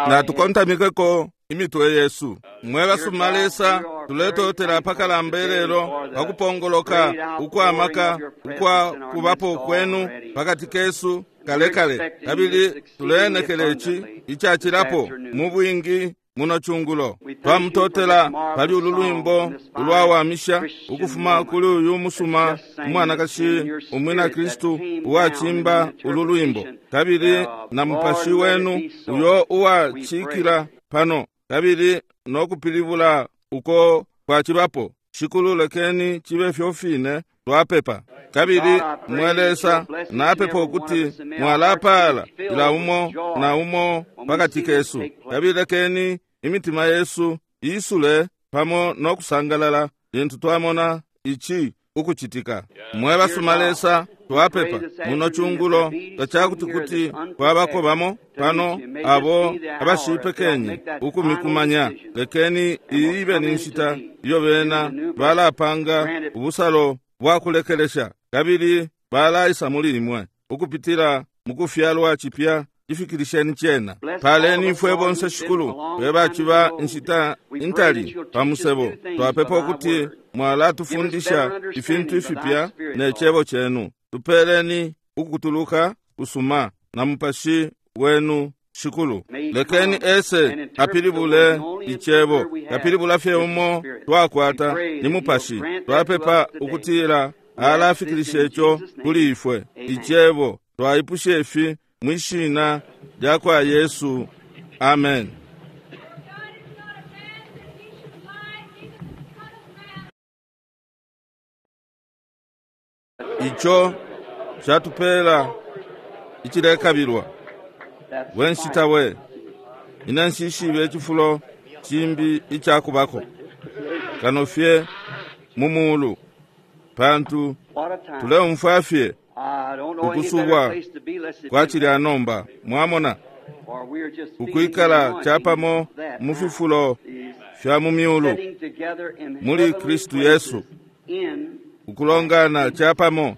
Natukontamikeko imitwe yesu. Mwe basuma Lesa, tuletotela pakalamba ilelo pa kupongoloka ukwa maka ukwa kubapo kwenu pakati kesu kale kale, kabili tuleenekela ici icacilapo mu bwingi muno cungulo. Twamutotela pali ulu lwimbo ulwawamisha ukufuma kuli uyu musuma umwanakashi umwina Kristu uwacimba ulu lwimbo, kabili na mupashi wenu uyo uwacikila pano, kabili no kupilibula uko kwacibapo. Shikulu, lekeni cibe fyo fine twapepa. Kabili mwe Lesa, napepa ukuti mwalapala ila umo na umo pakati kesu, kabili lekeni imitima yesu isule pamo no kusangalala lintu twamona ici ukucitika. Mwe basuma Lesa, twapepa muno cungulo tacakuti kuti kwabako bamo pano abo abashipekenye ukumikumanya. Lekeni iyi ibe ni nshita iyo bena balapanga ubusalo bwa kulekelesha, kabili balaisa muli imwe ukupitila mukufyalwa cipya. Ifikilisheni cena. Paleni ifwe bonse, Shikulu, fwe baciba inshita intali pa musebo. Twapepa ukuti mwalatufundisha ifintu ifipya ne cebo cenu. Tupeleni ukutuluka kusuma na mupashi wenu, Shikulu. Lekeni ese apilibule icebo. Kapilibula fye umo twakwata ni mupashi. Twapepa ukutila alafikilisha ico kuli ifwe icebo. Twaipusha ifi mwishina lya kwa Yesu, amen. Ico catupela icilekabilwa. We nshita we, ine nshishibe icifulo cimbi icakubako kano fye mu mulu, pantu tuleumfwa fye ukusubwa kwa cilya nomba, mwamona, ukwikala capamo mu fifulo fya mu myulu muli Kristu Yesu, ukulongana capamo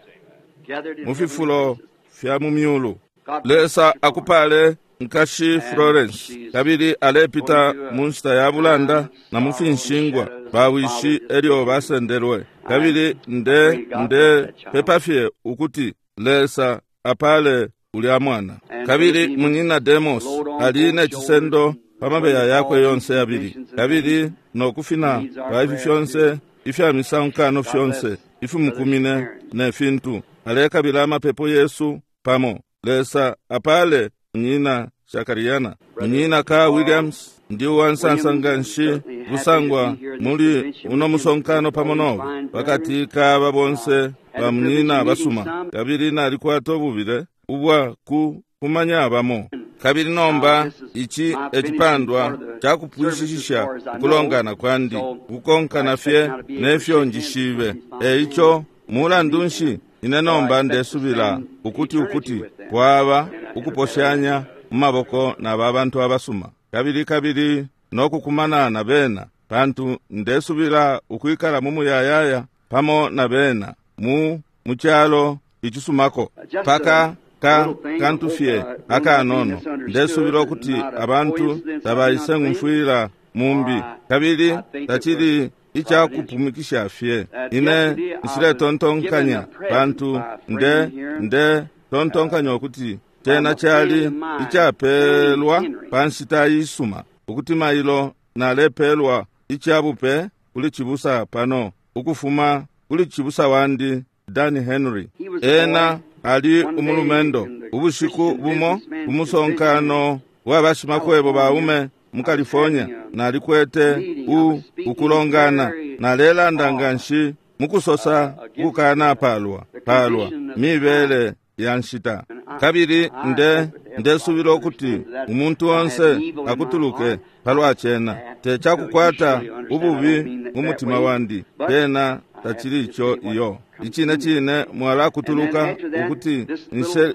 mu fifulo fya mu myulu. Lesa akupale nkashi Florence, kabili alepita mu nshita ya bulanda na mu finshingwa bawishi elyo basendelwe, kabili nde nde pepa fye ukuti Lesa apale ulya mwana. Kabili munyina Demos ali ne cisendo pa mabeya yakwe yonse yabili, kabili no kufina kwa ifi fyonse ifya misankano fyonse ifimukumine ne fintu, alekabila amapepo yesu pamo. Lesa apale munyina Shakariana, munyina Ka Williams. Ndi uwansansa nganshi kusangwa muli uno musonkano pamo nobe pakati ka bonse ba munyina basuma, kabili nalikwata ububile ubwa ku kumanya bamo. Kabili nomba ici ecipandwa cakupwishishisha ukulongana kwandi, ukukonkana fye nefyo njishibe. Eico mulandu nshi ine nomba ndesubila ukuti ukuti kwaba ukuposhanya mu maboko na ba bantu abasuma, kabili kabili no kukumana na bena, pantu ndesubila ukwikala mu muyayaya pamo na bena mu mucalo icisumako. Paka ka kantu fye akanono, ndesubila ukuti abantu tabaise ngumfwila mumbi, kabili tacili icakupumikisha fye. Ine nshiletontonkanya, pantu nde nde tontonkanya ukuti cena cali icapelwa pa nshita isuma, ukuti mailo nalepelwa icabupe kuli cibusa pano ukufuma kuli cibusa wandi Dan Henry. Ena ali umulumendo. Ubushiku bumo umusonkano wa bashimakwebo baume mu California, nalikwete u ukulongana, nalelanda nganshi mukusosa ukukana palwa palwa mibele ya nshita, kabili nde ndesubila ukuti umuntu onse akutuluke palwa cena. Tecakukwata ububi mu mutima wandi, pena tacili ico iyo. Icine cine mwalakutuluka ukuti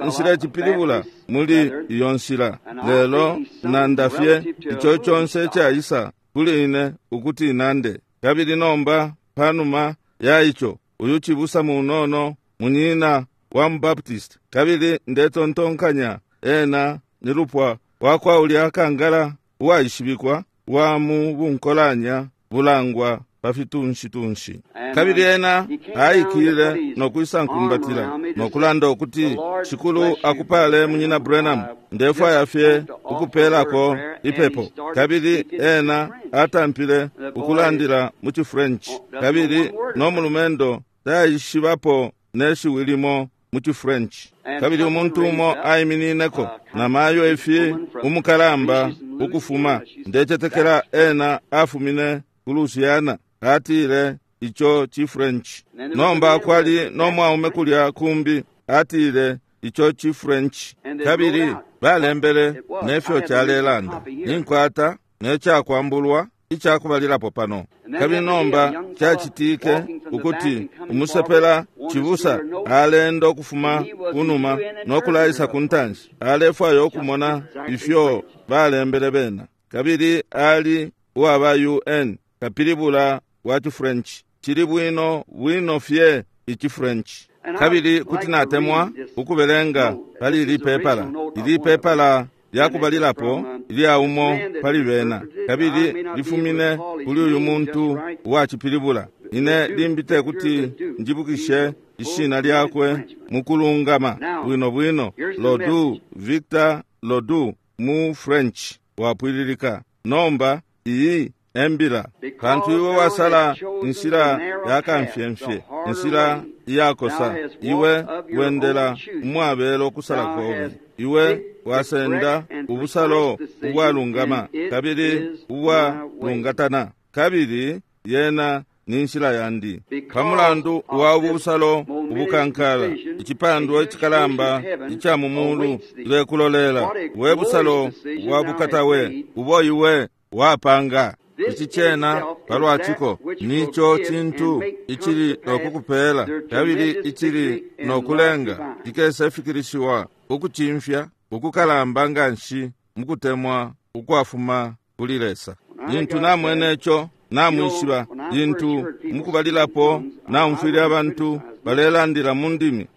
nshilecipilibula muli iyo nshila, lelo nanda fye ico conse icaisa kuli ine ukuti nande. Kabili nomba panuma ya ico, uyu cibusa munono munyina wa mubaptist, kabili ndetontonkanya ena ni lupwa wakwa ulya kangala uwaishibikwa wa mu bunkolanya bulangwa pa fitunshi-tunshi. Kabili ena aikile no kwisa nkumbatila no kulanda ukuti, Shikulu akupale Munyina Branham, ndefwaya fye ukupelako ipepo. Kabili ena atampile ukulandila mu ciFrench, kabili no mulumendo taishibapo ne shiwi limo mu ciFrench. Kabili umuntu umo aiminineko na mayo ifi umukalamba ukufuma, ndecetekela ena afumine ku Louisiana, atile ico ciFrench. Nomba kwali no mwaume kulya kumbi, atile ico ciFrench. Kabili balembele nefyo calelanda. Ninkwata ne cakwambulwa icakubalilapo pano. Kabili nomba cacitike ukuti umusepela cibusa alenda ukufuma kunuma no kulaisa ku ntanshi, alefwaya ukumona ifyo balembele bena. Kabili ali uwaba UN, kapilibula wa ciFrench. Cili bwino bwino fye iciFrench. Kabili kuti natemwa ukubelenga pali ili pepala. Ili pepala lyakubalilapo ilya umo pali bena, kabili lifumine kuli uyu muntu uwacipilibula. Ine limbi tekuti njibukishe ishina lyakwe mukulungama bwino bwino. Lodu, Victor Lodu mu French wapwililika. Nomba iyi embila, pantu iwe wasala inshila ya kamfyemfye, inshila iyakosa, iwe wendela umwabelo kusala kobe, iwe wasenda ubusalo ubwalungama kabili ubwalungatana, kabili yena ni nshila yandi. Pamulandu wa ubusalo ubukankala, icipandwa icikalamba ica mu mulu lekulolela, we busalo bwa bukatawe ubo iwe wapanga. Ici cena palwaciko nico cintu icili nokukupela kabili icili nokulenga cikese fikilishiwa ukucimfya ukukalamba nganshi mukutemwa ukwafuma kuli Lesa. Lintu namwene ico, namwishiba. Lintu mukubalilapo naumfwile abantu balelandila mu ndimi,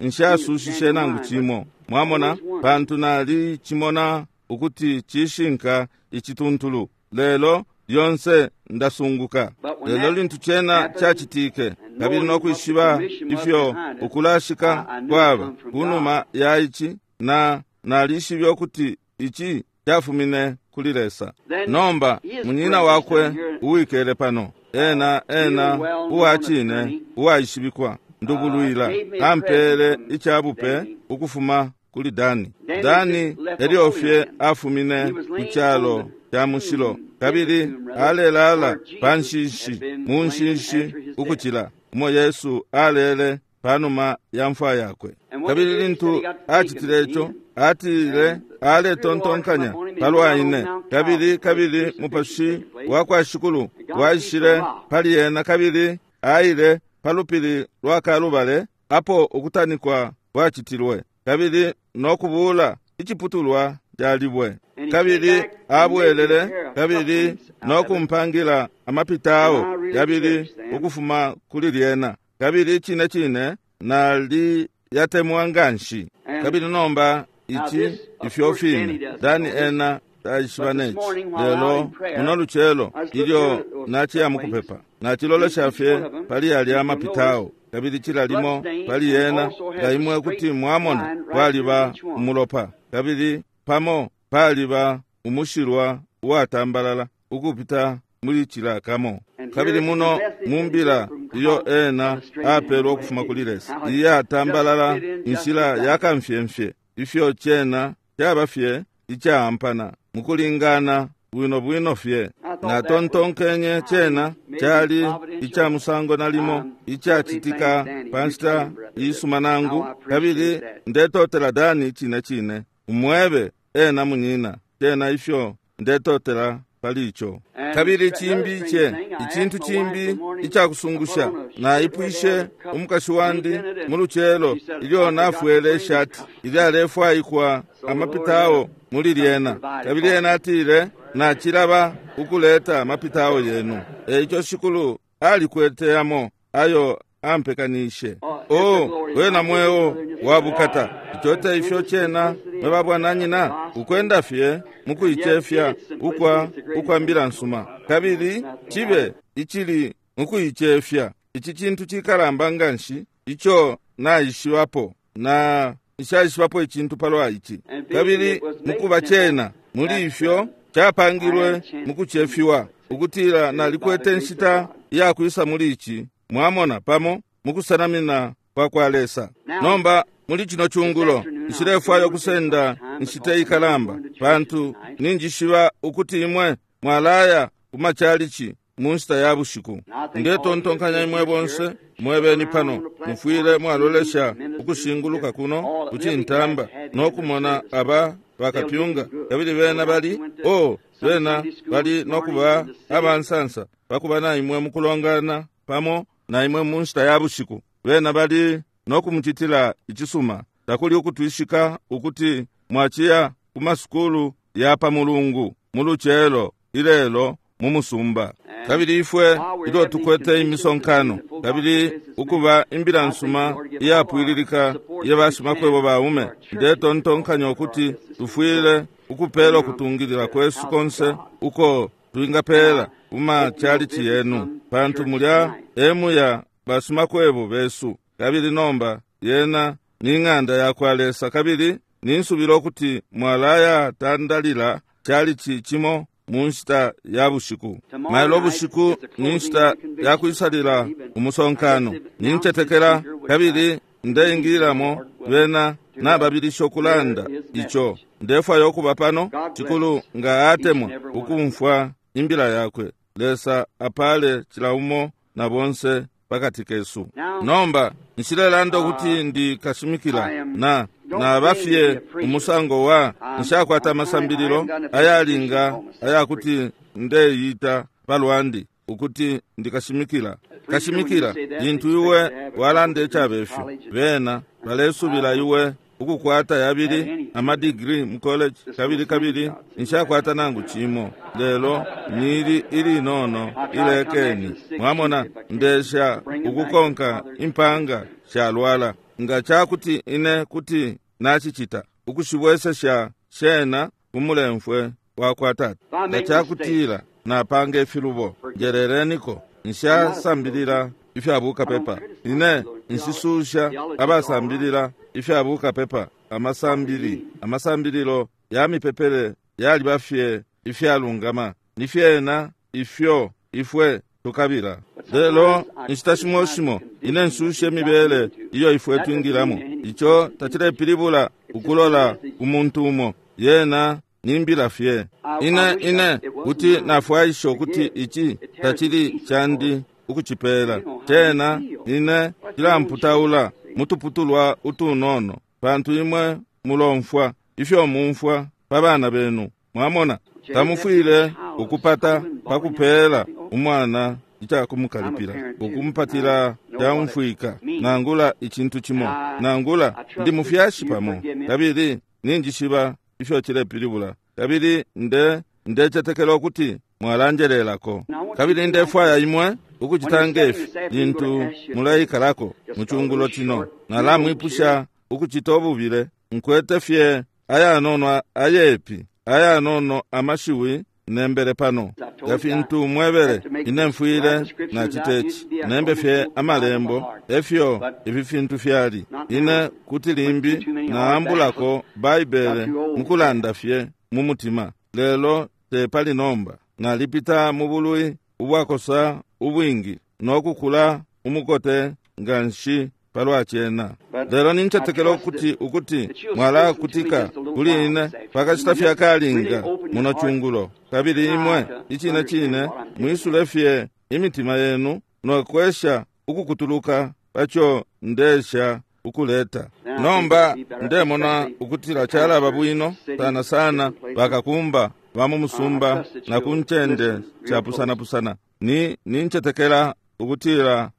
nshasushishe nangu cimo, mwamona, pantu nali cimona ukuti cishinka icituntulu. Lelo lyonse ndasunguka. Lelo lintu cena cacitike, kabili nokwishiba ifyo ukulashika kwaba kunuma ya ici, na nalishibe ukuti ici cafumine kuli Lesa. Nomba munyina wakwe uwikele pano, ena uwa cine uwaishibikwa ndubulwila, ampele icabupe ukufuma kuli Dani. Dani elyo fye afumine ku calo ca mushilo, kabili alelala pa nshishi, mu nshishi ukucila umo Yesu alele panuma ya mfwa yakwe. Kabili lintu acitile ico, atile aletontonkanya palwa ine, kabili mupashi wa kwa Shikulu waishile pali ena, kabili aile pa lupili lwa Kalubale apo ukutanikwa kwacitilwe, kabili nokubula iciputulwa ca libwe. Kabili abwelele kabili nokumpangila amapitao yabili ukufuma kuli lyena, kabili cine cine nali yatemwa nganshi. Kabili nomba ici ifyo fine Dani ena taishiba neci. Lelo muno lucelo ilyo naciya mukupepa, nacilolesha fye pali yalya amapitao, kabili cila limo pali yena nga imwe kuti mwamona kwaliba umulopa, kabili pamo paliba umushilwa uwatambalala ukupita muli cila kamo. Kabili muno mumbila iyo ena apelwa ukufuma kuli Lesa, iyatambalala inshila ya kamfyemfye, ifyo cena caba fye icaampana mukulingana bwino bwino fye. Natontonkenye cena cali ica musango nalimo icacitika pa nshita isuma nangu, kabili ndetotela Dani cine cine, umwebe ena munyina cena ifyo ndetotela pali ico. Kabili cimbi ce icintu cimbi icakusungusha, naipwishe umukashi wandi mu lucelo ilyo nafwele ishati ilyalefwaikwa amapitao muli lyena, kabili ena atile nacilaba ukuleta amapitao yenu. Eico Shikulu alikwete yamo ayo ampekanishe. Oh, wena mweo wa bukata. Ico te ifyo cena, mwe babwananyina, ukwenda fye mukuicefya ukwa ukwa mbila nsuma. Kabili cibe icili mukuicefya. Ici cintu cikalamba nganshi ico naishibapo, na nshaishibapo icintu palwa ici. Kabili mukuba cena muli ifyo capangilwe mukucefiwa, ukutila nalikwete nshita iyakwisa muli ici, mwamona, pamo mukusanamina kwa kwa Lesa. Nomba muli cino cungulo nshilefwaya ukusenda nshita ikalamba, pantu ninjishiba ukuti imwe mwalaya ku machalichi mu nshita ya bushiku. Ndetontonkanya imwe bonse mwebeni pano mufwile mwalolesha ukushinguluka kuno kucintamba no kumona aba bakapyunga, kabili bena bali oh, bena bali no kuba abansansa pakuba na imwe mukulongana pamo na imwe mu nshita ya bushiku. Bena bali no kumucitila icisuma. Takuli ukutwishika ukuti mwaciya ku masukulu ya pa mulungu mu lucelo ilelo mu musumba. Kabili ifwe ilyo tukwete imisonkano, kabili ukuba imbila nsuma iyapwililika iya bashimakwebo baume, ndetontonkanya ukuti tufwile ukupela ukutungilila kwesu konse uko twingapela kuma chalichi yenu, pantu mulya emuya bashimakwebo besu. Kabili nomba yena ni ng'anda ya kwa Lesa, kabili ninsubila ukuti mwalaya tandalila chalichi cimo mu nshita ya bushiku. Mailo bushiku ni nshita ya kwisalila umusonkano. Nincetekela kabili ndeingilamo bena nababilisha ukulanda ico. Ndefwaya ukuba pano cikulu nga atemwa ukumfwa imbila yakwe. Lesa apale cila umo na bonse pakati kesu. Nomba nshilelanda ukuti ndi kashimikila na nabafye umusango wa nshakwata amasambililo ayalinga ayakuti ndeyita palwandi ukuti ndikashimikila. Kashimikila lintu iwe walanda icabefyo, bena balesubila iwe ukukwata yabili amadigiri mu college, kabili kabili nshakwata nangu cimo, lelo nili ilinono ilekeni. Mwamona, ndesha ukukonka impanga shalwala. Nga cakuti ine kuti nacicita ukushibwesesha shena kumulemfwe wa kwa tata. Nga cakutila napanga ifilubo, njeleleniko. Nshasambilila ifya bukapepa. Ine nshisusha abasambilila ifya bukapepa. Amasambili, amasambililo ya mipepele yaliba fye ifyalungama, ni fyena ifyo ifwe tukabila. Lelo inshita shimo shimo ine nsusha imibele iyo ifwe twingilamo. Ico tacilepilibula ukulola ku muntu umo, yena nimbila fye. Ine ine kuti nafwaisha ukuti ici tacili candi ukucipela cena, ine cilamputaula mutuputulwa utunono, pantu imwe mulomfwa ifyo mumfwa pa bana benu. Mwamona, tamufwile ukupata pakupela umwana icakumukalipila, ukumpatila caumfwika, nangula icintu cimo, nangula ndi mufyashi pamo, kabili ninjishiba ifyo cilepilibula, kabili nde ndecetekela ukuti mwalanjelelako. Kabili ndefwaya imwe ukucita ngefi lintu muleikalako mu cungulo cino. Nalamwipusha ukucita ububile. Nkwete fye ayanono ayepi, ayanono amashiwi nembele pano. Nga fintu mwebele, ine mfwile nacita ici, nembe fye amalembo efyo ifi fintu fyali. Ine kuti limbi naambulako Baibele mukulanda fye mu mutima, lelo tepali nomba. Nalipita mu bulwi ubwakosa ubwingi no kukula umukote nganshi palwa cena. Lelo nincetekela ukuti ukuti mwalakutika kuli ine pakashita fye akalinga muno cungulo, kabili imwe icine cine mwisule fye imitima yenu no kwesha ukukutuluka paco ndesha ukuleta. Nomba ndemona ukutila calaba bwino sana sana bakakumba ba mu musumba na ku ncende capusanapusana. Ni nincetekela ukutila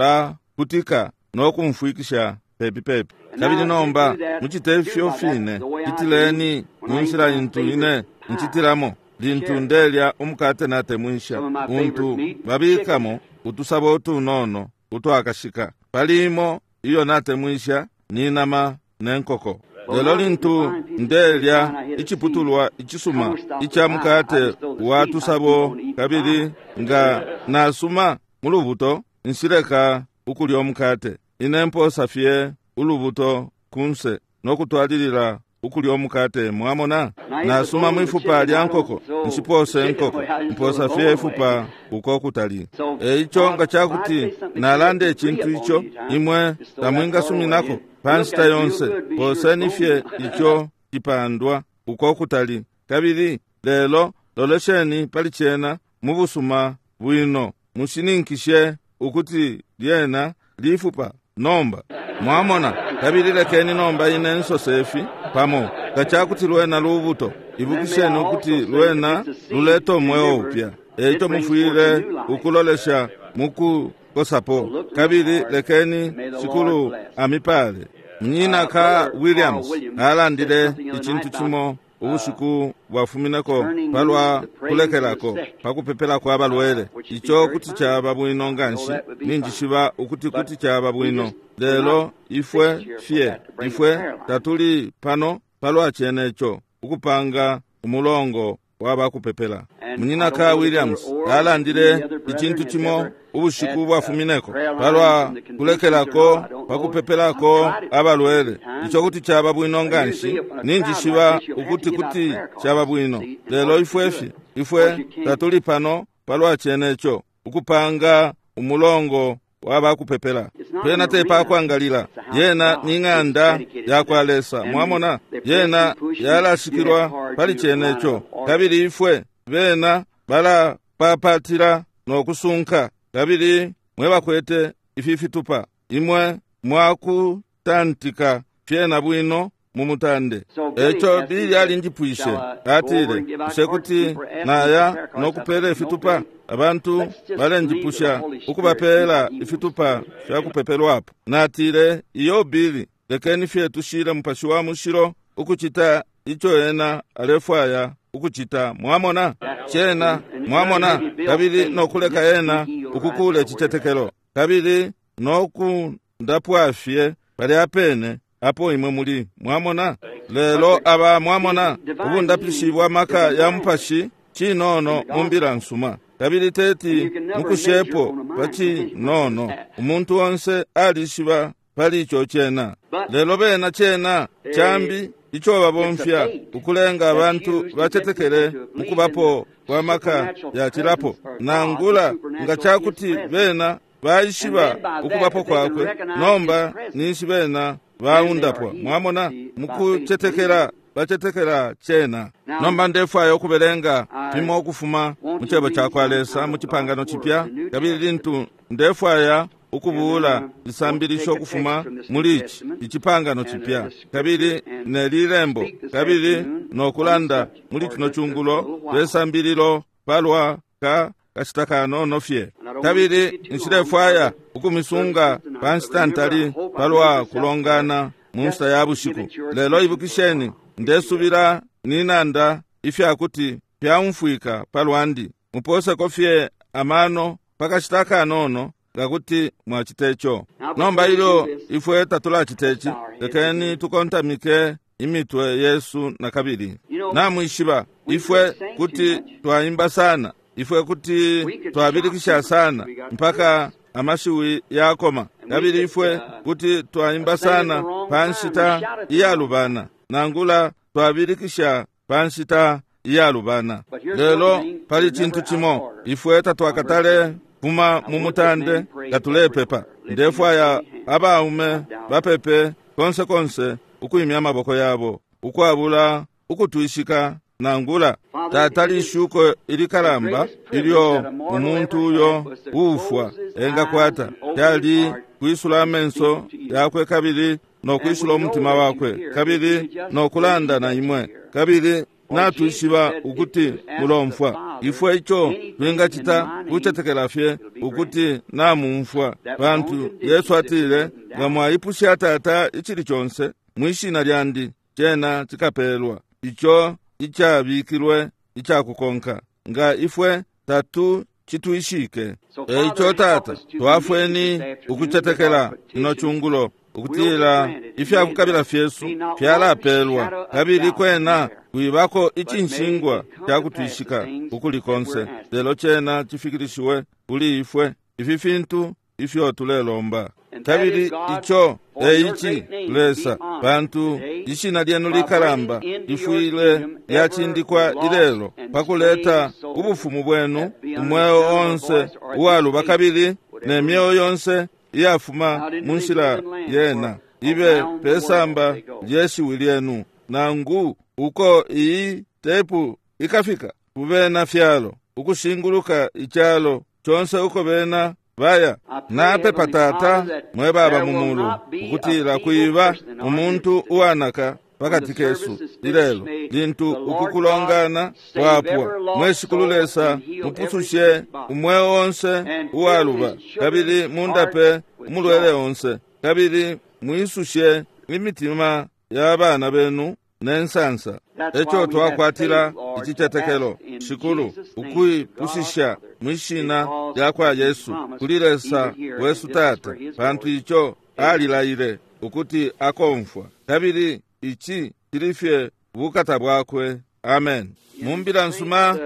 mwalakutika no kumfwikisha pepi pepi. Kabili nomba mucite ifyo fine, citileni mu nshila intu ine ncitilamo lintu ndelya umukate natemwisha, untu babikamo utusabo utunono utwakashika. Pali imo iyo natemwisha ni nama ne nkoko. Lelo lintu ndelya iciputulwa icisuma ica mukate wa tusabo, kabili nga nasuma mu lubuto, nshileka ukulya umukate. Ine mposa fye ulubuto kunse no kutwalilila ukulya umukate. Mwamona, nasuma mwifupa lya nkoko, nshipose nkoko, mposa fye ifupa uko kutali. Eico nga cakuti nalanda icintu ico imwe tamwingasuminako pa nshita yonse, poseni fye ico cipandwa uko kutali. Kabili lelo lolesheni pali cena mu busuma bwino, mushininkishe ukuti lyena lifupa nomba. Mwamona, kabili lekeni nomba ine nsose ifi pamo, nga cakuti lwena lubuto, ibukisheni ukuti lwena luleta umweo upya. Eico mufwile ukulolesha mukukosapo. Kabili lekeni Shikulu amipale. Munyina ka Williams alandile icintu cimo ubushiku bwafumineko palwa kulekelako pakupepelako abalwele. Ico kuti caba bwino nganshi, ninjishiba ukuti kuti caba bwino, lelo ifwe fye ifwe tatuli pano palwa cene ico ukupanga umulongo wabakupepela. Munyina ka Williams alandile icintu cimo ubushiku bwafumineko palwa kulekelako pakupepelako abalwele. Ico kuti caba bwino nganshi, ninjishiba ukuti kuti caba bwino, lelo ifwe fye ifwe tatuli pano palwa cene ico ukupanga umulongo wabakupepela. Pena tepakwangalila, yena ni ng'anda yakwa Lesa. Mwamona, yena yalashikilwa pali cene ico. Kabili ifwe bena balapapatila no kusunka. Kabili mwe bakwete ifi fitupa, imwe mwakutantika fyena bwino mu mutande. Eco Bili alinjipwishe, atile, bushe kuti naya no kupela ifitupa? Abantu balenjipusha ukubapela ifitupa fya kupepelwapo. Natile, iyo Bili, lekeni fye tushile Mupashi wa Mushilo ukucita ico ena alefwaya ukucita. Mwamona cena, mwamona, kabili no kuleka ena ukukula icitetekelo, kabili no kundapwa fye palya pene apo imwe muli. Mwamona, lelo aba, mwamona, ubundapishi bwa maka ya Mupashi cinono mu mbila nsuma, kabili teti mukushepo pa cinono. Umuntu onse alishiba pali ico cena, lelo bena cena cambi ico babomfya ukulenga abantu bacetekele mukubapo kwa maka yacilapo, nangula nga cakuti bena baishiba ukubapo kwakwe, nomba ninshi bena baundapwa. Mwamona, mukucetekela bacetekela cena. Nomba ndefwaya ukubelenga fimo ukufuma mu cebo cakwa Lesa mu Cipangano Cipya, kabili lintu ndefwaya ukubuula isambilisho ukufuma muli ici Icipangano Cipya, kabili ne lilembo, kabili no kulanda muli cino cungulo lwesambililo palwa ka kashita kanono fye. Kabili nshilefwaya ukumisunga pa nshita ntali palwa kulongana mu nshita ya bushiku, lelo ibukisheni, ndesubila ninanda ifyakuti fyaumfwika palwandi. Muposeko fye amano pa kashita kanono ngakuti mwacita ico. Nomba ilyo ifwe tatulacita ici, lekeni tukontamike imitwe yesu na kabili. Namwishiba, ifwe kuti twaimba sana, ifwe kuti twabilikisha sana mpaka amashiwi yakoma, kabili ifwe kuti twaimba sana pa nshita iyalubana, nangula twabilikisha pa nshita iyalubana. Lelo pali cintu cimo, ifwe tatwakatale fuma mu mutande nga tulepepa. Ndefwaya abaume bapepe konse konse ukwimya amaboko yabo ukwabula ukutwishika nangula. Tata, lishuko ilikalamba ilyo umuntu uyo uufwa engakwata lyali kwisula amenso yakwe kabili no kwisula umutima wakwe kabili no kulanda na imwe, kabili natwishiba ukuti mulomfwa. Ifwe ico twingacita kucetekela fye ukuti namumfwa, pantu Yesu atile, nga mwaipusha Tata icili conse mwishina lyandi, cena cikapelwa. Ico icabikilwe icakukonka. Nga ifwe tatu citwishike. E ico Tata, twafweni ukucetekela ino cungulo ukutila ifyakukabila fyesu fyalapelwa, kabili kwena kwibako icinshingwa ca kutwishika ukuli konse, lelo cena cifikilishiwe kuli ifwe ifi fintu ifyo tulelomba. Kabili ico eici, Lesa, pantu ishina lyenu likalamba lifwile lyacindikwa ilelo pakuleta ubufumu bwenu umweo onse uwaluba kabili ne myeo yonse iyafuma mu nshila yena ibe pesamba lyeshiwi lyenu, nangu uko iyi tepu ikafika kubena fyalo ukushinguluka icalo conse uko bena baya. Napepa Tata mwe baba mu mulu ukutila kwiba umuntu uwanaka pakati kesu ilelo lintu ukukulongana kwapwa. Mwe Shikulu Lesa, mupusushe umweo onse uwaluba, kabili mundape umulwele onse, kabili mwisushe imitima ya bana benu ne nsansa. Eco twakwatila icicetekelo, Shikulu, ukwipushisha mwishina lya kwa Yesu kuli Lesa wesu Tata, pantu ico alilaile ukuti akomfwa, kabili ici cili fye bukata bwakwe. Amen. Mu mbila nsuma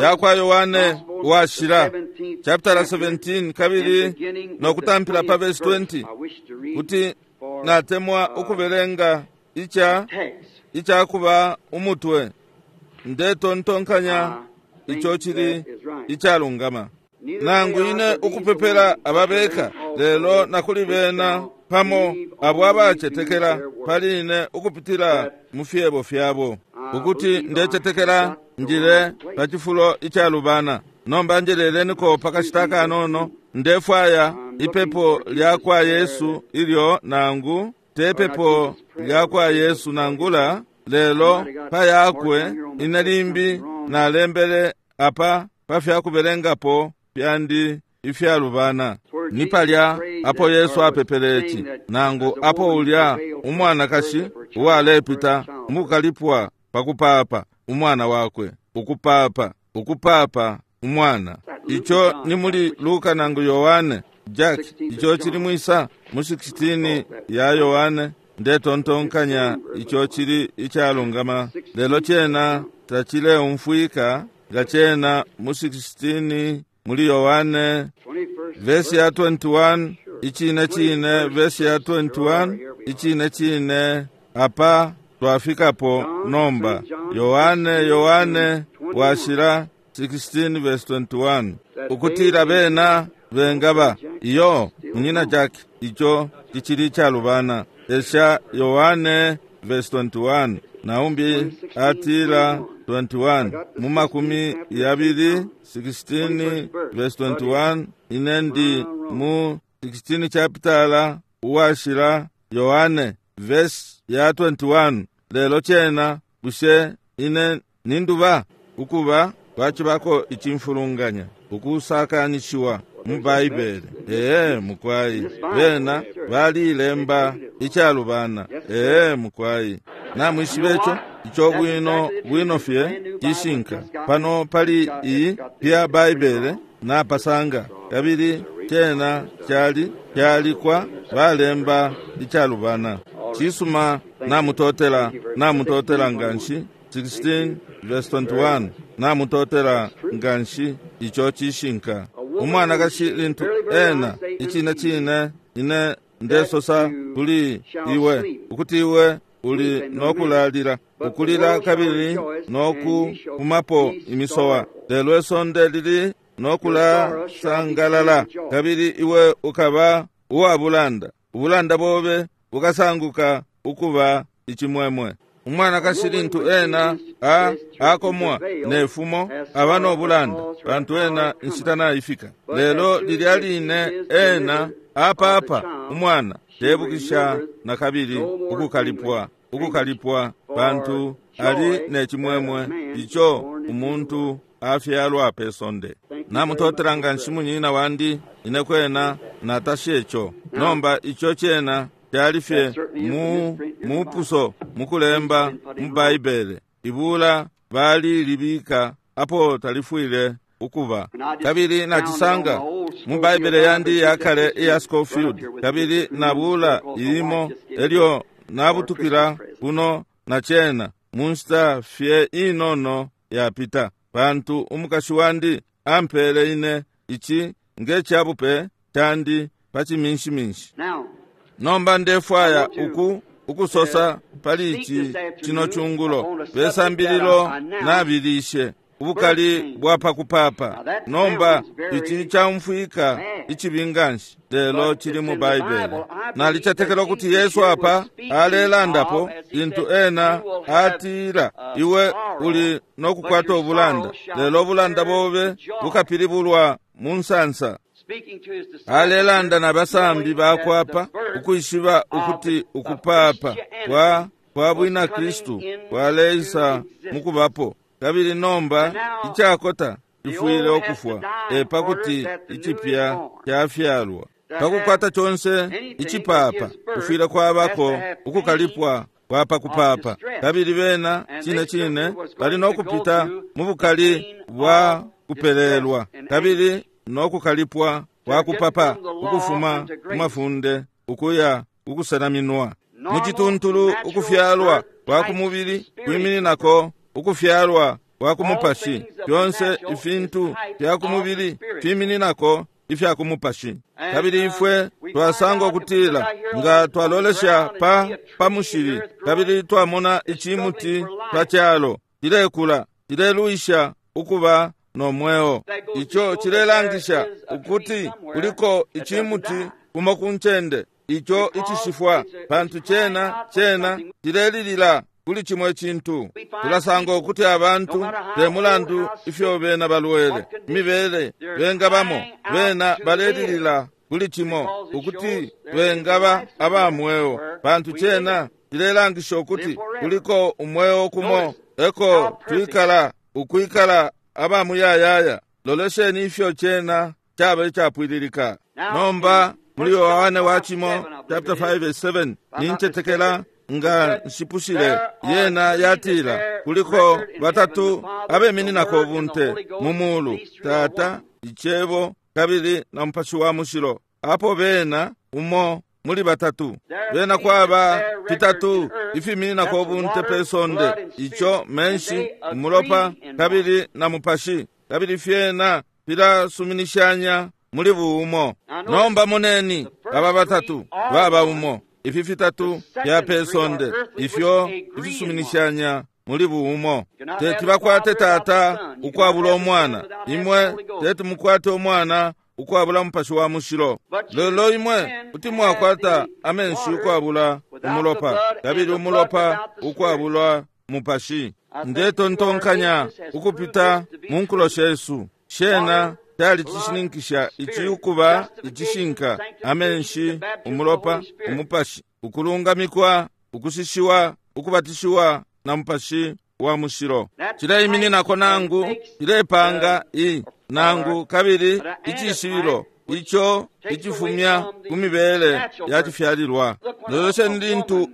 ya kwa Yohane Uwashila chapter 17 kabili no kutampila pa verse 20, kuti natemwa ukubelenga ica kuba umutwe. Ndetontonkanya ico cili icalungama. Nangu ine ukupepela ababeka, lelo nakuli bena pamo abo abacetekela pali ine ukupitila mu fyebo fyabo, ukuti ndecetekela njile pa cifulo icalubana. Nomba njeleleniko pakashita kanono, ndefwaya ipepo lya kwa Yesu ilyo nangu te pepo lya kwa Yesu nangula, lelo pa yakwe ine limbi nalembele apa pa fyakubelengapo fyandi ifyalubana. Ni palya apo Yesu apepele ici, nangu apo ulya umwanakashi uwalepita mukukalipwa pakupapa umwana wakwe, ukupapa, ukupapa umwana. Ico ni muli Luka nangu Yohane. Jack, ico cili mwisa mu 16 ya Yohane. Ndetontonkanya ico cili icalungama, lelo cena tacileumfwika nga cena mu 16 muli Yohane vesi ya 21. Icine cine vesi ya 21, icine cine apa twafikapo nomba. Yohane, Yohane Washila 16 verse 21, ukutila bena bengaba iyo munyina Jack, ico cicili icalubana. Esha Yohane verse 21, naumbi atila 21 mu 20 16 verse 21. Ine ndi mu 16 chapitala Uwashila Yohane verse ya 21. Lelo cena bushe ine ninduba ukuba kwacibako icimfulunganya ukusakanishiwa mu Baibele? Ee mukwai, bena balilemba icalubana. Ee mukwai, namwishiba ico ico bwino bwino fye cishinka. Pano pali iyi pya Baibele napasanga, kabili cena cali calikwa balemba icalubana. Cisuma, namutotela, namutotela nganshi. 16 verse 21, namutotela nganshi, ico cishinka. Umwanakashi lintu ena icine cine ine ndesosa kuli iwe ukuti iwe uli nokulalila ukulila kabili nokupumapo imisowa, lelo isonde lili nokulasangalala, kabili iwe ukaba uwabulanda, ubulanda bobe bukasanguka ukuba icimwemwe. Umwanakashi lintu ena akomwa nefumo aba nobulanda, pantu ena inshita naifika. Lelo lilya line ena apapa umwana tebukisha na kabili ukukalipwa, ukukalipwa, pantu ali necimwemwe ico umuntu afyalwa pe sonde. Namutotela nganshi munyina wandi, ine kwena natasha ico. Nomba ico cena cali fye mupuso mukulemba mu Baibele, ibula balilibika apo talifwile ukuba. Kabili nacisanga mu Baibele yandi yakale iya Scofield, kabili nabula ilimo elyo nabutukila kuno na cena mu nshita fye inono yapita, pantu umukashi wandi ampele ine ici nge cabupe candi pa ciminshiminshi. Nomba ndefwaya ukusosa pali ici cino cungulo pesambililo nabilishe ubukali bwa pakupapa. Nomba ici caumfwika icibi nganshi, lelo cili mu Baibele. Nalicetekela ukuti Yesu apa alelandapo lintu ena atila, iwe uli nokukwata ubulanda, lelo ubulanda bobe bukapilibulwa mu nsansa. Alelanda na basambi bakwapa ukwishiba ukuti ukupapa kwa bwina Kristu kwaleisa mukubapo. Kabili nomba icakota cifwile ukufwa epakuti icipya cafyalwa. Pakukwata conse icipapa kufwile kwabako ukukalipwa kwa pakupapa. Kabili bena cine cine bali nokupita mu bukali bwa kupelelwa kabili nokukalipwa kwa kupapa ukufuma ku mafunde ukuya ukusenaminwa. Mu cituntulu ukufyalwa kwa kumubili kwimininako ukufyalwa kwa kumupashi. Fyonse ifintu fya kumubili fimininako ifya kumupashi. Kabili ifwe twasanga ukutila nga twalolesha pa mushili kabili twamona icimuti pa calo cilekula, cilelwisha ukuba no mweo. Ico cilelangisha ukuti kuliko icimuti kumo ku ncende ico icishifwa, pantu cena cilelilila kuli cimo icintu. Tulasanga ukuti abantu te mulandu ifyo bena balwele, imibele bengabamo, bena balelilila kuli cimo ukuti bengaba aba mweo, pantu cena cilelangisha ukuti kuliko umweo kumo eko twikala ukwikala aba muyayaya. Lolesheni ifyo cena caba icapwililika. Nomba muli Yohane wa cimo chapter 5 verse 7, nincetekela nga nshipushile, yena yatila kuliko batatu abemininako ubunte mu mulu, Tata, Icebo kabili na Mupashi wa Mushilo. Apo bena umo muli batatu, bena kwaba fitatu ifimininako ubunte pe sonde, ico menshi, umulopa kabili na mupashi, kabili fyena filasuminishanya muli buumo. Nomba moneni aba batatu baba umo, ifi fitatu fya pe sonde ifyo ifisuminishanya muli buumo. Teti bakwate Tata ukwabula Umwana, imwe teti mukwate Umwana ukwabula Mupashi wa Mushilo, lelo imwe kuti mwakwata amenshi ukwabula umulopa kabili umulopa ukwabula Mupashi. Ndetontonkanya ukupita mu nkulo shesu shena calicishininkisha ici ukuba icishinka: amenshi, umulopa, umupashi, ukulungamikwa, ukushishiwa, ukubatishiwa na Mupashi wa Mushilo. Cileimininako nangu cilepanga nangu kabili icishibilo ico icifumya ku mibele ya cifyalilwa. Lolesheni lintu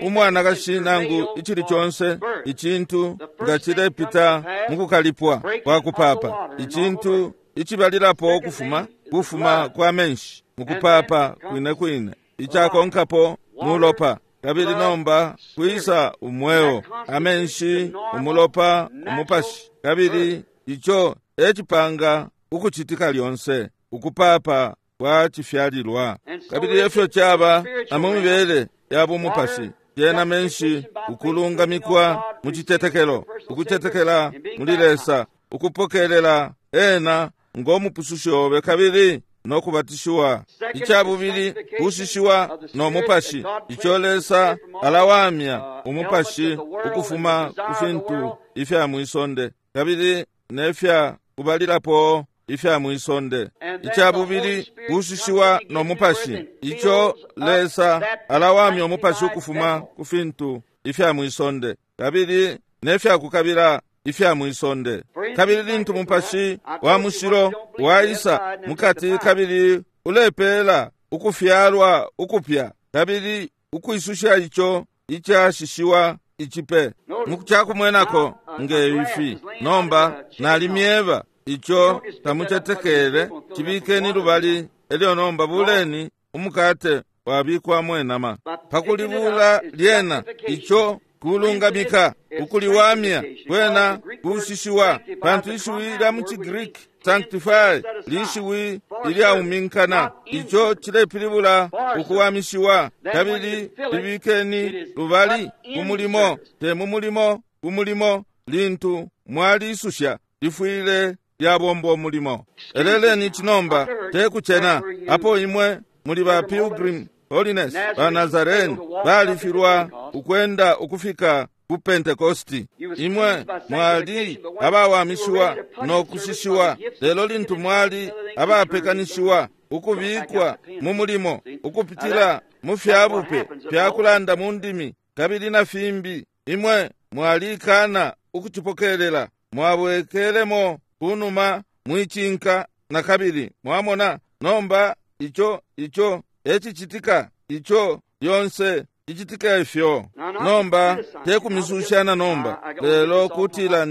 umwanakashi nangu icili conse icintu nga cilepita mu kukalipwa kwa kupapa, icintu icibalilapo ukufuma kufuma kwa menshi mukupapa kwine kwine, icakonkapo mulopa, kabili nomba kwisa umweo, amenshi, umulopa, umupashi, kabili ico ecipanga ukucitika lyonse ukupapa kwa cifyalilwa. Kabili efyo caba na mu mibele ya bumupashi, yena menshi, ukulungamikwa mu citetekelo, ukucetekela muli Lesa, ukupokelela ena ngo mupusushi obe kabili no kubatishiwa. Icabubili kushishiwa no mupashi, ico Lesa alawamya umupashi ukufuma ku fintu ifya mwisonde kabili nefya kubalilapo ifya mwisonde. Icabubili kushishiwa no mupashi, ico Lesa alawamya umupashi ukufuma ku fintu ifya mwisonde kabili nefya kukabila ifya mwisonde. Kabili lintu mupashi wa mushilo waisa mukati kabili ulepela ukufyalwa ukupya kabili ukwisusha ico icashishiwa icipe. Mukucakumwenako nge ifi nomba nalimyeba Ico tamucetekele, cibikeni lubali, elyo nomba buleni umukate wabikwamo inama. Pakulibula lyena, ico kulungamika, ukuliwamya, kwena kushishiwa, pantu ishiwi lya mu ciGreek sanctify lishiwi ilyauminkana. Ico cilepilibula ukuwamishiwa. Kabili libikeni lubali ku mulimo, te mu mulimo, ku mulimo, lintu mwalisusha lifwile lyabomba umulimo. Eleleni cinomba, te kucena, apo imwe muli ba Pilgrim Holiness, ba Nazarene, balifilwa ukwenda ukufika ku Pentecosti. Imwe mwali abawamishiwa no kushishiwa, lelo lintu mwali abapekanishiwa ukubikwa mu mulimo ukupitila mu fyabupe fya kulanda mu ndimi kabili na fimbi, imwe mwalikana ukucipokelela, mwabwekelemo kunuma mwicinka na kabili. Mwamona nomba ico ecicitika, ico lyonse icitika ifyo. Nomba tekumisushana nomba, lelo kutila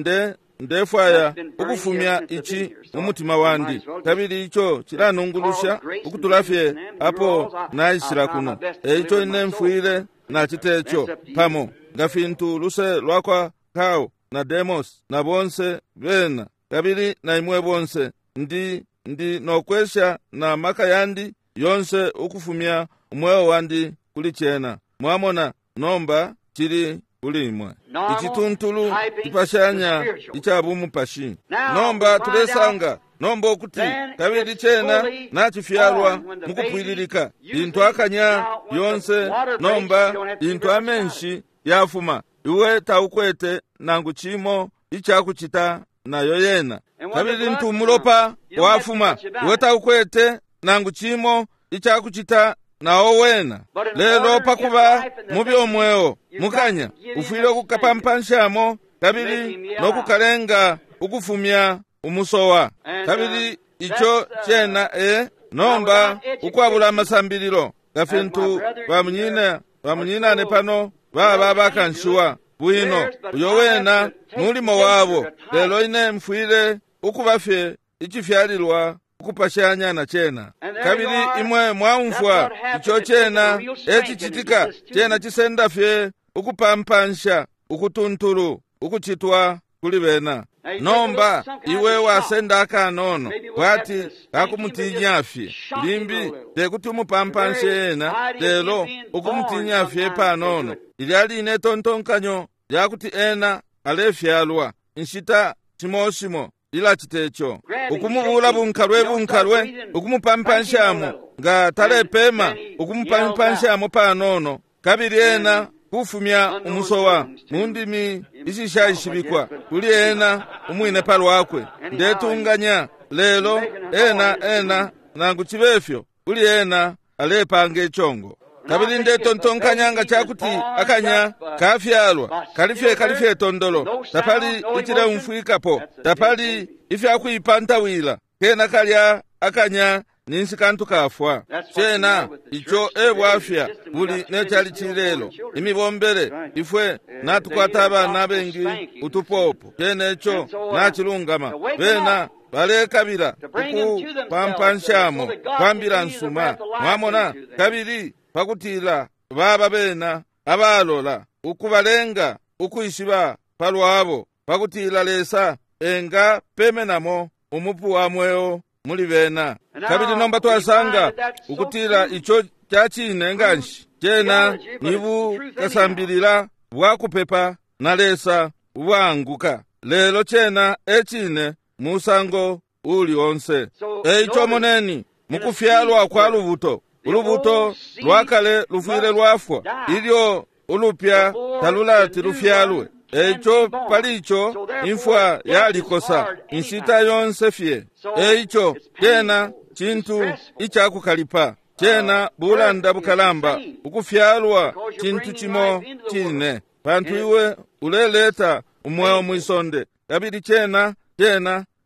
ndefwaya ukufumya ici mu mutima wandi, kabili ico cilanungulusha ukutula fye apo naishila kuno. Eico ine mfwile nacite ico pamo nga fintu luse lwakwa Kao na Demos na bonse bena, kabili na imwe bonse, ndi nokwesha na maka yandi yonse ukufumya umweo wandi kuli cena. Mwamona nomba cili kuli imwe. Icituntulu cipashanya ica bumupashi. Nomba tulesanga nomba ukuti kabili cena nacifyalwa mukupwililika lintu akanya yonse. Nomba lintu amenshi yafuma, iwe taukwete nangu cimo icakucita nayo yena. Kabili lintu umulopa wafuma, iwe taukwete nangu cimo icakucita nawo wena. Lelo pakuba mubi omweo mukanya, ufwile ukukapampanshamo kabili nokukalenga ukufumya umusowa. Kabili ico cena nomba ukwabula amasambililo, nga fintu bamunyinane pano baba bakanshiwa bwino, uyo wena mulimo wabo. Lelo ine mfwile ukuba fye icifyalilwa ukupashanya na cena. Kabili imwe mwaumfwa ico cena ecicitika. Cena cisenda fye ukupampansha ukutuntulu ukucitwa kuli bena. Nomba iwe wasenda akanono kwati kakumutinya fye, limbi tekuti umupampanshe ena, lelo ukumutinya fye panono. Lilya line tontonkanyo lyakuti ena alefyalwa inshita shimo shimo lilacita ico, ukumubula bunkalwe bunkalwe, ukumupaampanshamo nga talepema, ukumupaampanshamo panono, kabili ena kufumya umusowa mu ndimi ishishaishibikwa kuli ena umwine palwakwe. Ndetunganya lelo ena nangu cibefyo kuli ena alepanga ichongo. Kabili ndetontonkanya nga cakuti akanya kafyalwa kalifye tondolo, tapali icileumfwikapo, tapali ifyakuipantawila, kena kalya akanya ninsi kantu kafwa. Cena ico ebwafya buli necali cilelo imibombele ifwe natukwata abana abengi utupopo. Cena ico nacilungama, bena balekabila ukupampanshamo kwambila nsuma, mwamona, kabili pakutila baba bena abalola ukubalenga ukwishiba palwabo, pakutila Lesa enga pemenamo umupu wa mweo muli bena. Kabili nomba twasanga ukutila ico cacine nganshi. Cena ni bukasambilila bwa kupepa na Lesa ubwanguka, lelo cena ecine musango uli onse. Eico moneni mukufyalwa kwa lubuto, ulubuto lwakale lufwile lwafwa ilyo ulupya talulati lufyalwe. Eico pali ico imfwa yalikosa inshita yonse fye. Eico cena cintu icakukalipa, cena bulanda bukalamba. Ukufyalwa cintu cimo cine, pantu iwe uleleta umweo mwisonde, kabili cena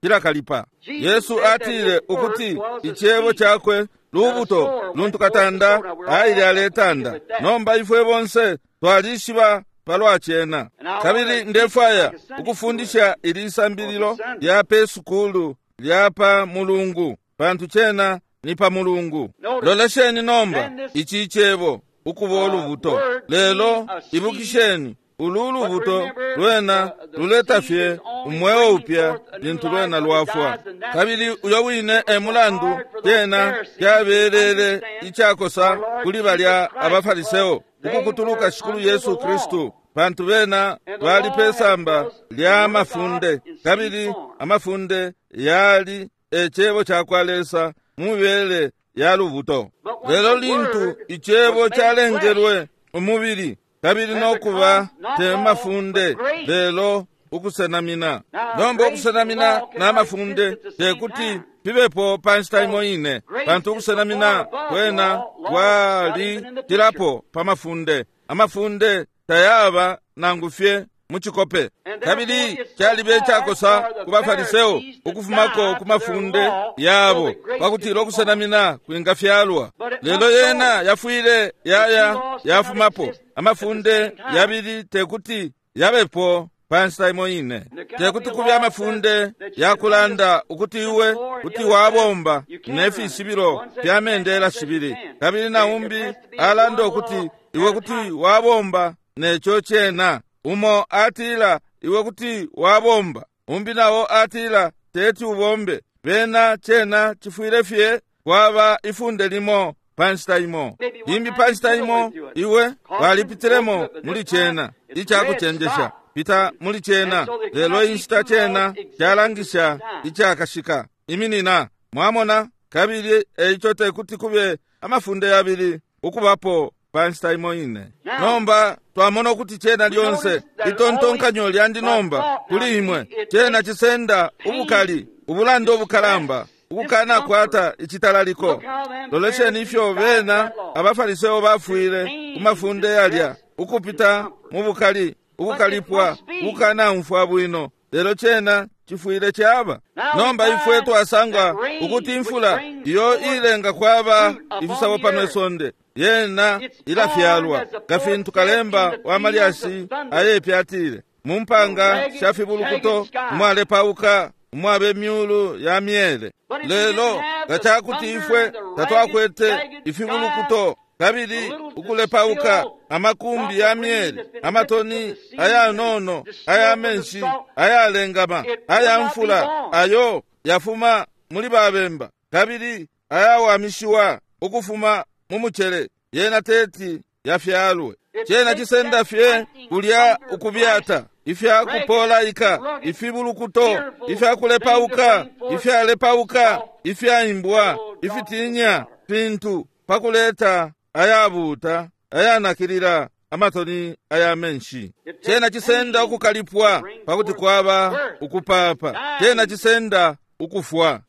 cilakalipa. Yesu atile ukuti icebo cakwe lubuto luntu katanda aile aletanda. Nomba ifwe bonse twalishiba palwa cena. Kabili ndefwaya ukufundisha ili sambililo lya pe sukulu lya pa Mulungu, pantu cena ni pa Mulungu. Lolesheni nomba ici cebo ukuba ulubuto. Lelo ibukisheni, ulu lubuto lwena luleta fye umweo upya lintu lwena lwafwa. Kabili uyo wine e mulandu cena cabelele icakosa kuli balya abaFariseo ukukutuluka Shikulu Yesu Kristu, pantu bena bali pe samba lya mafunde, kabili amafunde yali e cebo ca kwa Lesa mu mibele ya lubuto. Lelo lintu icebo calengelwe umubili kabili nokuba te mafunde, lelo ukusenamina. Nomba ukusenamina na mafunde tekuti fibepo pa nshita imo ine, pantu ukusenamina kwena kwalitilapo pa mafunde. Amafunde tayaba nangu fye mu cikope. Kabili calibe icakosa ku baFariseo ukufumako ku mafunde yabo pakutila ukusenamina kwingafyalwa. Lelo yena yafwile yaya yafumapo. Amafunde yabili tekuti yabepo pa nshita imo ine. Tekuti kube amafunde yakulanda ukuti iwe kuti wabomba ne fishibilo fya mendela shibili, kabili na umbi alanda ukuti iwe kuti wabomba neco cena. Umo atila iwe kuti wabomba, umbi nawo atila teti ubombe. Bena cena cifwile fye kwaba ifunde limo pa nshita imo. Limbi pa nshita imo iwe walipitilemo muli cena icakucenjesha, pita muli cena, lelo inshita cena calangisha icakashika. Iminina, mwamona. Kabili eico tekuti kube amafunde yabili ukubapo pa nshita imo ine. Nomba twamona ukuti cena lyonse itontonkanyo lyandi nomba kuli imwe, cena cisenda ubukali, ubulanda ubukalamba, ukukanakwata icitalaliko. Lolesheni ifyo bena abaFariseo bafwile ku mafunde yalya, ukupita mu bukali, ukukalipwa, ukukanaumfwa bwino, lelo cena cifwile caba. Nomba ifwe twasanga ukuti imfula iyo ilenga kwaba ifisabo pano isonde yena ilafyalwa, nga fintu kalemba wa malyashi ayepya atile, mu mpanga sha fibulukuto umwalepauka umwabe myulu ya myele. Lelo nga cakuti ifwe tatwakwete ifibulukuto kabili ukulepauka amakumbi ya myele, amatoni ayanono aya menshi ayalengama aya mfula ayo yafuma muli babemba kabili ayawamishiwa ukufuma mu mucele, yena teti yafyalwe. Cena cisenda fye kulya ukubyata ifyakupolaika, ifibulukuto, ifyakulepauka, ifyalepauka, ifyaimbwa, ifitinya fintu pakuleta ayabuuta ayanakilila amatoni aya menshi. Cena cisenda ukukalipwa pakuti kwaba ukupapa. Cena cisenda ukufwa.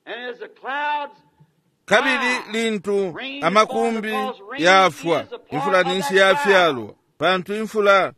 Kabili lintu amakumbi yafwa, imfula ninshi yafyalwa, pantu imfula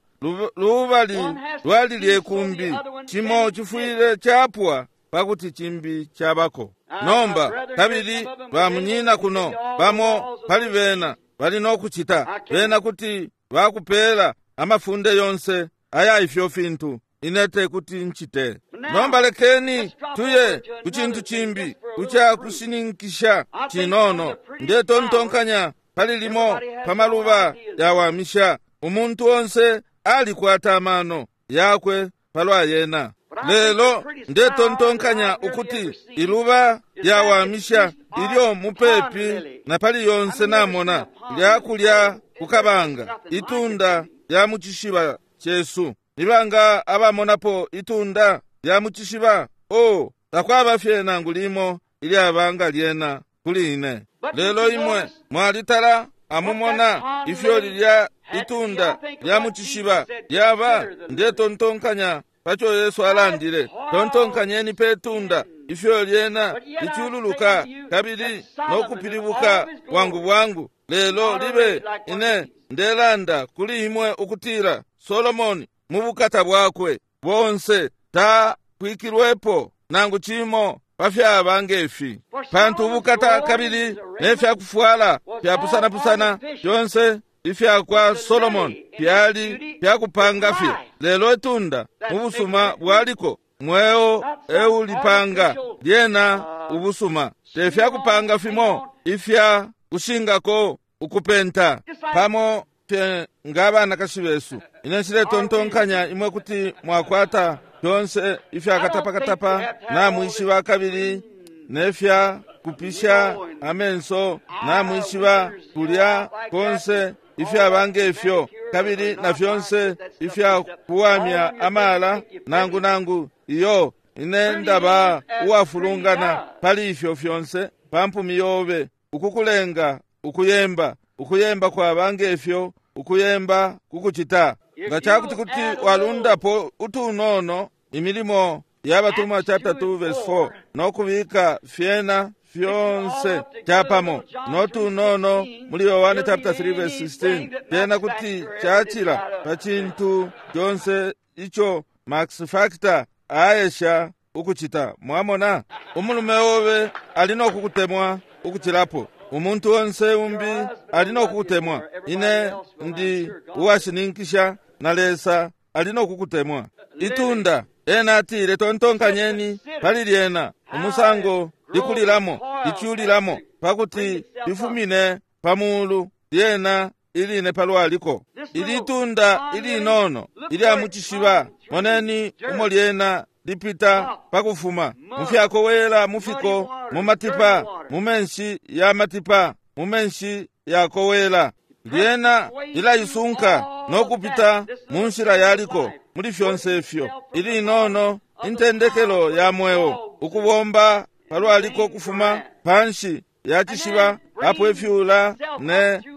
lubali lwalilye kumbi. Cimo cifwile capwa pakuti cimbi cabako. Nomba kabili bamunyina kuno bamo pali bena bali nokucita, bena kuti bakupela amafunde yonse aya ifyo fintu, ine tekuti ncite. Nomba lekeni tuye ku cintu cimbi kucakushininkisha cinono. Ndetontonkanya pali limo pa maluba yawamisha. Umuntu onse alikwata amano yakwe palwa yena. Lelo ndetontonkanya ukuti iluba lyawamisha ilyo mupepi na pali yonse namona lyakulya kukabanga, itunda lya mu cishiba cesu. Nibanga abamonapo itunda lya mu cishiba? Oh, takwaba fye nangu limo ilyabanga lyena kuli ine. Lelo imwe mwalitala amumona ifyo lilya itunda lya mu cishiba lyaba. Ndetontonkanya paco Yesu alandile, tontonkanyeni pe tunda ifyo lyena licululuka kabili nokupilibuka bwangu bwangu. Lelo libe ine ndelanda kuli imwe ukutila Solomoni mu bukata bwakwe bonse takwikilwepo nangu cimo pafyaba ngefi. Pantu ubukata kabili ne fyakufwala fyapusanapusana fyonse ifyakwa Solomon fyali fyakupanga fye, lelo itunda mu busuma bwaliko mweo eulipanga lyena ubusuma, te fyakupanga fimo ifya kushingako ukupenta pamo fye nga abanakashi besu. Ine nshiletontonkanya imwe kuti mwakwata fyonse ifya katapakatapa namwishiba, kabili nefya kupisha amenso namwishiba, kulya konse ifyaba ngefyo, kabili na fyonse ifya kuwamya amala nangu nangu iyo. Ine ndaba uwafulungana pali ifyo fyonse pa mpumi yobe, ukukulenga ukuyemba, ukuyemba kwaba ngefyo, ukuyemba kukucita. Nga cakuti kuti walundapo utunono Imilimo ya Batumwa chapter 2 verse 4 no kubika fyena fyonse capamo no tunono muli Yohane chapter 3 verse 16, fyena kuti cacila pa cintu conse ico Max Factor aesha ukucita. Mwamona, umulume obe ali no kukutemwa ukucilapo umuntu onse umbi ali no kukutemwa. Ine ndi uwashininkisha na Lesa ali no kukutemwa. Itunda, ena atile, tontonkanyeni pali lyena, umusango likulilamo, liculilamo, pakuti lifumine pa mulu lyena iline palwaliko. Ili tunda ilinono ilya mu cishiba, moneni umo lyena lipita pakufuma mu fyakowela, mu fiko, mu matipa, mu menshi ya matipa, mu menshi yakowela. Lyena lilaisunka no kupita mu nshila yaliko muli fyonse ifyo. Ilinono intendekelo ya mweo, ukubomba palwaliko kufuma panshi ya cishiba, apo ifyula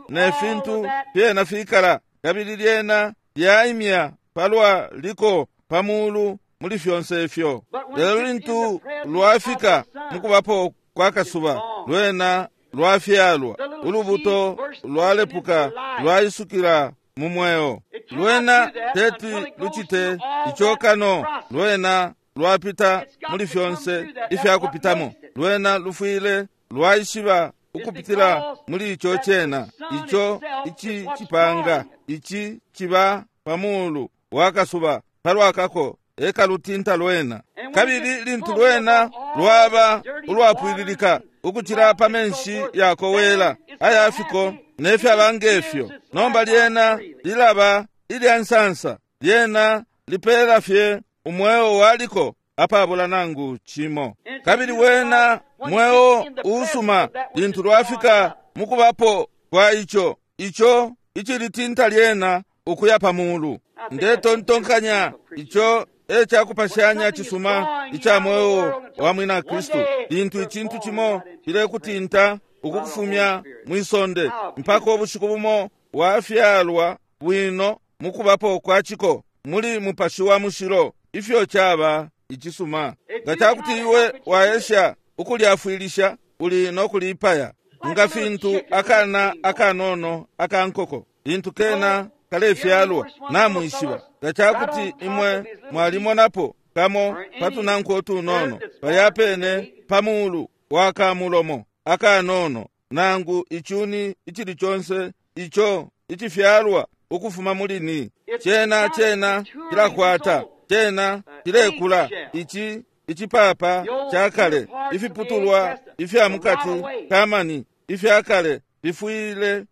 ne fintu fyena fikala, kabili lyena lyaimya palwaliko pa mulu muli fyonse ifyo. Lelo lintu lwafika mukubapo kwa kasuba, lwena lwafyalwa, ulubuto lwalepuka lwaisukila mu mweo. Lwena teti lucite ico kano lwena lwapita muli fyonse ifyakupitamo. Lwena lufwile lwaishiba ukupitila muli ico cena, ico ici cipanga, ici ciba pa mulu wa kasuba palwakako ekalutinta lwena. Kabili lintu lwena lwaba ulwapwililika ukucila pa menshi yakowela ayafiko nefyaba ngefyo, nomba lyena lilaba ilya nsansa, lyena lipeela fye umweo waliko apabula nangu cimo. Kabili wena mweo usuma lintu lwafika mukubapo kwa ico, ico icilitinta lyena ukuya pa mulu. Ndetontonkanya ico e cakupashanya cisuma ica mweo wa mwina Kristu, lintu icintu cimo cilekutinta ukukufumya mwisonde mpaka ubushiku bumo wafyalwa bwino mukubapo kwa ciko muli Mupashi wa Mushilo. Ifyo caba icisuma! Nga cakuti iwe waesha ukulyafwilisha, uli no kulipaya, nga fintu akana akanono akankoko lintu kena kalefyalwa. Namwishiba, nga cakuti imwe mwalimonapo kamo patunanko tunono palya pene pa mulu wa kamulomo akanono, nangu icuni icili conse ico icifyalwa ukufuma muli ni cena, cena cilakwata, cena cilekula. Ici icipapa ca kale, ifiputulwa ifya mukati kamani ifya kale bifwile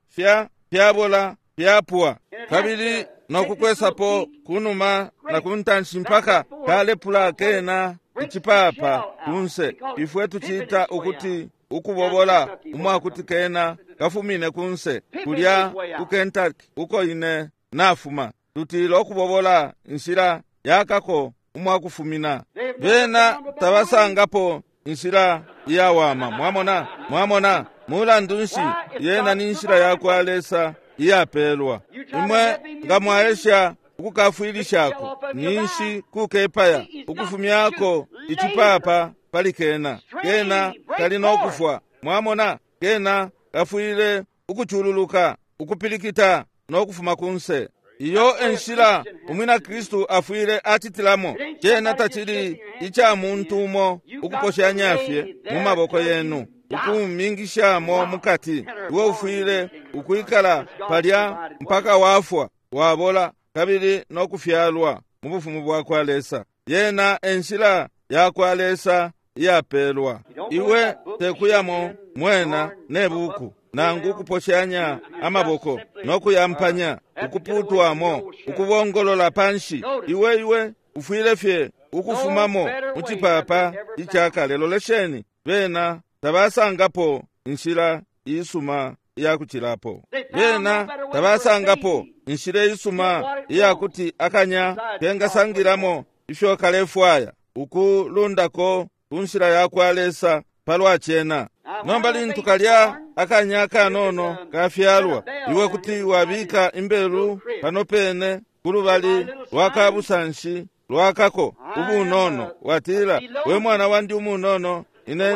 fyabola fyapwa, kabili nokukwesapo kunuma na kuntanshi mpaka kalepula kena icipapa kunse. Ifwe tucita ukuti ukubobola umwakuti kena kafumine kunse kulya ku Kentucky uko ine nafuma, tutila ukubobola inshila yakako umwakufumina. Bena tabasangapo inshila iyawama. Mwamona, mwamona, mulandu nshi yena ni nshila yakwa Lesa iyapelwa. Imwe nga mwaesha ukukafwilishako, ninshi kukepaya ukufumyako icipapa pali kena, kena kali no kufwa. Mwamona, kena kafwile ukucululuka, ukupilikita no kufuma kunse. Iyo enshila umwina Kristu afwile acitilamo. Cena tacili ica muntu umo ukuposhanya fye mu maboko yenu, ukumingishamo mukati. Iwe ufwile ukwikala palya mpaka wafwa, wabola, kabili no kufyalwa mu bufumu bwakwa Lesa. Yena enshila yakwa Lesa iyapelwa. Iwe tekuyamo mwena ne buku, nangu kuposhanya amaboko no kuyampanya, ukuputwamo, ukubongolola panshi. Iwe iwe ufwile fye ukufumamo mu cipapa icakale. Lolesheni, bena tabasangapo inshila isuma iyakucilapo. Bena tabasangapo inshila isuma iyakuti akanya kengasangilamo ifyo kalefwaya ukulundako ku nshila yakwa Lesa palwa cena. Nomba lintu kalya akanya kanono kafyalwa, iwe kuti wabika imbelu pano pene kulubali lwa kabusanshi lwakako ubunono, watila, we mwana wandi umunono, ine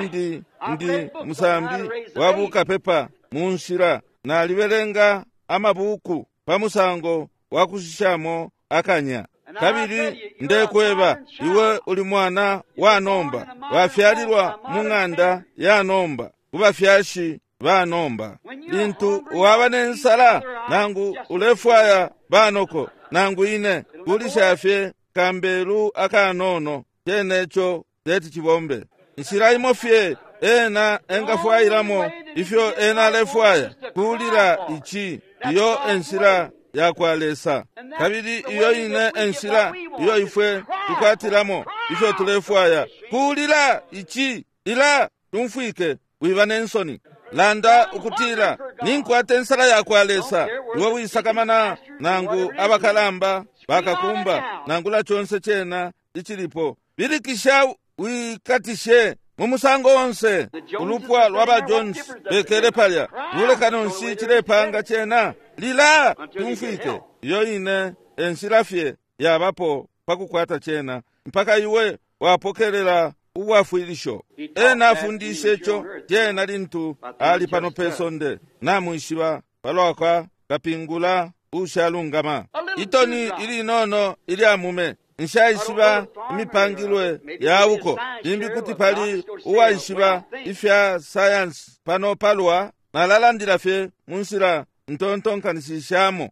ndi musambi wa bukapepa mu nshila. Nalibelenga amabuku pa musango wa kushishamo akanya. Kabili ndekweba, iwe uli mwana wa nomba, wafyalilwa mu ng'anda ya nomba, ku bafyashi ba nomba. Lintu waba ne nsala, nangu ulefwaya banoko, nangu ine, kulisha fye kambelu akanono, ceneco teti cibombe. Nshila imo fye ena engafwayilamo ifyo ena alefwaya, kulila ici, iyo enshila yakwa Lesa. Kabili iyo ine enshila iyo ifwe tukwatilamo ifyo tulefwaya, kulila ici, ila tumfwike, wiba ne nsoni. Landa ukutila, ninkwata ensala yakwa Lesa. Iwe wisakamana nangu abakalamba bakakumba, nangula chonse chena ichilipo. Bilikisha wikatishe mu musango onse. Ulupwa lwa ba Jones bekele palya, lulekano nshi cilepanga cena, lila tumfwike. Iyo ine enshila fye yabapo pakukwata cena, mpaka iwe wapokelela ubwafwilisho. Ena afundishe ico cena lintu ali pano pe sonde. Namwishiba palwa kwa kapingula ushalungama. Itoni ilinono ilya mume, nshaishiba imipangilwe yauko, limbi kuti pali uwaishiba ifya sayansi pano palwa, nalalandila fye mu nshila ntontonkanishishamo.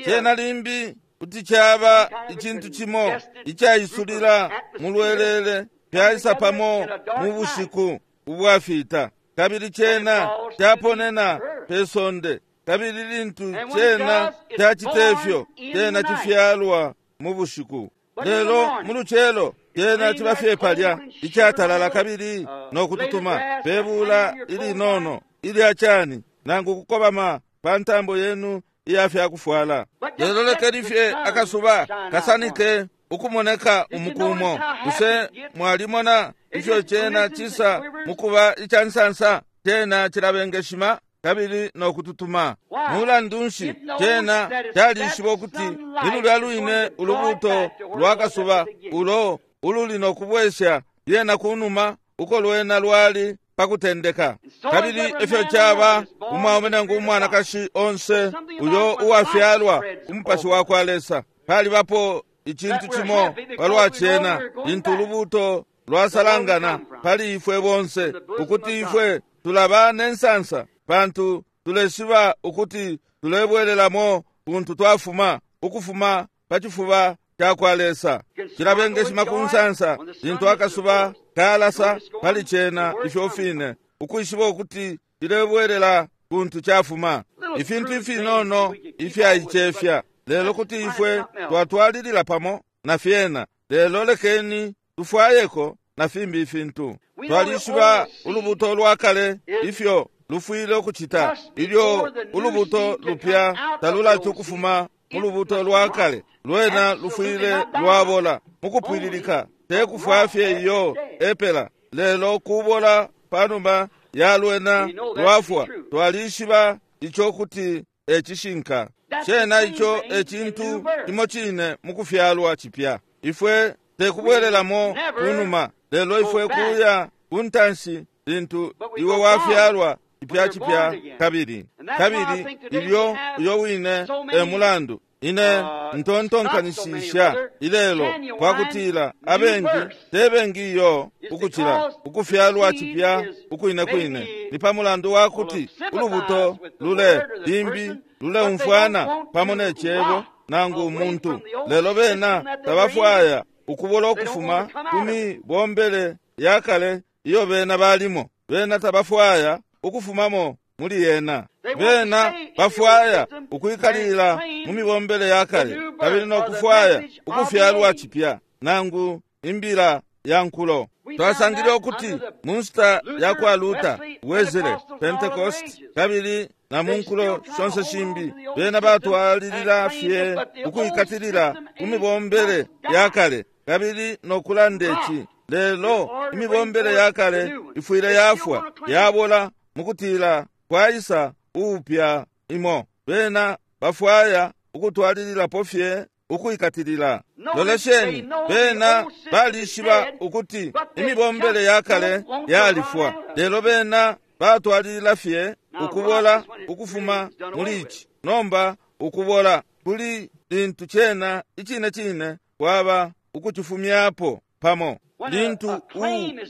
Cena limbi kuti caba icintu cimo icaisulila mu lwelele, fyaisa pamo mu bushiku ubwafita, kabili cena caponena pe sonde. Kabili lintu cena cacita ifyo, cena cifyalwa mu bushiku. Lelo mu lucelo cena ciba fye palya icatalala kabili no kututuma pe bula ilinono ilya cani, nangu kukobama pa ntambo yenu iya fyakufwala. Lelo lekeni fye akasuba kasanike ukumoneka umukumo. Bushe mwalimona ifyo cena cisa mukuba ica nsansa? Cena cilabengeshima kabili no kututuma. Mulandu nshi, cena calishiba ukuti ni lulya lwine ulubuto lwa kasuba ulo ululi no kubwesha lyena kunuma uko lwena lwali pakutendeka. Kabili ifyo caba umwaume nangu umwanakashi onse uyo uwafyalwa umupashi wakwa Lesa, palibapo icintu cimo palwa cena lintu ulubuto lwasalangana pali ifwe bonse, ukuti ifwe tulaba ne nsansa, pantu tuleshiba ukuti tulebwelelamo kuntu twafuma, ukufuma pa cifuba cakwa Lesa. Cilabengeshima ku nsansa lintu akasuba kalasa pali cena ifyo fine, ukwishiba ukuti cilebwelela kuntu cafuma. Ifintu ifinono ifyaicefya, lelo kuti ifwe twatwalilila pamo na fyena. Lelo lekeni tufwayeko na fimbi ifintu. Twalishiba ulubuto lwa kale ifyo lufwile ukucita ilyo ulubuto lupya talulati ukufuma mu lubuto lwa kale. Lwena lufwile lwabola mukupwililika, te kufwa fye iyo epela, lelo kubola panuma ya lwena lwafwa. Twalishiba ico kuti ecishinka. Cena ico ecintu cimo cine mukufyalwa cipya. Ifwe tekubwelelamo kunuma, lelo ifwe kuya kuntanshi lintu iwe wafyalwa cipya cipya kabili. Kabili ilyo uyo wine e mulandu Ine ntontonkanishisha ilelo kwakutila abengi te bengi iyo ukucila ukufyalwa cipya ukwine kwine ni pa mulandu wa kuti ulubuto lule limbi luleumfwana pamo ne cebo nangu umuntu, lelo bena tabafwaya ukubola ukufuma ku mibombele ya kale iyo bena balimo. Bena tabafwaya ukufumamo muli yena. Bena bafwaya ukwikalila mu mibombele ya kale kabili no kufwaya ukufyalwa cipya nangu imbila ya nkulo. Twasangile ukuti mu nshita ya kwa Luther, Wesley, Pentecost kabili na mu nkulo shonse shimbi, bena batwalilila fye ukwikatilila ku mibombele ya kale kabili no kulanda ici. Lelo imibombele ya kale ifwile yafwa yabola mukutila kwaisa uupya imo. Bena bafwaya ukutwalililapo fye ukwikatilila. Lolesheni, bena balishiba ukuti imibombele ya kale yalifwa, lelo bena batwalilila fye ukubola ukufuma muli ici. Nomba ukubola kuli lintu cena icine cine kwaba ukucifumyapo pamo. Lintu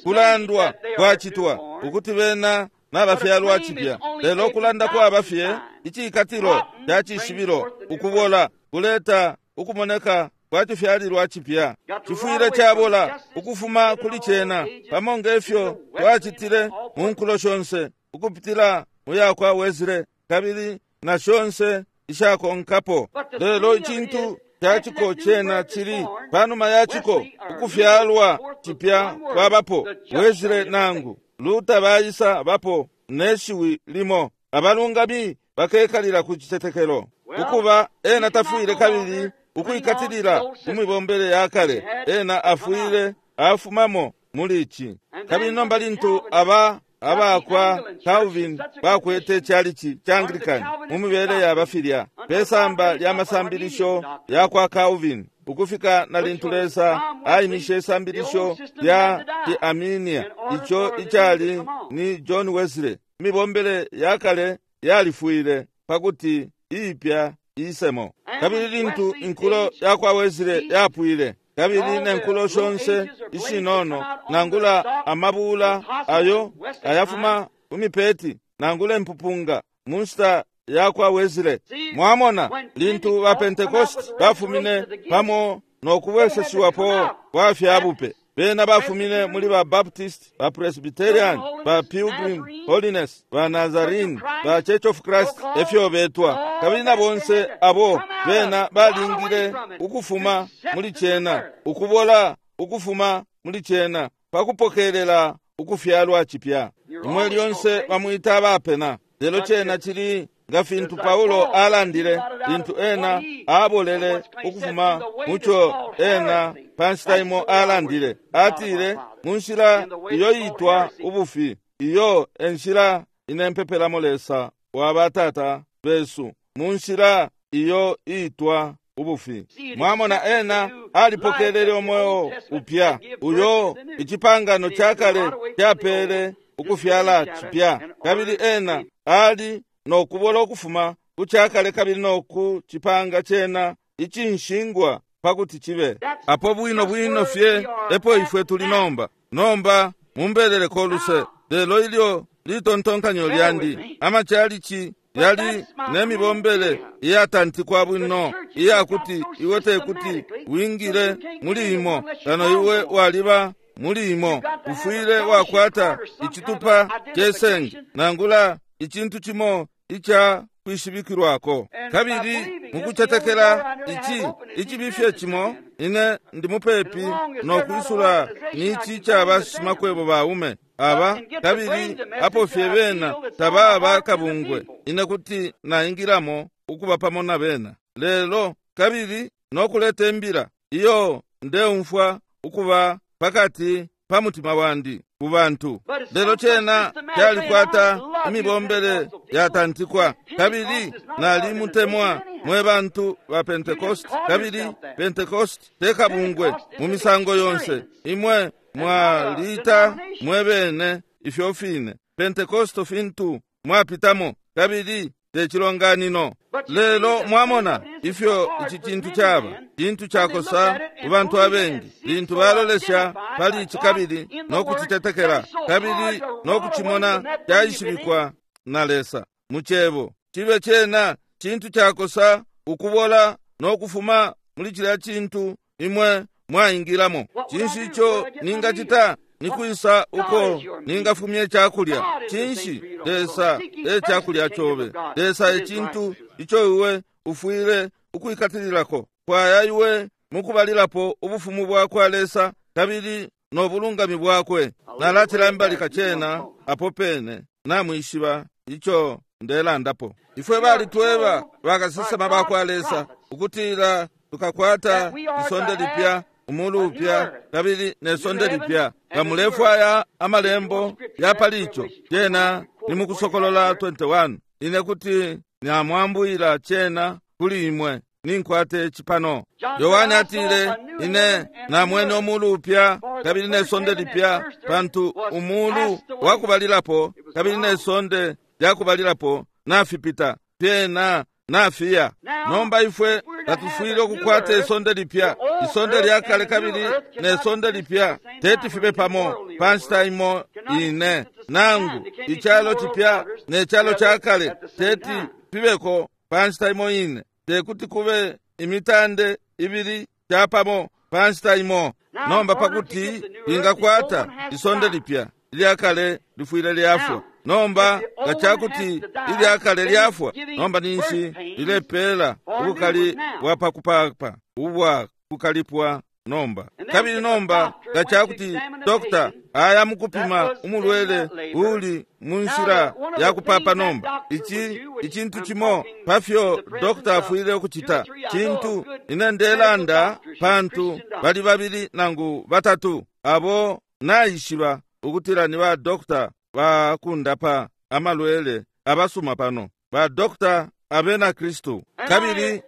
kulandwa kwacitwa ukuti bena nabafyalwa cipya, lelo kulanda kwaba fye icikatilo ca cishibilo. Ukubola kuleta ukumoneka kwa cifyalilwa cipya. Cifwile cabola ukufuma kuli cena pamo ngefyo twacitile mu nkulo shonse ukupitila mu ya kwa Wesley kabili na shonse ishakonkapo. Lelo icintu caciko cena cili panuma yaciko ukufyalwa cipya kwabapo. Wesley nangu Luther baisa bapo neshiwi limo, abalungami bakekalila ku citetekelo. Ukuba ena tafwile kabili ukwikatilila ku mibombele ya kale, ena afwile afumamo muli ici. Kabili nomba lintu aba abakwa Calvin bakwete chalichi cha Anglican mu mibele ya bafilya pe samba lya masambilisho ya kwa Calvin, ukufika na lintu Lesa aimishe isambilisho lya Arminia, ico icali ni John Wesley, imibombele ya kale yalifwile pakuti iipya isemo. Kabili lintu inkulo ya kwa Wesley yapwile, kabili nenkulo shonse ishinono nangula amabula ayo ayafuma kumipeti nangula empupunga mu nshita ya kwa Wesley. Mwamona lintu ba Pentecost bafumine pamo no kubweseshiwapo kwa fyabupe, bena bafumine muli ba Baptist, ba Presbyterian, ba Pilgrim Holiness, ba Nazarene, ba Church of Christ efyo betwa. Kabili na bonse abo bena balingile ukufuma muli cena, ukubola ukufuma muli cena pakupokelela ukufyalwa cipya. Imwe lyonse bamwita abapena, lelo cena cili nga fintu Paulo alandile lintu ena abolele ukufuma muco ena pa nshita imo alandile. Atile, mu nshila iyo yitwa ubufi, iyo enshila inempepelamo Lesa wa batata besu, mu nshila iyo itwa ubufi. Mwamona ena alipokelele umweo upya uyo icipangano ca kale capele ukufyala cipya, kabili ena ali no kubola ukufuma ku cakale kabili no ku cipanga cena icinshingwa pakuti chibe. Apo bwino bwino fye epo ifwe tuli nomba. Nomba mumbeleleko luse, lelo ilyo litontonkanyo lyandi amachalichi yali nemibombele iyatantikwa bwino iyakuti iwe tekuti wingile muli imo kano iwe waliba muli imo. Ufwile wakwata icitupa cesenge nangula icintu cimo ica kwishibikilwako. Kabili mukucetekela ici icibifye cimo, ine ndi mupepi no kwisula nici caba shimakwebo baume aba, kabili apo fye bena tababa kabungwe, ine kuti naingilamo ukuba pamo na bena. Lelo kabili no kuleta imbila iyo ndeumfwa ukuba pakati pa mutima wandi ku bantu. Lelo cena calikwata imibombele yatantikwa, kabili nalimutemwa mwe bantu ba Pentecost, kabili Pentecost te kabungwe mu misango yonse. Imwe mwaliita mwe bene ifyo fine Pentecost fintu mwapitamo, kabili te cilonganino. Lelo mwamona ifyo ici cintu caba cintu cakosa ku bantu abengi lintu balolesha pali ici kabili no kucitetekela kabili no kucimona caishibikwa na Lesa mu cebo. Cibe cena cintu cakosa ukubola no kufuma muli cilya cintu imwe mwaingilamo. Cinshi ico ningacita? Nikwisa uko ningafumya icakulya? Cinshi? Lesa e cakulya cobe. Lesa e cintu ico iwe ufwile ukwikatililako. Fwaya iwe mukubalilapo ubufumu bwakwa Lesa kabili no bulungami bwakwe. Nalacilambalika cena apo pene, namwishiba ico ndelandapo. Ifwe balitweba bakasesema bakwa Lesa ukutila tukakwata isonde lipya, umulu upya kabili ne sonde lipya. Nga mulefwaya amalembo ya pali ico, cena ni mukusokolola 21. Ine kuti namwambwila cena kuli imwe, ninkwate cipano. Yohane atile, ine namwene umulu upya kabili ne sonde lipya, pantu umulu wakubalilapo kabili ne sonde lyakubalilapo nafipita, fyena nafiya. Nomba ifwe tatufwile ukukwata isonde lipya, isonde lyakale kabili ne sonde lipya teti fibe pamo pa nshita imo ine, nangu icalo cipya ne calo cakale teti fibeko pa nshita imo ine. Tekuti kube imitande ibili capamo pa nshita imo. Nomba pakuti lingakwata isonde lipya, ilyakale lifwile lyafwa. Nomba nga cakuti ilyakale lyafwa, nomba ninshi lilepela ubukali bwa pakupapa ubwa kukalipwa nomba. Kabili nomba nga cakuti dokta aya mukupima umulwele uli mu nshila ya kupapa nomba, ici icintu cimo pafyo dokta afwile ukucita cintu ine ndelanda, pantu bali babili nangu batatu abo naishiba ukutila ni ba dokta bakundapa amalwele abasuma pano, ba dokta abena Kristu. Kabili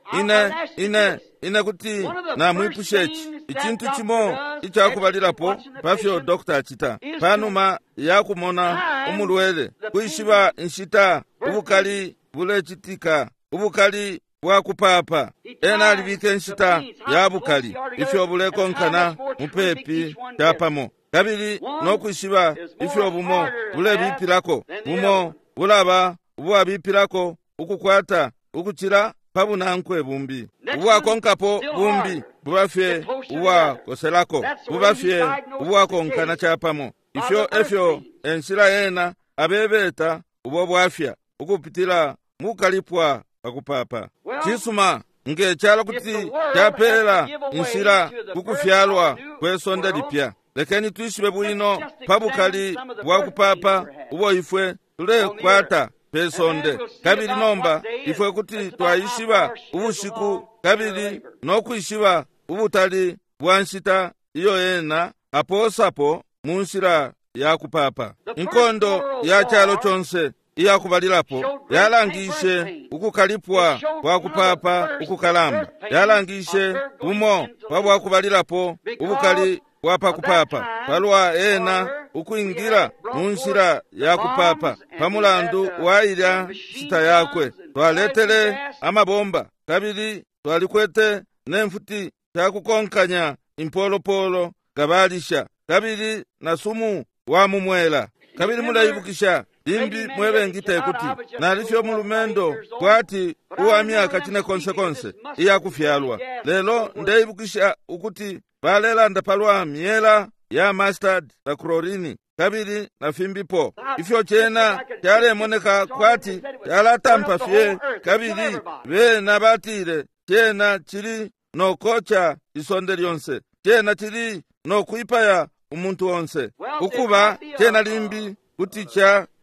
ine kuti namwipusha ici icintu cimo icakubalilapo pafyo dokta acita panuma ya kumona umulwele, kwishiba inshita ubukali bulecitika, ubukali bwa kupapa. Ena alibika inshita ya bukali ifyo bulekonkana mupepi capamo, kabili no kwishiba ifyo bumo bulebipilako, bumo bulaba ubwabipilako ukukwata ukucila pa bunankwe bumbi, ubwakonkapo bumbi bubafye ubwakoselako, bubafye ubwakonkana capamo. Ifyo efyo enshila ena abebeta ubo bwafya ukupitila mukukalipwa pakupapa. Cisuma, nge calo kuti capela inshila kukufyalwa kwe sonde lipya, lekeni twishibe bwino pa bukali bwa kupapa ubo ifwe tulekwata pe sonde. Kabili nomba ifwe kuti twaishiba ubushiku kabili no kwishiba ubutali bwa nshita iyo ena aposapo mu nshila ya kupapa. Inkondo ya calo conse iyakubalilapo yalangishe ukukalipwa kwa kupapa ukukalamba, yalangishe bumo pa bwakubalilapo ubukali bwa pakupapa palwa ena ukwingila mu nshila ya kupapa. Pamulandu wa ilya nshita yakwe twaletele amabomba kabili twalikwete ne mfuti shakukonkanya impolopolo kabalisha kabili na sumu wa mumwela. Kabili muleibukisha limbi mwebengi tekuti nalifye umulumendo kwati uwa myaka cine konse konse iyakufyalwa, lelo ndeibukisha ukuti balelanda palwa myela ya mustard na chlorine kabili na fimbipo. Ifyo cena calemoneka kwati calatampa fye, kabili bena batile cena cili nokoca isonde lyonse, cena cili nokwipaya umuntu onse. Ukuba cena limbi kuti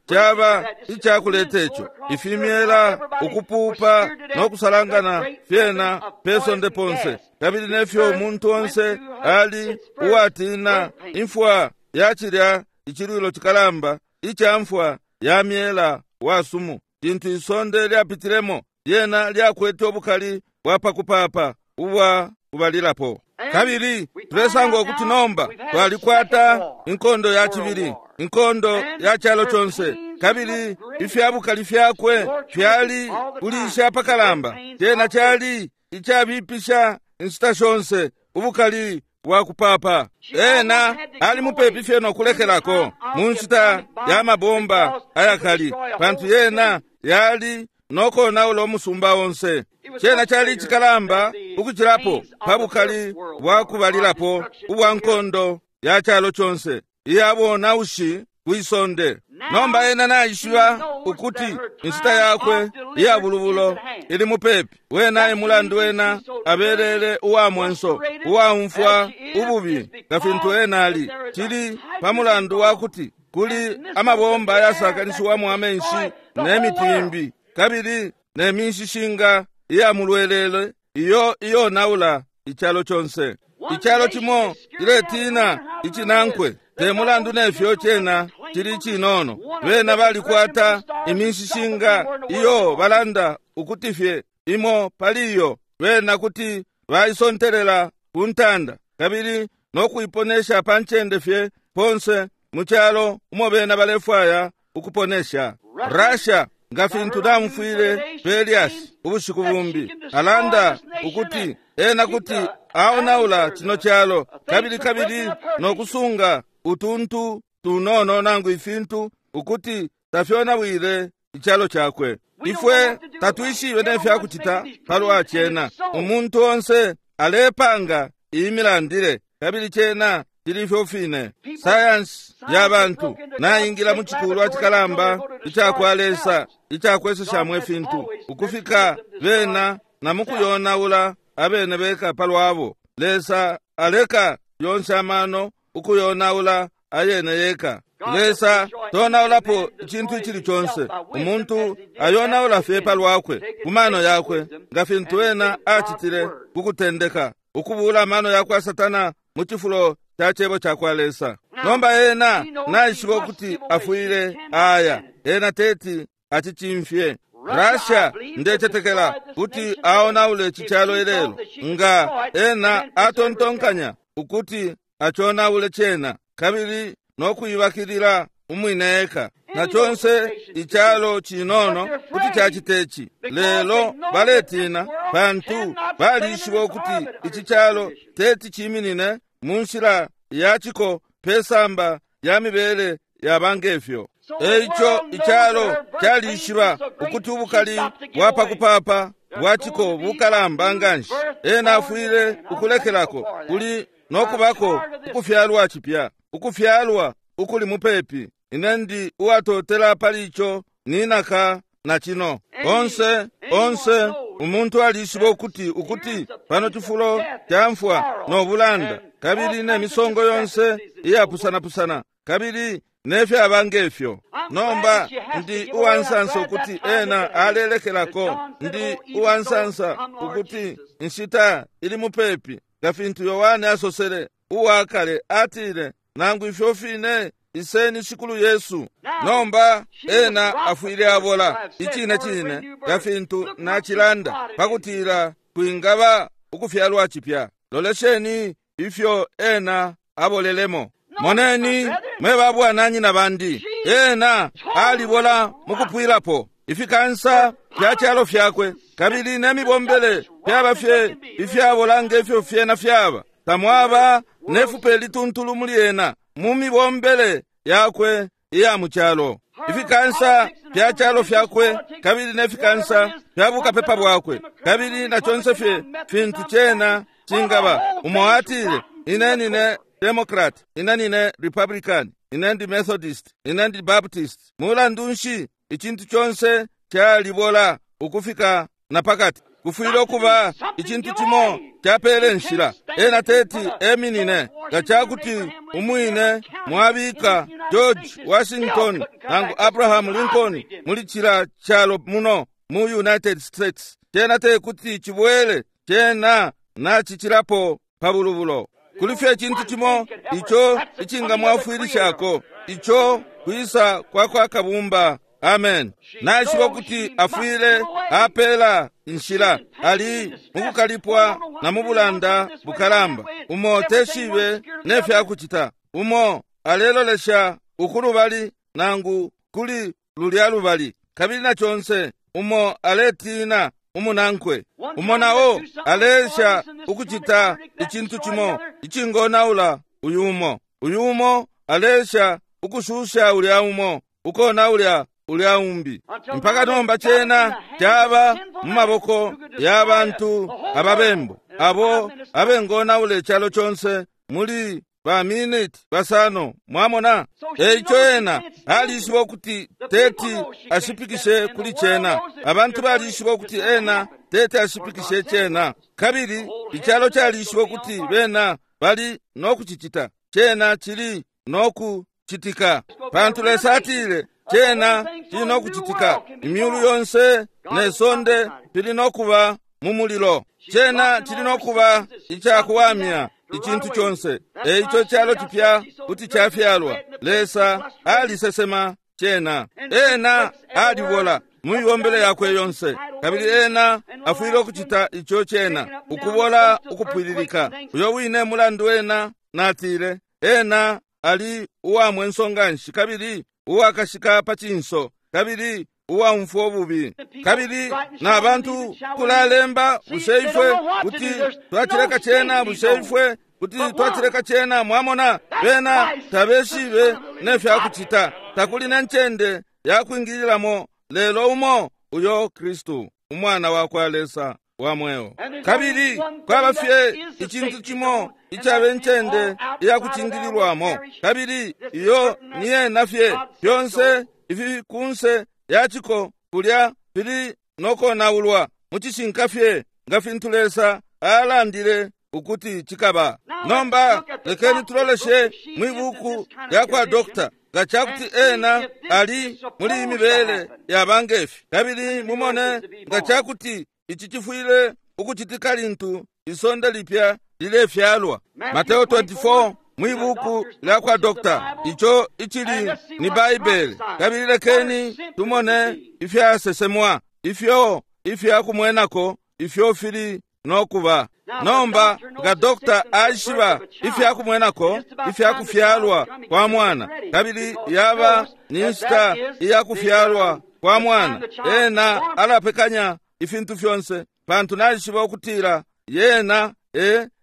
caba icakuleta ico ifimyela ukupupa no kusalangana fyena pe sonde ponse, kabili nefyo umuntu onse ali uwatina imfwa ya cilya icilwilo cikalamba ica mfwa ya myela wa sumu. Lintu isonde lyapitilemo, lyena lyakwete ubukali bwa pakupapa ubwa kubalilapo. Kabili tulesanga ukuti nomba twalikwata inkondo ya cibili, inkondo ya calo conse, Kabili ifya bukali fyakwe fyali kulisha apakalamba. Cena cali icabipisha inshita shonse, ubukali bwa kupapa. Ena ali mupepi fye no kulekelako mu nshita ya mabomba ayakali, pantu yena yali nokonaula umusumba onse. Cena cali icikalamba ukucilapo pa bukali bwa kubalilapo ubwa nkondo ya calo conse iya bonaushi kwisonde. Nomba ena naishiba ukuti inshita yakwe iya bulubulo ili mupepi. Wena e mulandu ena abelele uwa mwenso, uwaumfwa ububi nga fintu ena ali. Cili pa mulandu wa kuti kuli amabomba ayasakanishiwamo amenshi ne miti imbi, kabili ne minshishinga iya mulwelele iyo iyonaula icalo conse. Icalo cimo ciletina icinankwe, te mulandu nefyo cena cili cinono. Bena balikwata iminshishinga iyo balanda ukuti fye imo pali iyo bena kuti baisontelela ku ntanda, kabili no kuiponesha pa ncende fye ponse mu calo umo bena balefwaya ukuponesha. Russia, nga fintu namufwile Pelias ubushiku bumbi, alanda ukuti ena kuti aonaula cino calo, kabili kabili no kusunga utuntu tunono nangu ifintu ukuti tafyonawile icalo cakwe. Ifwe tatwishibe nefya kucita palwa cena. Umuntu onse alepanga iyi milandile, kabili cena cili ifyo fine. Sayansi ya bantu naingila mu cikulwa cikalamba icakwa Lesa icakweseshamo ifintu, ukufika bena na mukuyonaula abene beka palwabo. Lesa aleka yonse amano ukuyonaula ayene yeka. Lesa tonaulapo icintu icili conse. Umuntu ayonaula fye palwakwe ku mano yakwe, nga fintu ena acitile ku kutendeka, ukubuula amano yakwa Satana mu cifulo ca cebo cakwa Lesa. Nomba ena naishiba ukuti afwile aya, ena teti acicimfye. Russia, ndecetekela kuti aonaule ici calo ilelo, nga ena atontonkanya ukuti aconaule cena, kabili no kuibakilila umwine eka. Na conse icalo cinono kuti cacita ici, lelo baletina pantu balishiba ukuti ici calo teti ciminine mu nshila ya ciko pesamba ya mibele yaba ngefyo. Eico icalo calishiba ukuti ubukali bwa pakupapa bwa ciko bukalamba nganshi. Ena afwile ukulekelako kuli no kubako ukufyalwa cipya, ukufyalwa ukuli mupepi. Ine ndi uwatotela pali ico ninaka na cino. Onse onse umuntu alishiba ukuti ukuti pano cifulo ca mfwa no bulanda, kabili ne misongo yonse iyapusanapusana, kabili nefyaba ngefyo. Nomba ndi uwansansa ukuti ena alelekelako. Ndi uwansansa ukuti inshita ili mupepi, nga fintu Yohane asosele uwakale, atile, nangu ifyo fine iseni Shikulu Yesu. Nomba ena afwile abola icine cine, nga fintu nacilanda, pakutila kwingaba ukufyalwa cipya. Lolesheni ifyo ena abolelemo. Moneni, mwe babwananyina bandi, ena alibola mukupwilapo ifikansa fya calo fyakwe, kabili ne mibombele fyaba fye ifyabola ngefyo fyena fyaba. Tamwaba nefupe lituntulu muli ena mu mibombele yakwe iya mu calo. Ifikansa fya calo fyakwe, kabili ne fikansa fya bukapepa bwakwe, kabili na conse fye fintu cena cingaba. Umo atile, ine nine Democrat, ine nine Republican, ine ndi Methodist, ine ndi Baptist. Mulandu nshi, icintu conse calibola ukufika na pakati. Kufwile ukuba icintu cimo capele nshila. Ena teti eminine nga cakuti umwine mwabika George Washington nangu Abraham Lincoln muli cila calo muno mu United States. Cena tekuti cibwele, cena nacicilapo pa bulubulo. Kuli fye icintu cimo ico icingamwafwilishako, ico kwisa kwa kwa Kabumba. Amen. Naishiba ukuti afwile apela inshila. Ali mukukalipwa na mubulanda bukalamba, umo teshibe nefya kucita, umo alelolesha ukulubali nangu kuli lulya lubali, kabili na conse umo aletina umunankwe, umo nao aleesha ukucita icintu cimo icingonaula uyu umo, uyu umo aleesha ukushusha ulya umo, ukonaula ulya umbi, mpaka nomba cena caba mu maboko ya bantu ababembu abo abengonaula icalo conse muli ba miniti basano. Mwamona? Eico ena alishiba ukuti teti ashipikishe kuli cena. Abantu balishiba ukuti ena teti ashipikishe cena, kabili icalo calishiba ukuti bena bali nokucicita. Cena cili nokucitika, pantu Lesa atile cena cili nokucitika. Imyulu yonse ne sonde fili nokuba mu mulilo. Cena cili nokuba icakuwamya icintu conse. Eico calo cipya kuti cafyalwa. Lesa alisesema cena. Ena alibola mu mibombele yakwe yonse, kabili ena afwile ukucita ico cena ukubola ukupwililika. Uyo wine mulandu ena natile ena ali uwamwenso nganshi, kabili uwakashika pa cinso, kabili uwaumfwa ububi, kabili na bantu kulalemba, bushe ifwe kuti twacileka cena? Bushe ifwe kuti twacileka cena? Mwamona, bena tabeshibe nefyakucita. Takuli ne ncende yakwingililamo lelo umo, uyo Kristu, Umwana wa kwa Lesa wa mweo. Kabili kwaba fye icintu cimo icaba incende iyakucingililwamo, kabili iyo ni yena fye. Fyonse ifi kunse yaciko kulya fili nokonaulwa mu cishinka fye nga fintu Lesa alandile ukuti cikaba. Nomba lekeni tuloleshe mwi buku lya kwa dokta nga cakuti ena ali muli imibele yaba ngefi, kabili mumone nga cakuti ici cifwile ukucitika lintu isonde lipya lilefyalwa. Mateo 24 mwi buku lya kwa dokta, ico icili ni Baibele, kabili lekeni tumone ifyasesemwa ifyo ifyakumwenako ifyo fili nokuba. Nomba nga dokta aishiba ifyakumwenako ifyakufyalwa kwa mwana, kabili yaba ni nshita iyakufyalwa kwa mwana, ena alapekanya ifintu fyonse, pantu naishiba ukutila yena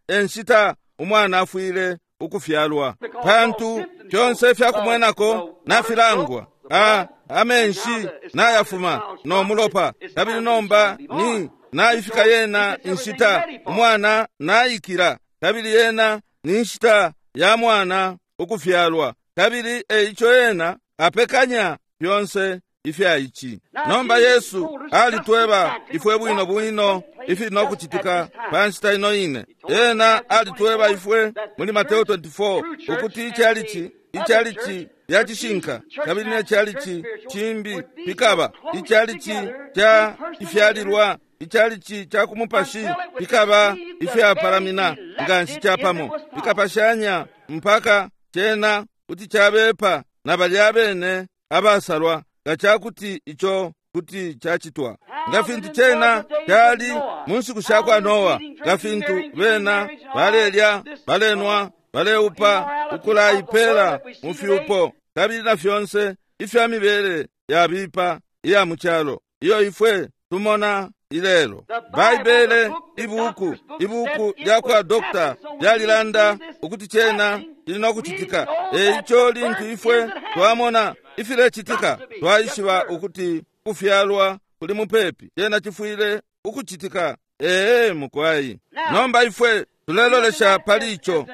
enshita umwana afwile ukufyalwa, pantu fyonse ifyakumwenako nafilangwa. Amenshi nayafuma no mulopa, kabili nomba ni naifika yena inshita umwana naikila, kabili yena ni nshita ya mwana ukufyalwa, kabili eico yena apekanya fyonse ifya ici. Nomba Yesu alitweba ifwe bwino bwino ifili nokucitika pa nshita ino ine. Ena alitweba ifwe muli Mateo 24 ukuti icalici lya cishinka kabili ne calici cimbi pikaba icalici ca ifyalilwa, icalici ca kumupashi pikaba ifyapalamina nganshi capamo, pikapashanya mpaka cena kuti cabepa na balya bene abasalwa nga cakuti ico kuti cacitwa. Nga fintu cena cali mu nshiku sha kwa Noa, nga fintu bena balelya, balenwa, baleupa, ukulaipela mu fyupo, kabili na fyonse ifya mibele yabipa iya mu calo iyo ifwe tumona ilelo. Baibele, ibuku lya kwa dokta lyalilanda ukuti cena cili nokucitika. Eico lintu ifwe twamona ifilecitika, twaishiba ukuti kufyalwa kuli mupepi, cena cifwile ukucitika. Ee mukwai. Nomba ifwe tulelolesha pali ico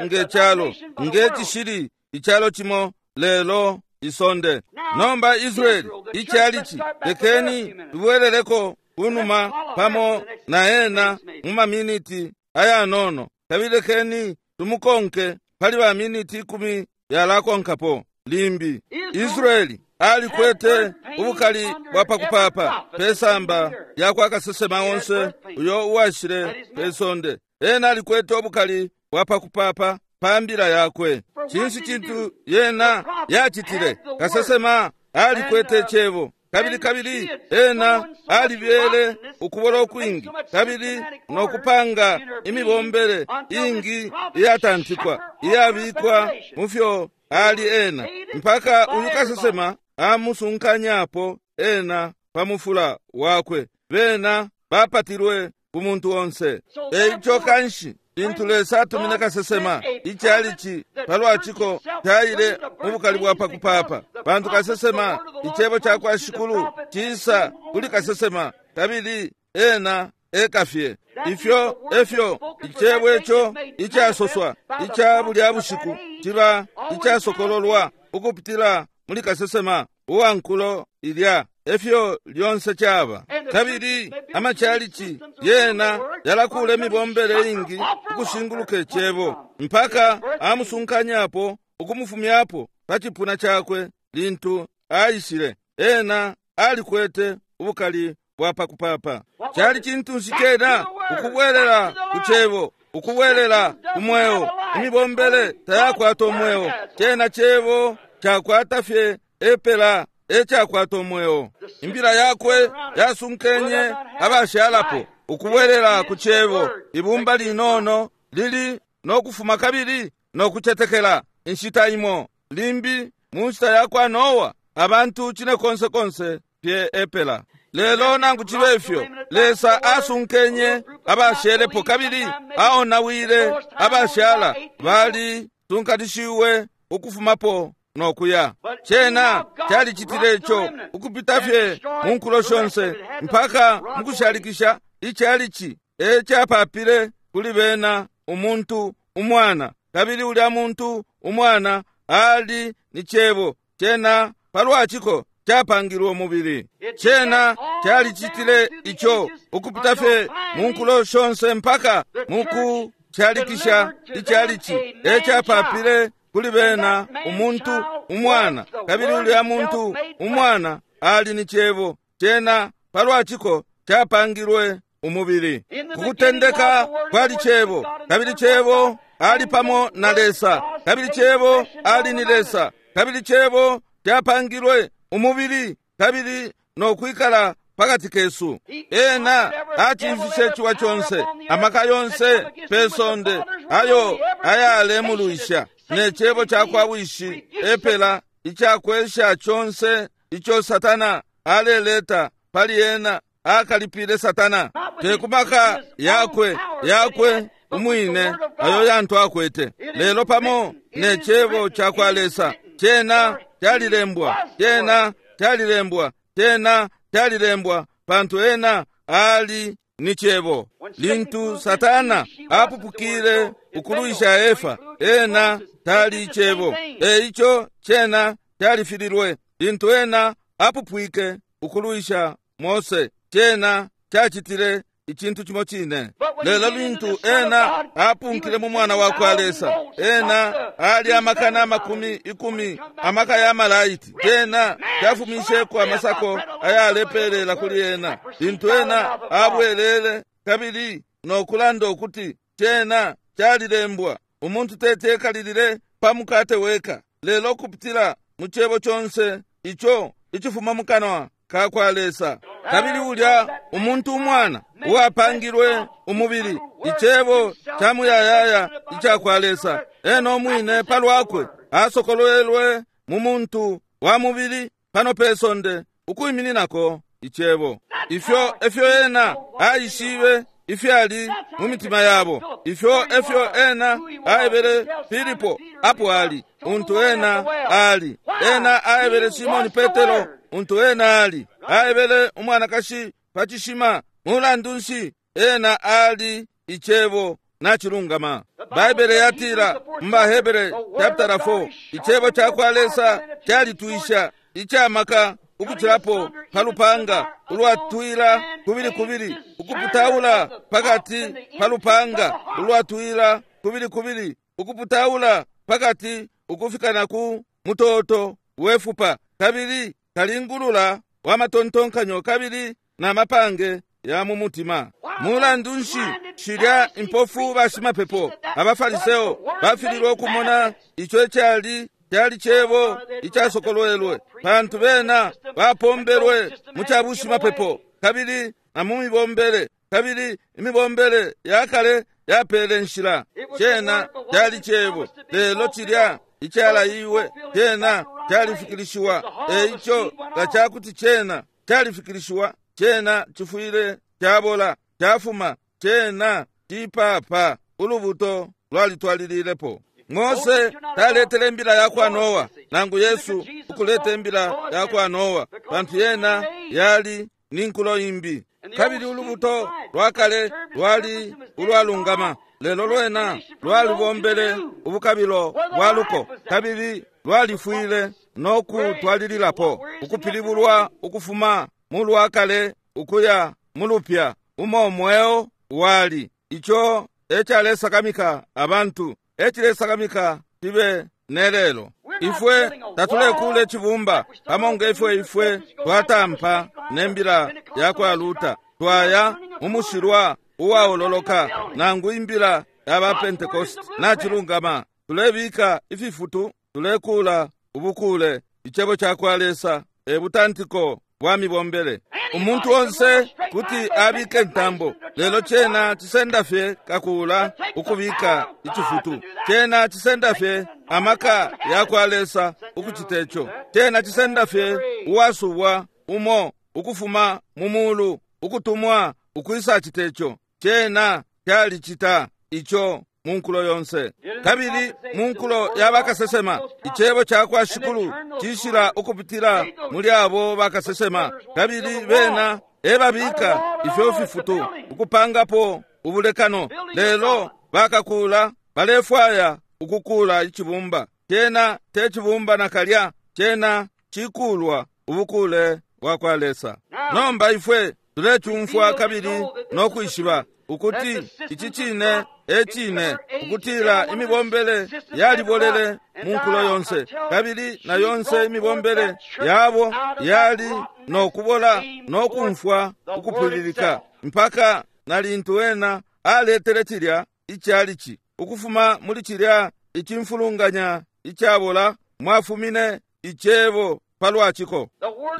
nge calo, nge cishili icalo cimo lelo isonde. Nomba Israeli icalici, lekeni tubweleleko kunuma pamo na ena mu maminiti ayanono, kabili lekeni tumukonke pali ba miniti 10 yalakonkapo limbi. Israeli alikwete ubukali bwa pakupapa pesamba lya kwa kasesema onse uyo uwashile pesonde. Ena alikwete ubukali bwa pakupapa pa mbila yakwe. Cinshi cintu yena yacitile? Kasesema alikwete cebo, kabili kabili ena alibyele ukubola ukwingi, kabili nokupanga imibombele ingi iyatantikwa iyabikwa mufyo ali ena, mpaka uyu kasesema amusunkanyapo ena pa mufula wakwe. Bena bapatilwe ku muntu onse. Eico kanshi lintu Lesa atumine kasesema, icalici palwaciko caile mu bukali bwa pakupapa, pantu kasesema, icebo cakwa Shikulu cisa kuli kasesema, kabili ena ekafye. Ifyo efyo icebo ico icasoswa ica bulya bushiku ciba icasokololwa ukupitila muli kasesema uwankulo ilya. Efyo lyonse caba. Kabili amachalichi yena yalakula imibombele ingi ukushinguluka icebo mpaka amusunkanyapo ukumufumyapo pa cipuna cakwe. Lintu aishile, ena alikwete ubukali bwa pakupapa. Cali cintu nshi cena? Ukubwelela ku cebo, ukubwelela ku mweo. Imibombele tayakwata umweo, cena cebo cakwata fye epela ecakwata umweo. Imbila yakwe yasunkenye abashalapo ukubwelela ku cebo. Ibumba linono lili nokufuma kabili nokucetekela. Inshita imo limbi mu nshita yakwa Noa, abantu cine konse konse fye epela. Lelo nangu cibe ifyo, Lesa asunkenye abashelepo kabili aonawile abashala bali sunkanishiwe ukufumapo nokuya. Cena calicitile ico ukupita fye mu nkulo shonse mpaka mukushalikisha icalici ecapapile kuli bena umuntu umwana, kabili ulya muntu umwana ali ni cebo. Cena palwaciko capangilwe umubili. Cena calicitile ico ukupita fye mu nkulo shonse mpaka mukushalikisha icalici ecapapile kuli bena umuntu umwana, kabili ulya muntu umwana ali ni cebo. Cena palwaciko capangilwe umubili. Kukutendeka kwali cebo, kabili cebo ali pamo na Lesa, kabili cebo ali ni Lesa, kabili cebo capangilwe umubili kabili nokwikala pakati kesu. Ena acimfishe ciwa conse, amaka yonse pe sonde ayo ayalemulwisha, ne cebo cakwa Wishi epela icakwesha conse ico Satana aleleta pali ena. Akalipile Satana te ku maka yakwe yakwe umwine ayo yantu akwete, lelo pamo ne cebo cakwa Lesa. Cena calilembwa, cena calilembwa, cena calilembwa, pantu ena ali ni cebo. Lintu Satana apupukile ukulwisha Efa, ena tali cebo, eico cena califililwe. Lintu ena apupwike ukulwisha Mose, cena cacitile icintu cimo cine. Lelo lintu ena apunkile mu mwana wakwa Lesa, ena ali amakana amakumi ikumi amaka ya malaiti. Cena cafumisheko amasako ayalepelela kuli ena. Lintu ena abwelele kabili nokulanda ukuti cena calilembwa, umuntu tetekalilile pa mukate weka, lelo kupitila mu cebo conse ico icifuma mu kanwa kakwa Lesa. Kabili ulya umuntu umwana uwapangilwe umubili, icebo ca muyayaya icakwa Lesa, ena umwine palwakwe asokolwelwe mu muntu wa mubili pano pe sonde ukwimininako icebo. Ifyo efyo ena aishibe ifyali mu mitima yabo. Ifyo efyo ena aebele Filipo apo ali untu ena ali. Ena aebele Simoni Petero untu ena ali. Aebele umwanakashi pa cishima mulandu nshi ena ali icebo nacilungama. Baibele yatila mu Bahebere chapter 4, icebo cakwa Lesa calitwisha icamaka ukucilapo pa lupanga ulwatwila kubili kubili, ukuputaula pakati pa lupanga ulwatwila kubili kubili, ukuputaula pakati ukufika na ku mutoto wefupa, kabili kalingulula wa matontonkanyo kabili na mapange ya mu mutima. Mulandu nshi shilya impofu bashimapepo abafariseo bafililwe ukumona ico icali cali cebo icasokolwelwe, pantu bena bapombelwe mu cabushimapepo kabili na mu mibombele, kabili imibombele ya kale yapele nshila. Cena cali cebo, lelo cilya icalaiwe cena califikilishiwa. Eico nga cakuti cena califikilishiwa, cena cifwile cabola, cafuma, cena cipapa. Ulubuto lwalitwalililepo. Mose taletele imbila yakwa Noa, nangu Yesu ukuleta imbila yakwa Noa, pantu yena yali ni nkulo imbi. Kabili ulubuto lwakale lwali ulwalungama, lelo lwena lwalubombele ubukabilo bwa luko, kabili lwalifwile no kutwalililapo ukupilibulwa ukufuma mu lwakale ukuya mu lupya, umo mweo wali. Ico ecalesakamika abantu, ecilesakamika cibe nelelo. Ifwe tatulekula icibumba pamo nge ifwe ifwe twatampa nembila yakwa Luta, twaya mu mushilwa uwaololoka, nangu imbila ya ba Pentecost. Nacilungama, tulebika ififutu, tulekula ubukule. Icebo cakwa Lesa e butantiko bwa mibombele. Umuntu onse kuti abike ntambo, lelo cena cisenda fye kakula ukubika icifutu. Cena cisenda fye amaka yakwa Lesa ukucita ico. Cena cisenda fye uwasubwa umo ukufuma mu mulu ukutumwa ukwisa cita ico. Cena calicita ico mu nkulo yonse. Kabili mu nkulo ya bakasesema, icebo cakwa Shikulu cishila ukupitila muli abo bakasesema, kabili bena ebabika ifyo fifutu ukupangapo ubulekano. Lelo bakakula balefwaya ukukula icibumba. Cena te cibumba nakalya, cena cikulwa ubukule bwakwa Lesa. Nomba ifwe tulecumfwa kabili no kwishiba ukuti ici cine e cine, ukutila imibombele yalibolele mu nkulo yonse, kabili na yonse imibombele yabo yali no kubola no kumfwa ukupwililika, mpaka na lintu ena aletele cilya icalici ukufuma muli cilya icimfulunganya icabola, mwafumine icebo palwaciko.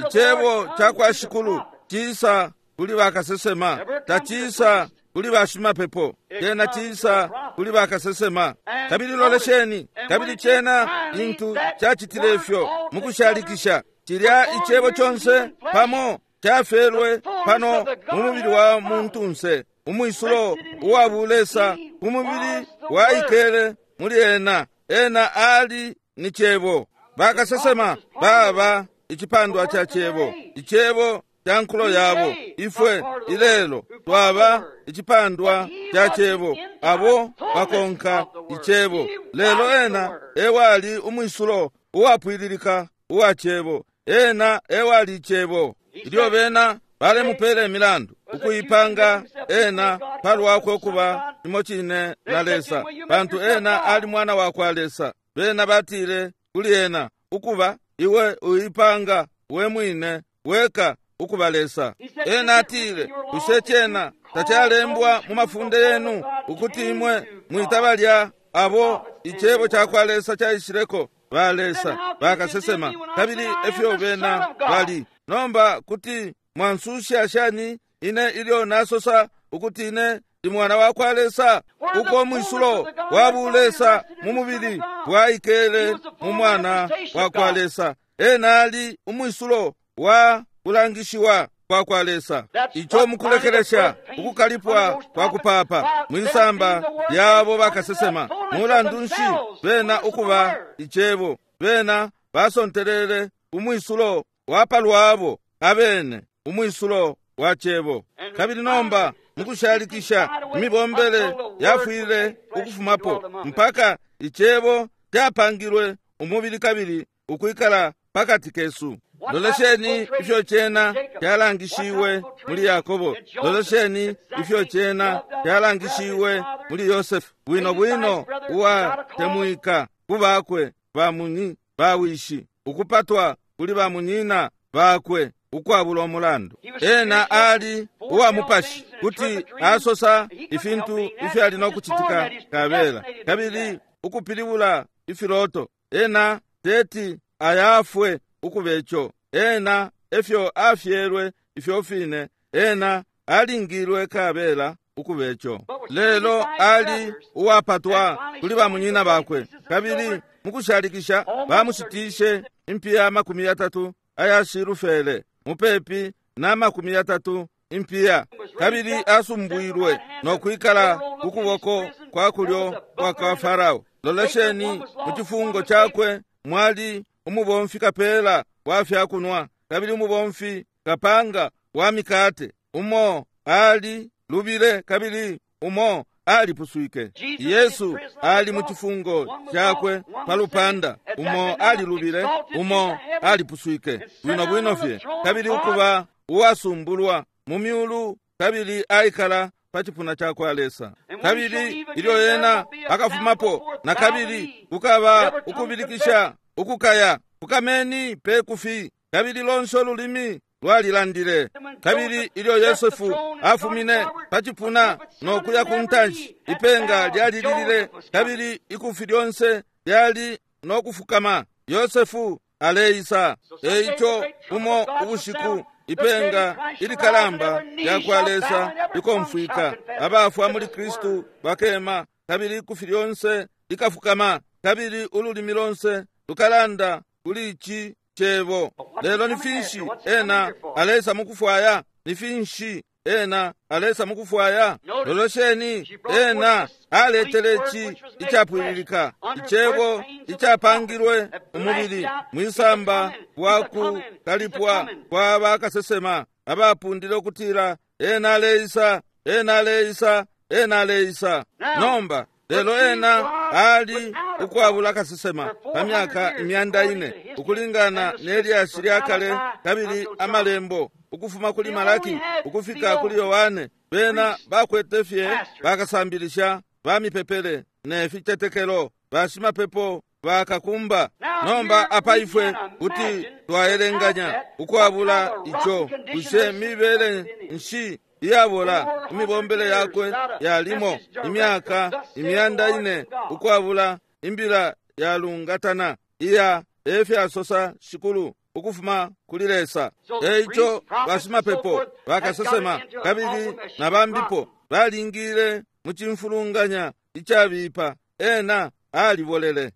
Icebo cakwa Shikulu cisa kuli bakasesema, tacisa kuli bashimapepo, cena cisa kuli bakasesema. Kabili lolesheni, kabili cena lintu cacitile ifyo mukushalikisha, cilya icebo conse pamo cafelwe pano mu mubili wa muntunse, umwisulo uwa bulesa ku mubili waikele muli ena. Ena ali ni cebo. Bakasesema baba icipandwa ca cebo, icebo ca nkulo yabo. Ifwe ilelo twaba icipandwa ca cebo, abo bakonka icebo. Lelo ena ewali umwisulo uwapwililika uwa cebo. Ena ewali icebo. Ilyo bena balemupela imilandu ukuipanga ena palwakwe ukuba cimo cine na Lesa, pantu ena ali mwana wakwa Lesa, bena batile kuli ena, ukuba iwe uipanga we mwine weka ukuba Lesa. Ena atile, bushe cena tacalembwa mu mafunde yenu ukuti imwe mwita balya abo icebo cakwa Lesa caishileko ba Lesa bakasesema, kabili efyo bena bali. Nomba kuti mwansusha shani ine ilyo nasosa ukuti ine ndi mwana wakwa Lesa? Uko mwisulo wa bulesa mu mubili bwaikele mu mwana wakwa Lesa. Ena ali umwisulo wa kulangishiwa kwakwa Lesa. Ico mukulekelesha ukukalipwa kwa kupapa mwisamba lyabo bakasesema. Mulandu nshi bena ukuba icebo? Bena basontelele umwisulo wa palwabo abene, umwisulo wa cebo. Kabili nomba mukushalikisha imibombele yafwile ukufumapo mpaka icebo capangilwe umubili kabili ukwikala pakati kesu. Lolesheni ifyo cena calangishiwe muli Yakobo. Lolesheni ifyo cena calangishiwe muli Yosefu, bwino bwino uwatemwika ku bakwe bawishi, ukupatwa kuli bamunyina bakwe ukwabula umulandu. Ena ali uwa mupashi kuti asosa ifintu ifyali no kucitika kabela, kabili ukupilibula ifiloto. Ena teti ayafwe ukubeco. Ena efyo afyelwe ifyo fine, ena alingilwe kabela ukubeco. Lelo ali uwapatwa kuli bamunyina bakwe, kabili Mukushalikisha bamushitishe impiya 30 aya silufele, mupepi na 30 impiya, kabili asumbwilwe no kwikala ku kuboko kwa kulyo kwa kwa Farao. Lolesheni, mu cifungo cakwe mwali umubomfi kapela wa fyakunwa kabili umubomfi kapanga wa mikate. Umo ali lubile kabili umo alipuswike. Yesu ali mu cifungo cakwe pa lupanda, umo alilubile, umo alipuswike bwino bwino fye, kabili ukuba uwasumbulwa mu myulu, kabili aikala pa cipuna ca kwa Lesa. Kabili ilyo ena akafumapo na kabili, kukaba ukubilikisha ukukaya, fukameni pe kufi, kabili lonse ululimi lwalilandile. Kabili ilyo Yosefu afumine pa cipuna no kuya ku ntanshi, ipenga lyalililile, kabili ikufi lyonse lyali no kufukama. Yosefu aleisa. Eico umo ubushiku ipenga ilikalamba lya kwa Lesa likomfwika, abafwa muli Kristu bakema, kabili ikufi lyonse likafukama, kabili ululimi lonse lukalanda kuli ici cebo. Lelo ni finshi ena alesa mukufwaya? Ni finshi ena alesa mukufwaya? Lolosheni, ena aletele ici icapwililika, icebo icapangilwe umubili mwisamba wa kukalipwa kwa bakasesema abapundile ukutila ena aleisa, ena aleisa, ena aleisa. Nomba lelo ena ali ukwabula kasesema pa myaka 400 ukulingana ne lyashi lya kale kabili amalembo ukufuma kuli Malaki ukufika kuli Yohane. Bena bakwete fye bakasambilisha ba mipepele ne ficetekelo, bashimapepo bakakumba. Nomba apa ifwe kuti twaelenganya ukwabula ico, bushe mibele nshi iyabola imibombele yakwe yalimo imyaka 400 ukwabula imbila yalungatana iya efyasosa Shikulu ukufuma kuli Lesa. Eico bashimapepo bakasesema kabili na bambipo balingile mu cimfulunganya icabipa. Ena alibolele.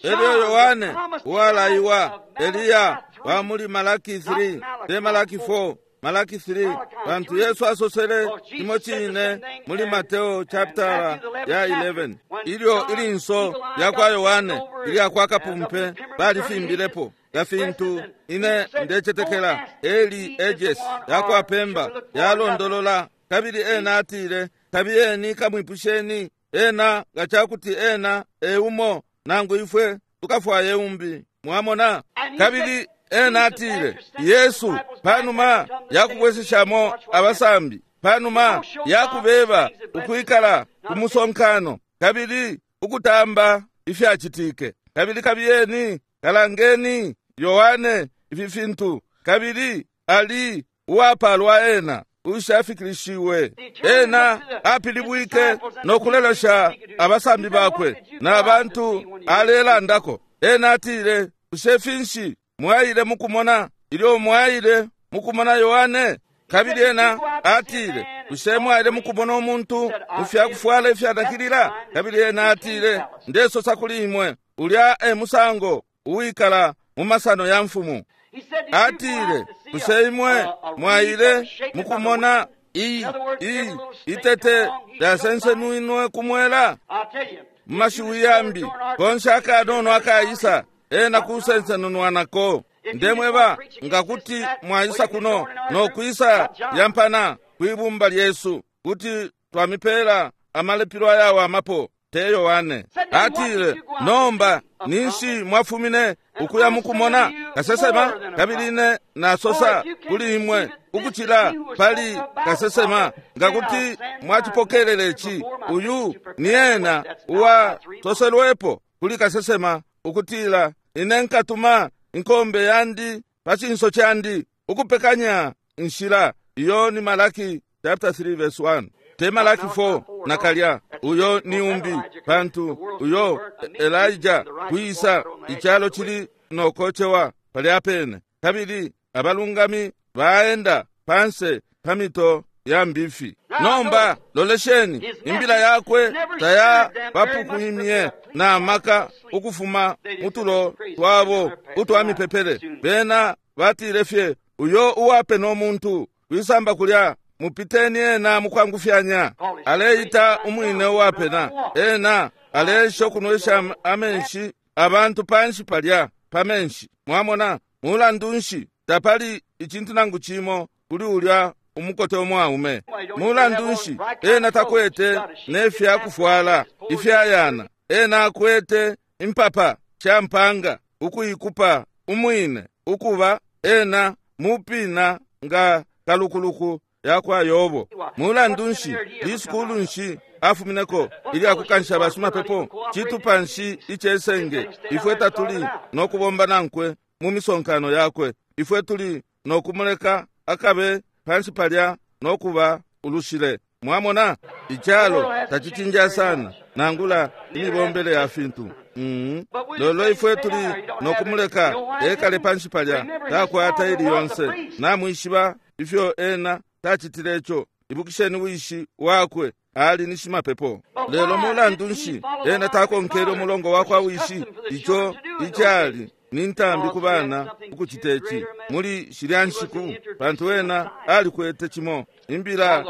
Elyo Yohane uwalaiwa Eliya wa muli Malaki 3 te Malaki 4, Malaki 3, pantu Yesu asosele cimo cine muli Mateo chapter ya 11, ilyo ilinso lya kwa Yohane ilya kwa kapumpe balifimbilepo nga fintu ine ndecetekela Eli Ejes yakwa Pemba yalondolola. Kabili ena atile, kabiyeni kamwipusheni ena nga cakuti ena eumo nangu ifwe tukafwaye umbi. Mwamona? Kabili ena atile, Yesu panuma yakubweseshamo abasambi, panuma yakubeba ukwikala kumusonkano kabili ukutamba ifyacitike, kabili kabiyeni kalangeni Yohane ifi fintu, kabili ali uwapalwa ena ushafikilishiwe. Ena apilibwike no kulelesha abasambi bakwe na bantu alelandako. Ena atile, bushe finshi mwaile mukumona ilyo mwaile mukumona Yohane? Kabili ena atile, bushe mwaile mukumona umuntu mufyakufwala ifyanakilila? Kabili ena atile, ndesosa kuli imwe, ulya e musango uwikala mu masano ya mfumu. Atile, bushe imwe mwaile mukumona itete lyasensenwinwe kumwela? Mu mashiwi yambi, konse akanono akaisa ena kusensenunwa nako. Ndemweba nga kuti mwaisa kuno no kwisa yampana kwibumba lyesu, kuti twamipela amalepilo ayawamapo. Te Yohane atile, nomba ninshi mwafumine ukuya mukumona kasesema? Kabili ine nasosa kuli imwe ukucila pali kasesema, nga kuti mwacipokelele ici, uyu ni ena uwasoselwepo kuli kasesema ukutila, ine nkatuma inkombe yandi pa cinso candi ukupekanya inshila. Iyo ni Malaki chapter 3 verse 1, te Malaki 4 nakalya. Uyo ni umbi, pantu uyo Elijah kwisa icalo cili nokocewa palya pene, kabili abalungami baenda panse pa mito ya mbifi. Nomba lolesheni, imbila yakwe taya bapukwimye na maka ukufuma mutulo twabo utwa mipepele. Bena batile fye, uyo uwapena umuntu kwisamba kulya, mupiteni ena mukwangufyanya. Aleita umwine uwapena, ena aleesha ukunwesha amenshi abantu panshi palya pa menshi. Mwamona, mulandu nshi tapali icintu nangu cimo kuli ulya umukote umwaume? Mulandu nshi ena takwete nefya kufwala ifyayana? Ena akwete impapa sha mpanga ukuikupa umwine ukuba ena mupina nga kalukuluku yakwa Yobo. Mulandu nshi lisukulu nshi afumineko ilya kukansha bashimapepo? Citupa nshi icesenge? Ifwe tatuli no kubomba nankwe mu misonkano yakwe. Ifwe tuli no kumuleka akabe panshi palya no kuba ulushile. Mwamona, icalo tacicinja sana nangula imibombele ya fintu. Lolo ifwe tuli no kumuleka ekale panshi palya, takwata ili yonse. Namwishiba ifyo ena tacitile ico. Ibukisheni wishi wakwe ali ni shimapepo. Lelo mulandu nshi ena takonkele umulongo wakwa wishi? Ico icali ni ntambi ku bana ukucita ici muli shilya nshiku, pantu ena alikwete cimo imbila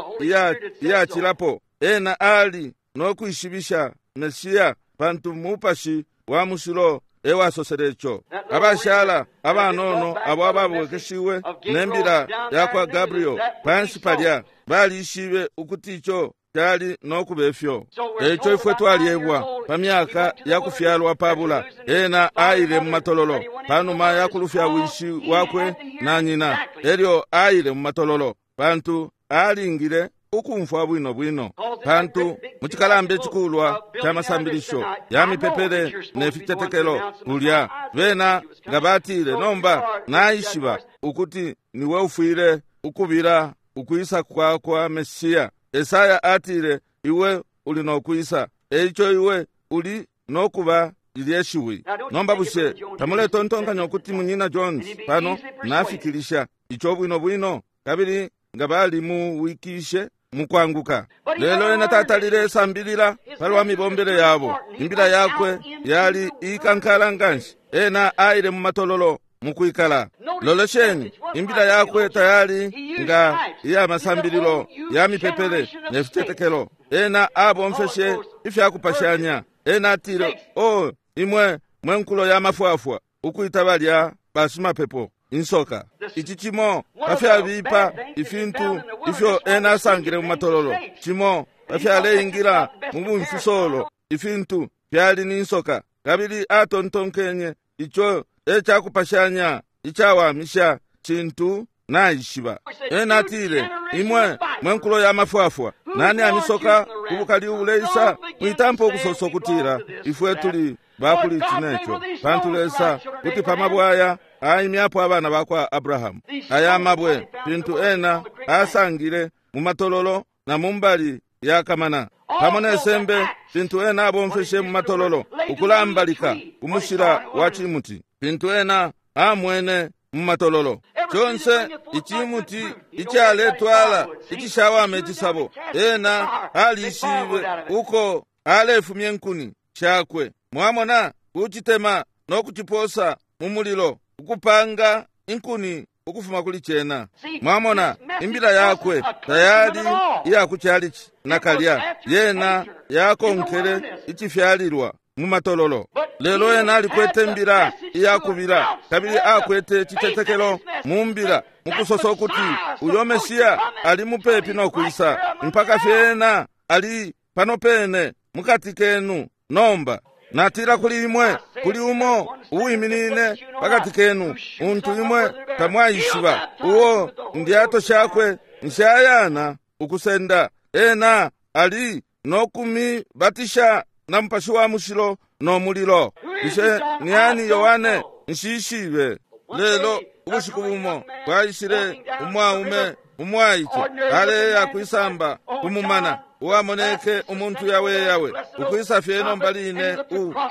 iyacilapo. Ena ali no kwishibisha Mesiya, pantu mupashi wa mushilo ewasosele ico. Abashala abanono abo ababwekeshiwe nembila yakwa Gabriel panshi palya balishibe ukuti ico cali no kuba ifyo. Eico ifwe twalyebwa pa myaka ya kufyalwa pabula, ena aile mu matololo panuma ya kulufya wishi wakwe na nyina. Elyo aile mu matololo pantu alingile ukumfwa bwino bwino, pantu mu cikalamba icikulwa ca masambilisho ya mipepele ne ficetekelo kulya bena nga batile, nomba naishiba ukuti niwe ufwile ukubila ukwisa kwa kwa Mesiya. Esaya atile, iwe uli no kwisa, eico iwe uli no kuba lilye shiwi. Nomba bushe tamuletontonkanya ukuti munyina Jones pano nafikilisha ico bwino bwino, kabili nga bali muwikishe mukwanguka? Lelo ena tatalile sambilila palwa mibombele yabo. Imbila yakwe yali ikankala nganshi. Ena aile mu matololo mukwikala. Lolesheni, imbila yakwe tayali nga iya masambililo ya mipepele ne ficetekelo. Ena abomfeshe ifya kupashanya. Ena atile, o imwe mwe nkulo ya mafwafwa, ukwita balya bashimapepo insoka. Ici cimo pafyabipa ifintu ifyo ena asangile mu matololo, cimo pafyaleingila mu bumfisolo ifintu fyali ni nsoka. Kabili atontonkenye ico ecakupashanya icawamisha cintu naishiba. Ena atile, imwe mwe nkulo ya mafwafwa, nani amisoka ubukali ubuleisa? Mwitampa ukusosa ukutila ifwe tuli bakuli ici neco, pantu Lesa kuti pamabwaya aimyapo abana bakwa Abrahamu. Aya mabwe pintu ena asangile mu matololo na mumbali ya kamana, pamo ne sembe pintu ena abomfeshe mu matololo ukulambalika umushila wa cimuti pintu ena amwene mu matololo. Conse icimuti icaletwala icishawama icisabo, ena alishibe uko alefumya inkuni shakwe. Mwamona, kucitema no kuciposa mu mulilo ukupanga inkuni ukufuma kuli cena. Mwamona, imbila yakwe tayali iya kucalici nakalya, yena yakonkele icifyalilwa mu matololo. Lelo ena alikwete imbila iyakubila, kabili akwete citetekelo mu mbila mukusosa ukuti uyo Mesiya ali mupepi no kwisa, mpaka fye ena ali pano pene mukati kenu. Nomba natila kuli imwe, kuli umo uwiminine pakati kenu, untu imwe tamwaishiba, uo ndyato shakwe nshayana ukusenda. Ena ali no kumibatisha na Mupashi wa Mushilo no mulilo. Bushe ni ani Yohane? Nshishibe. Lelo ubushiku bumo bwaishile umwaume umwaice aleya kwisamba kumumana, uwamoneke umuntu yawe yawe ukwisa fye nomba line.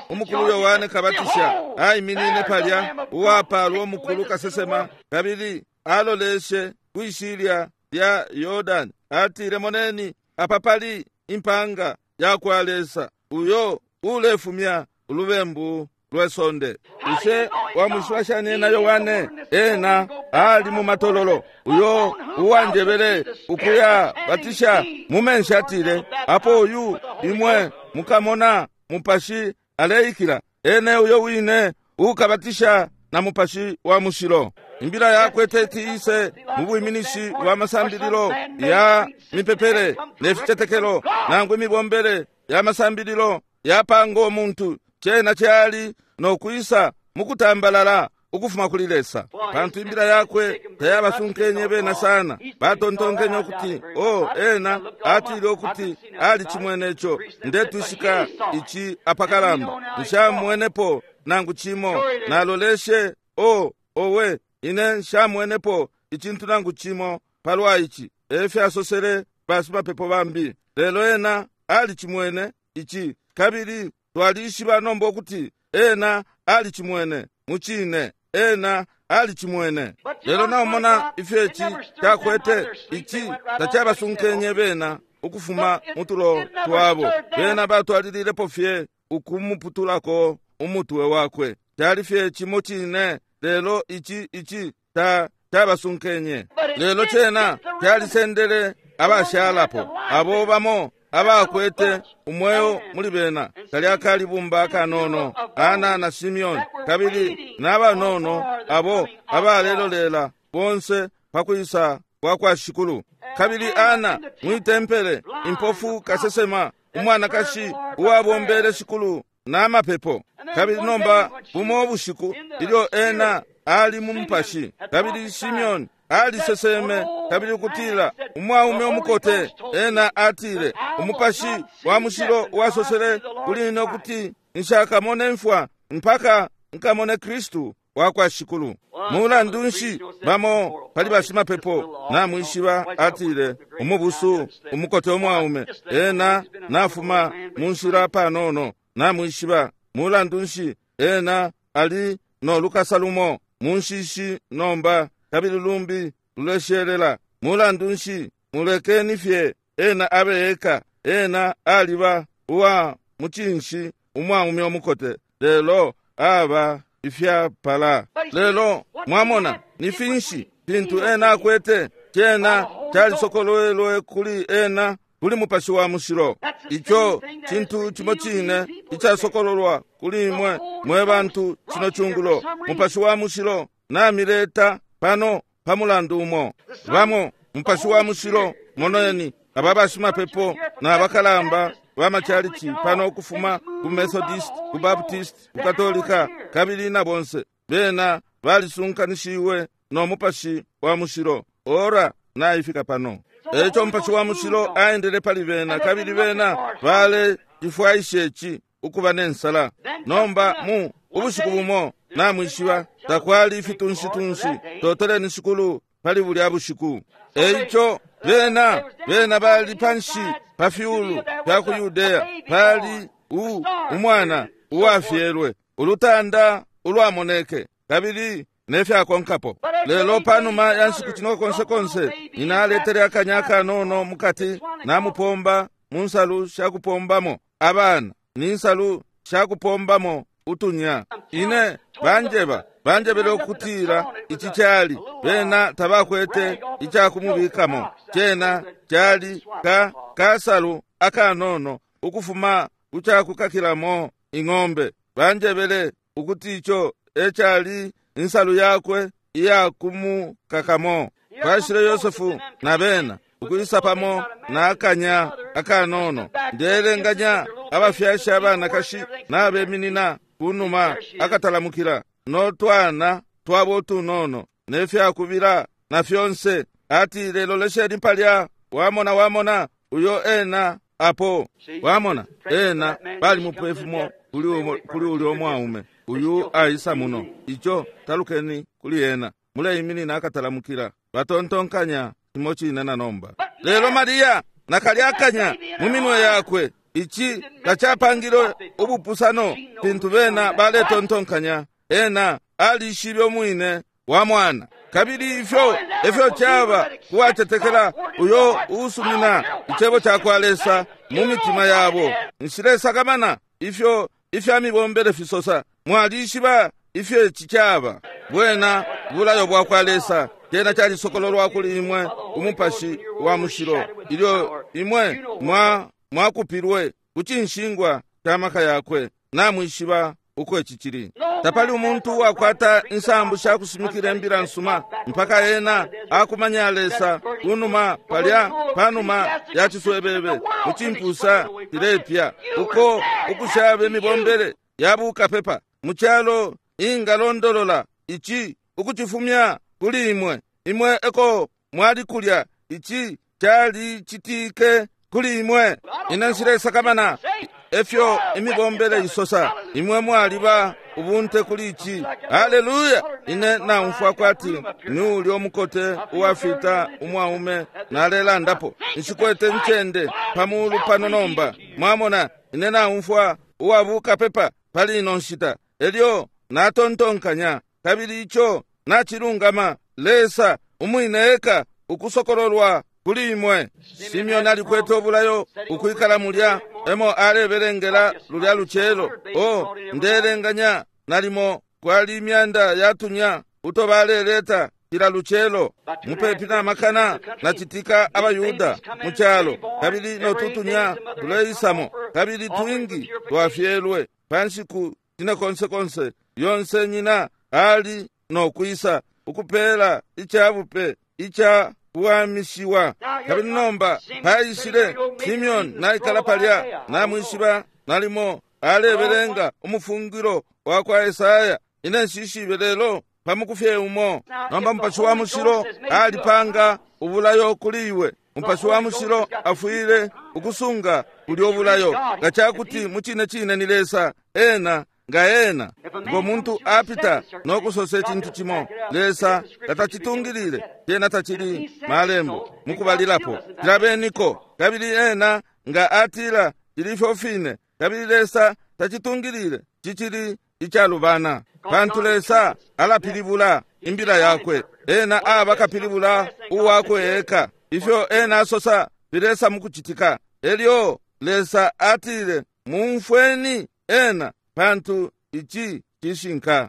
Umukulu Yohane Kabatisha aiminine palya, uwapalwa umukulu kasesema, kabili aloleshe kwishilya lya Yordani, atile, moneni apa pali impanga yakwa Lesa uyo ulefumya ulubembu lwe sonde. Bushe wamwishiba shani ena Yohane? Ena ali mu matololo, uyo uwanjebele ukuya batisha mu menshi. Atile, apo uyu imwe mukamona Mupashi aleikila, ene uyo wine ukabatisha na Mupashi wa Mushilo. Imbila yakwe teti ise mu bwiminishi bwa masambililo ya mipepele ne ficetekelo nangu imibombele ya masambililo yapanga umuntu. Cena cali no kwisa mukutambalala ukufuma kuli Lesa, pantu imbila yakwe tayabasunkenye bena sana. Batontonkenye ukuti, o ena atile ukuti ali cimwene ico. Ndetwishika ici apakalamba, nshamwenepo nangu cimo. Naloleshe, o owe, ine nshamwenepo icintu nangu cimo palwa ici, efyasosele bashimapepo bambi. Lelo ena ali cimwene ici, kabili twalishiba nomba ukuti ena ali cimwene. Mucine ena ali cimwene. Lelo naumona ifyo ici cakwete, ici tacabasunkenye bena ukufuma mutulo twabo. Bena batwalililepo fye ukumuputulako umutwe wakwe. Cali fye cimo cine, lelo ici ici ta cabasunkenye. Lelo cena calisendele abashalapo, abo bamo abakwete umweo muli bena, kalya kalibumba akanono, Ana na Simeoni, kabili n'abanono abo abalelolela bonse pakwisa kwa kwa Shikulu. Kabili Ana mwitempele, impofu kasesema, umwanakashi uwabombele Shikulu n'amapepo. Kabili nomba bumo bushiku ilyo ena ali mu mupashi, kabili Simeoni aliseseme kabili ukutila umwaume umukote, ena atile, Umupashi wa Mushilo wasosele kuli ine ukuti nshakamone mfwa mpaka nkamone Kristu wa kwa Shikulu. Mulandu nshi bamo pali bashimapepo namwishiba, atile, umubusu umukote umwaume, ena nafuma mu nshila panono, namwishiba. Mulandu nshi ena ali no lukasa lumo mu nshishi nomba, kabili lumbi luleshelela. Mulandu nshi, mulekeni fye ena abe eka. Ena aliba uwa mucinshi umwaume umukote, lelo aba ifyapala. Lelo mwamona ni finshi fintu ena akwete? Cena calisokolwelwe kuli ena kuli Mupashi wa Mushilo. Ico cintu cimo cine icasokololwa kuli imwe mwe bantu cino cungulo. Mupashi wa Mushilo namileta pano pa mulandu umo. Bamo Mupashi wa Mushilo, moneni aba bashimapepo na bakalamba ba macalici pano ukufuma ku Methodist, ku Baptist, ku Katolika, kabili na bonse bena balisunkanishiwe no Mupashi wa Mushilo. Ora naifika pano. Eco Mupashi wa Mushilo aendele pali bena, kabili bena bale cifwaishe ci ukuba nensala. Nomba mu ubushiku bumo namwishiba takwali ifitunshi-tunshi, toteleni Shikulu pali bulya bushiku. Eico bena bena bali panshi pa fyulu fya ku Yudea, pali umwana uwafyelwe, ulutanda ulwamoneke, kabili nefyakonkapo. Lelo panuma ya nshiku cino konse konse, nyina aletele akanya akanono mukati, namupomba mu nsalu shakupombamo abana ni nsalu shakupombamo utunya. Ine banjeba banjebele ukutila ici cali bena tabakwete icakumubikamo. Cena cali ka kasalu akanono ukufuma kucakukakilamo ing'ombe. Banjebele ukuti ico ecali insalu yakwe iyakumukakamo. Kwashile Yosefu na bena ukwisa pamo na akanya akanono. Ndelenganya abafyashi abanakashi nabeminina kunuma akatalamukila no twana twabo tunono nefyakubila na fyonse. Atile, lolesheni palya, wamona wamona uyo ena apo wamona ena balimupa ifumo kuli ulyo umwaume uyu aisa muno. Ico talukeni kuli ena, muleiminina akatalamukila. Batontonkanya cimo cine na nomba. Lelo Mariya nakalyakanya mu minwe yakwe. Ici tacapangile ubupusano fintu bena baletontonkanya. Ena alishibe umwine wa mwana. Kabili ifyo efyo caba kuwacetekela uyo uusumina icebo cakwa Lesa mu mitima yabo. Nshilesakamana ifyo ifya mibombele fisosa. Mwalishiba ifyo ici caba. Bwena bulayo bwakwa Lesa. Cena calisokololwa kuli imwe ku Mupashi wa Mushilo ilyo imwe mwa mwakupilwe ku cinshingwa ca maka yakwe. Namwishiba uko ici cili. Tapali umuntu uwakwata insambu sha kushimikila imbila nsuma mpaka ena akumanya Lesa kunuma palya panuma ya ciswebebe mu cimpusa cilepya, uko ukushaba imibombele ya bukapepa mu calo ingalondolola ici ukucifumya kuli imwe. Imwe eko mwali kulya, ici calicitike kuli imwe. Ine nshilesakamana efyo imibombele isosa, imwe mwaliba ubunte kuli ici. Haleluya! Ine naumfwa kwati ni ulya umukote uwafita umwaume nalelandapo. Nshikwete ncende pa mulu pano nomba. Mwamona, ine naumfwa uwabukapepa pali ino nshita. Elyo natontonkanya, kabili ico nacilungama, Lesa umwine eka ukusokololwa kuli imwe. Simeoni alikwete ubulayo ukwikala mulya emo alebelengela lulya lucelo. O, ndelenganya nalimo kwali imyanda yatunya uto baleleta cila lucelo, mupepi na makana na citika abaYuda mu calo, kabili no tutunya tuleisamo, kabili twingi twafyelwe pa nshiku cine konse konse. Yonse nyina ali no kwisa ukupela icabupe ica kuwamishiwa. Kabili nomba paishile Simeoni naikala palya, namwishiba nalimo alebelenga umufungilo wa kwa Esaya. Ine nshishibe lelo pamukufye umo. Nomba Mupashi wa Mushilo alipanga ubulayo kuli iwe. Mupashi wa Mushilo afwile ukusunga bulyo bulayo nga cakuti mu cine cine ni Lesa ena nga ena. Ngo muntu apita no kusosa icintu cimo, Lesa tatacitungilile, cena tacili malembo mukubalilapo. Cilabeniko. Kabili ena nga atila cili ifyo fine, kabili Lesa tacitungilile, cicili icalubana. Pantu Lesa alapilibula imbila yakwe, ena aba kapilibula uwakwe eka. Ifyo ena asosa filesa mukucitika. Elyo Lesa atile, mumfweni ena, pantu ici cishinka.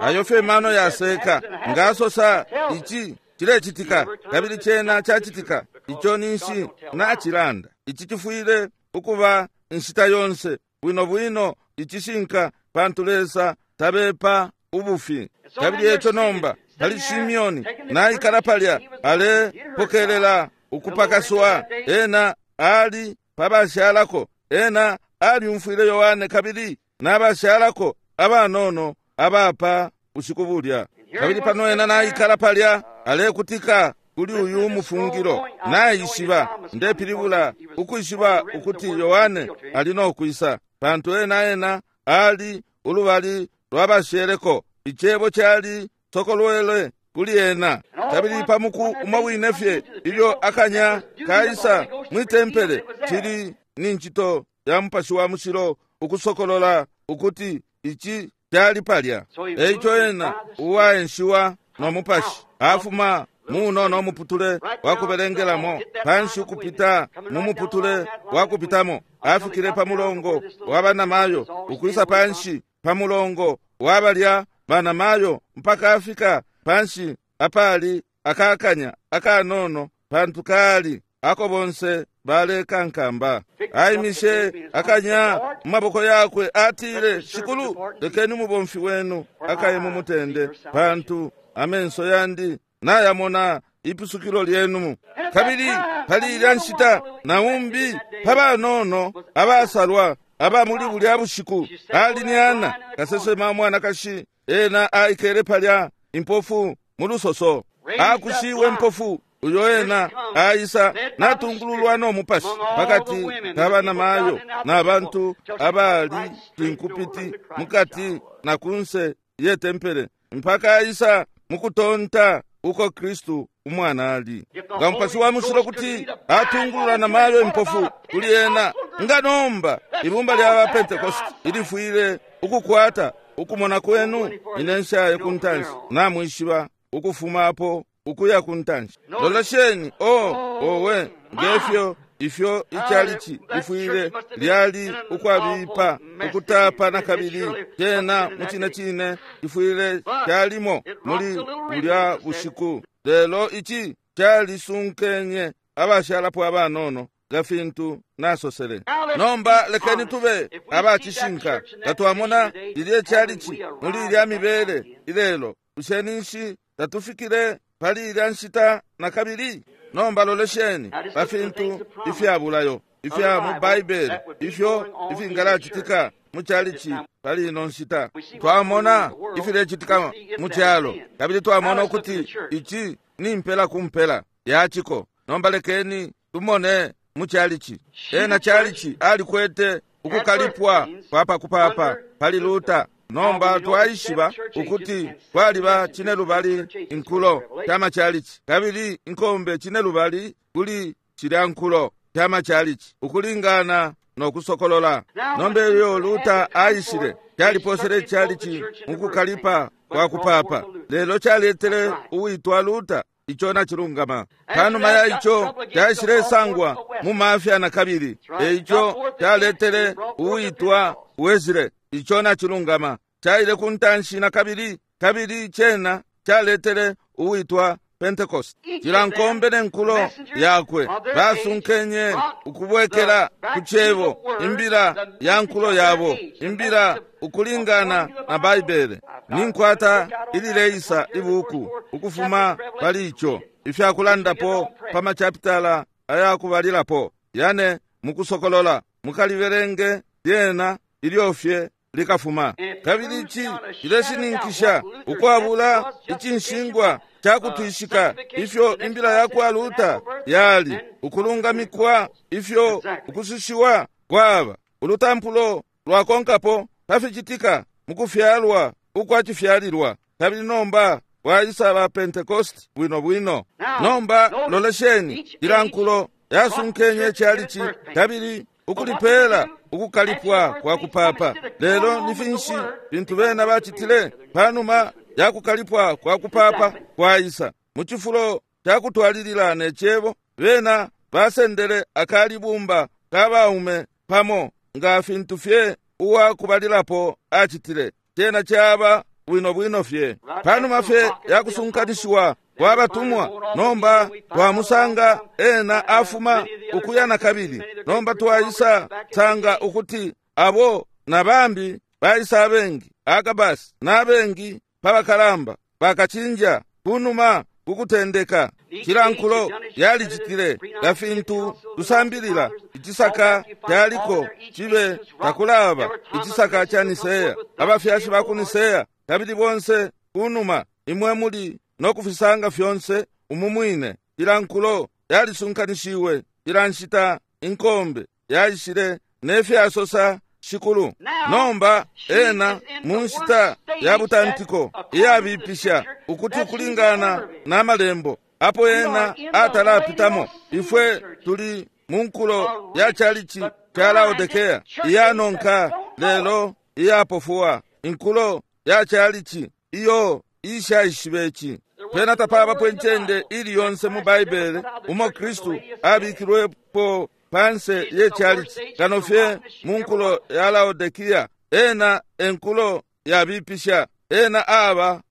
Ayo fye mano yaseka, nga asosa ici cilecitika, kabili cena cacitika, ico ninshi nacilanda. Ici cifwile ukuba inshita yonse bwino bwino icishinka, pantu Lesa tabepa ubufi. Kabili eco nomba pali Simeoni naikala palya alepokelela ukupakaswa. Ena ali pabashalako, ena aliumfwile Yohane kabili nabashalako abanono abapa bushiku bulya. Kabili pano ena naikala palya alekutika kuli uyu mufungilo. Naishiba, ndepilibula ukwishiba ukuti Yohane ali no kwisa, pantu ena ena ali ulubali lwabasheleko. Icebo cali sokolwele kuli ena. Kabili pamuku umo wine fye ilyo akanya kaisa mwi tempele, cili ni ncito ya Mupashi wa Mushilo ukusokolola ukuti ici cali palya. Eico ena uwaenshiwa no Mupashi afuma munono muputule wa kubelengelamo panshi ukupita mu muputule wa kupitamo, afikile pa mulongo wa banamayo, ukwisa panshi pa mulongo wa balya banamayo, mpaka afika panshi apali akakanya akanono, pantu kali ako bonse balekankamba. Aimishe akanya mu maboko yakwe, atile, Shikulu, lekeni umubomfi wenu akaye mu mutende, pantu amenso yandi nayamona ipusukilo lyenu. Kabili pali ilya nshita naumbi pa banono abasalwa aba muli bulya bushiku ali ni Ana, kasesema mwanakashi. Ena aikele palya impofu mu lusoso, akushiwe mpofu uyo ena aisa natungululwa no Mupashi pakati ka banamayo na bantu abali cinkupiti mukati na kunse ye tempele, mpaka aisa mukutonta uko Kristu umwana ali. Nga Mupashi wa Mushilo kuti atungulula na mayo impofu kuli ena, nga nomba ibumba lya ba Pentecost ilifwile ukukwata ukumona kwenu. Ine nshaye ku ntanshi, namwishiba ukufuma apo ukuya ku ntanshi. Lolesheni, oh, owe, ngefyo ifyo ichalichi lifwile lyali ukwabipa ukutapa na kabili cena mucine cine lifwile calimo muli bulya bushiku. Lelo ici calisunkenye abashalapo abanono nga fintu nasosele. Nomba lekeni tube abacishinka. Nga twamona lilye chalichi muli ilya mibele ilelo, bushe ninshi tatufikile pali ilya nshita na kabili? Nomba lolesheni pa fintu ifyabulayo ifya mu Baibele ifyo ifingalacitika mu chalichi pali ino nshita. Twamona ifilecitika mu calo, kabili twamona ukuti ici ni mpela ku mpela yaciko. Nomba lekeni tumone mu chalichi. Ena chalichi alikwete ukukalipwa kwa pakupapa pali Luther. Nomba twaishiba ukuti kwaliba cinelubali inkulo sha machalichi, kabili inkombe cinelubali kuli cilya nkulo sha machalichi ukulingana no kusokolola. Nomba ilyo Luther aishile, caliposele chalichi mukukalipa kwa kupapa, lelo caletele uwitwa Luther. Ico nacilungama. Panuma ya ico caishilesangwa mu mafya na kabili, eico caletele uwitwa Wesley. Ico nacilungama. Caile ku ntanshi na kabili, kabili cena caletele uwitwa Pentecost. Cila nkombe ne nkulo yakwe basunkenye ukubwekela ku cebo, imbila ya nkulo yabo, imbila ukulingana na Baibele. Ninkwata ilileisa ibuku ukufuma pali ico, ifyakulandapo pa machapitala ayakubalilapo yane mukusokolola. Mukaliberenge lyena ilyofye likafuma. Kabili ici cileshininkisha ukwabula icinshingwa cakutwishika ifyo imbila yakwa Luther yali, ukulungamikwa ifyo ukusushiwa kwaba, ulutampulo lwakonkapo paficitika mukufyalwa ukwacifyalilwa. Kabili nomba waisa ba Pentecost bwino bwino. Nomba lolesheni, ila nkulo yasunkenye chalichi kabili ukulipela ukukalipwa kwa kupapa. Lelo ni finshi fintu bena bacitile panuma ya kukalipwa kwa kupapa kwaisa? Mu cifulo ca kutwalilila ne cebo, bena basendele akalibumba ka baume pamo nga fintu fye uwa kubalilapo acitile. Cena caba bwino bwino fye. Panuma fye ya kusunkanishiwa kwa batumwa, nomba twamusanga ena afuma ukuya na kabili. Nomba twaisa sanga ukuti abo na bambi baisa abengi, Agabasi na abengi pabakalamba bakacinja kunuma kukutendeka. Cila nkulo yalicitile nga fintu tusambilila. Icisaka caliko cibe takulaba icisaka ca Niseya, abafyashi ba ku Niseya, kabili bonse kunuma imwe muli no kufisanga fyonse umu mwine. Cila nkulo yalisunkanishiwe, cila nshita inkombe yaishile ne fyasosa Shikulu. Nomba ena mu nshita ya butantiko iyabipisha ukuti ukulingana na malembo apo ena atalapitamo, ifwe tuli mu nkulo ya chalichi ca Laodikea iyanonka lelo iyapofuwa, inkulo ya chalichi iyo ishaishibe ici. Pena tapabapo incende ili yonse mu Baibele umo Kristu abikilwepo panse ye chalichi kano fye mu nkulo ya Laodikia. Ena enkulo yabipisha, ena aba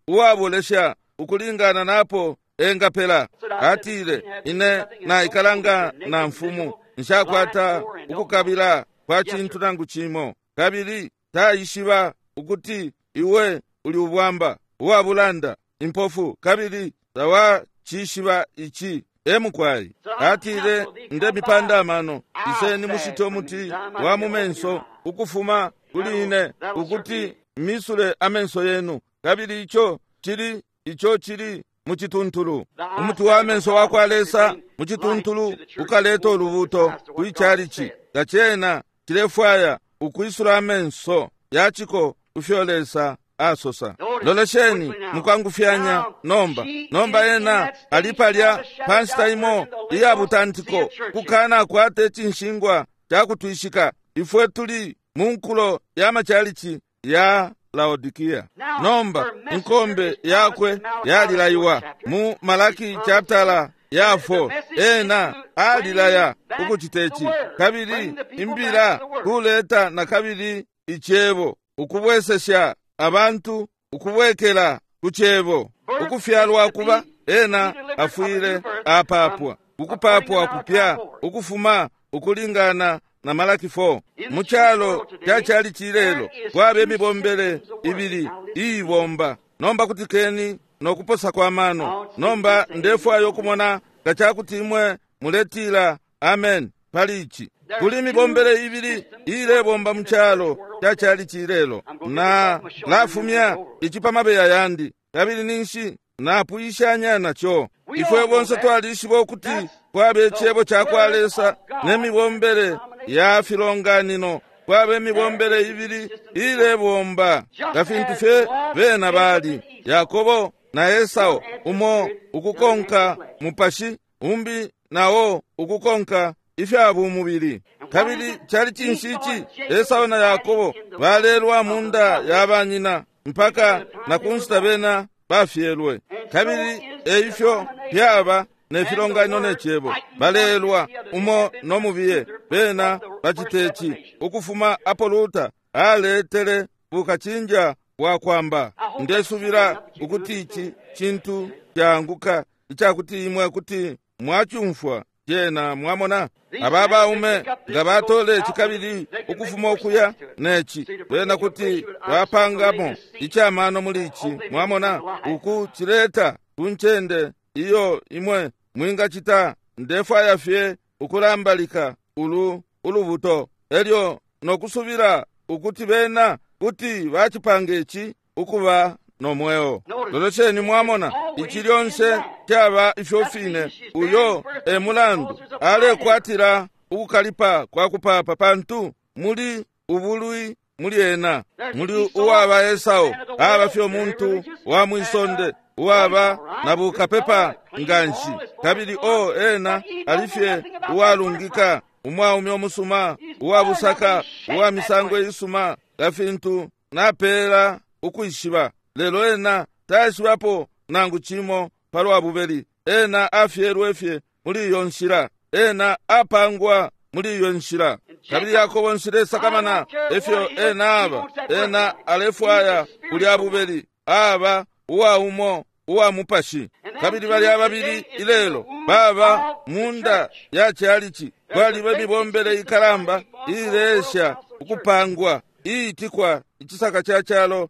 uwabolesha ukulingana napo engapela. Atile, ine naikalanga na mfumu, nshakwata ukukabila kwa cintu nangu cimo, kabili taishiba ukuti iwe uli ubwamba, uwabulanda, impofu, kabili tawacishiba ici. Emukwai atile, ndemipanda amano, iseni mushite umuti wa mumenso ukufuma kuli ine, ukuti misule amenso yenu. Kabili ico cili, ico cili mucituntulu umuti wa menso wa kwa Lesa mucituntulu ukaleta ulubuto kwi chalichi. Nga cena cilefwaya ukwisula amenso yaciko kufyo Lesa asosa. Lolesheni mukwangufyanya nomba. Nomba ena ali palya pa nshita imo iya butantiko, kukana akwate cinshingwa ca kutwishika. Ifwe tuli mu nkulo ya machalichi ya Laodikia. Nomba inkombe yakwe yalilaiwa mu Malaki chaptala ya 4. Ena alilaya ukucita ici, kabili imbila kuleta na kabili icebo, ukubwesesha abantu ukubwekela ku cebo. Ukufyalwa kuba ena afwile apapwa, ukupapwa kupya ukufuma ukulingana na Malaki 4. Mu calo ca cali cilelo kwaba imibombele ibili iibomba. Nomba kutikeni no kuposa kwa mano. Nomba ndefwaya ukumona nga cakuti imwe muletila amen pali ici. Kuli imibombele ibili iilebomba mu calo ca cali cilelo. Na lafumya ici pa mabeya yandi, kabili ninshi napwishanya naco. Ifwe bonse twalishiba ukuti kwaba icebo ca kwa Lesa ne mibombele ya filonganino. Kwaba imibombele ibili iilebomba nga fintu fye bena bali Yakobo na Esau, umo ukukonka mupashi, umbi nawo ukukonka ifya bumubili. Kabili cali cinshi ici? Esau na Yakobo balelwa mu nda ya banyina mpaka na ku nshita bena bafyelwe. Kabili eifyo fyaba ne filonganino ne cebo, balelwa umo no mubiye. Bena bacite ici ukufuma apo Luther aletele bukacinja bwa kwamba. Ndesubila ukuti ici cintu caanguka icakuti imwe kuti mwacumfwa cena. Mwamona aba baume nga batole ici kabili ukufuma ukuya neci, bena kuti bapangamo icamano muli ici. Mwamona uku cileta ku ncende iyo imwe mwingacita. Ndefwaya fye ukulambalika ulu ulubuto, elyo nokusubila ukuti bena kuti bacipanga ici ukuba no mweo. Lolesheni, mwamona ici lyonse caba ifyo fine. Uyo e mulandu alekwatila ukukalipa kwa kupapa, pantu muli ubulwi muli ena. Muli uwaba Esau, aba fye umuntu wa mwisonde uwaba na bukapepa nganshi, kabili o ena ali fye uwalungika, umwaume umusuma, uwabusaka, uwa misango isuma, nga fintu napeela ukwishiba. Lelo ena taishibapo nangu cimo palwa bubeli. Ena afyelwe fye muli iyo nshila, ena apangwa muli iyo nshila. Kabili Yakobo nshilesakamana efyo ena aba, ena alefwaya kulya bubeli, aba uwa umo uwa mupashi. Kabili balya babili ilelo baba munda ya chalichi. Kwaliba imibombele ikalamba iilesha ukupangwa iitikwa icisaka ca calo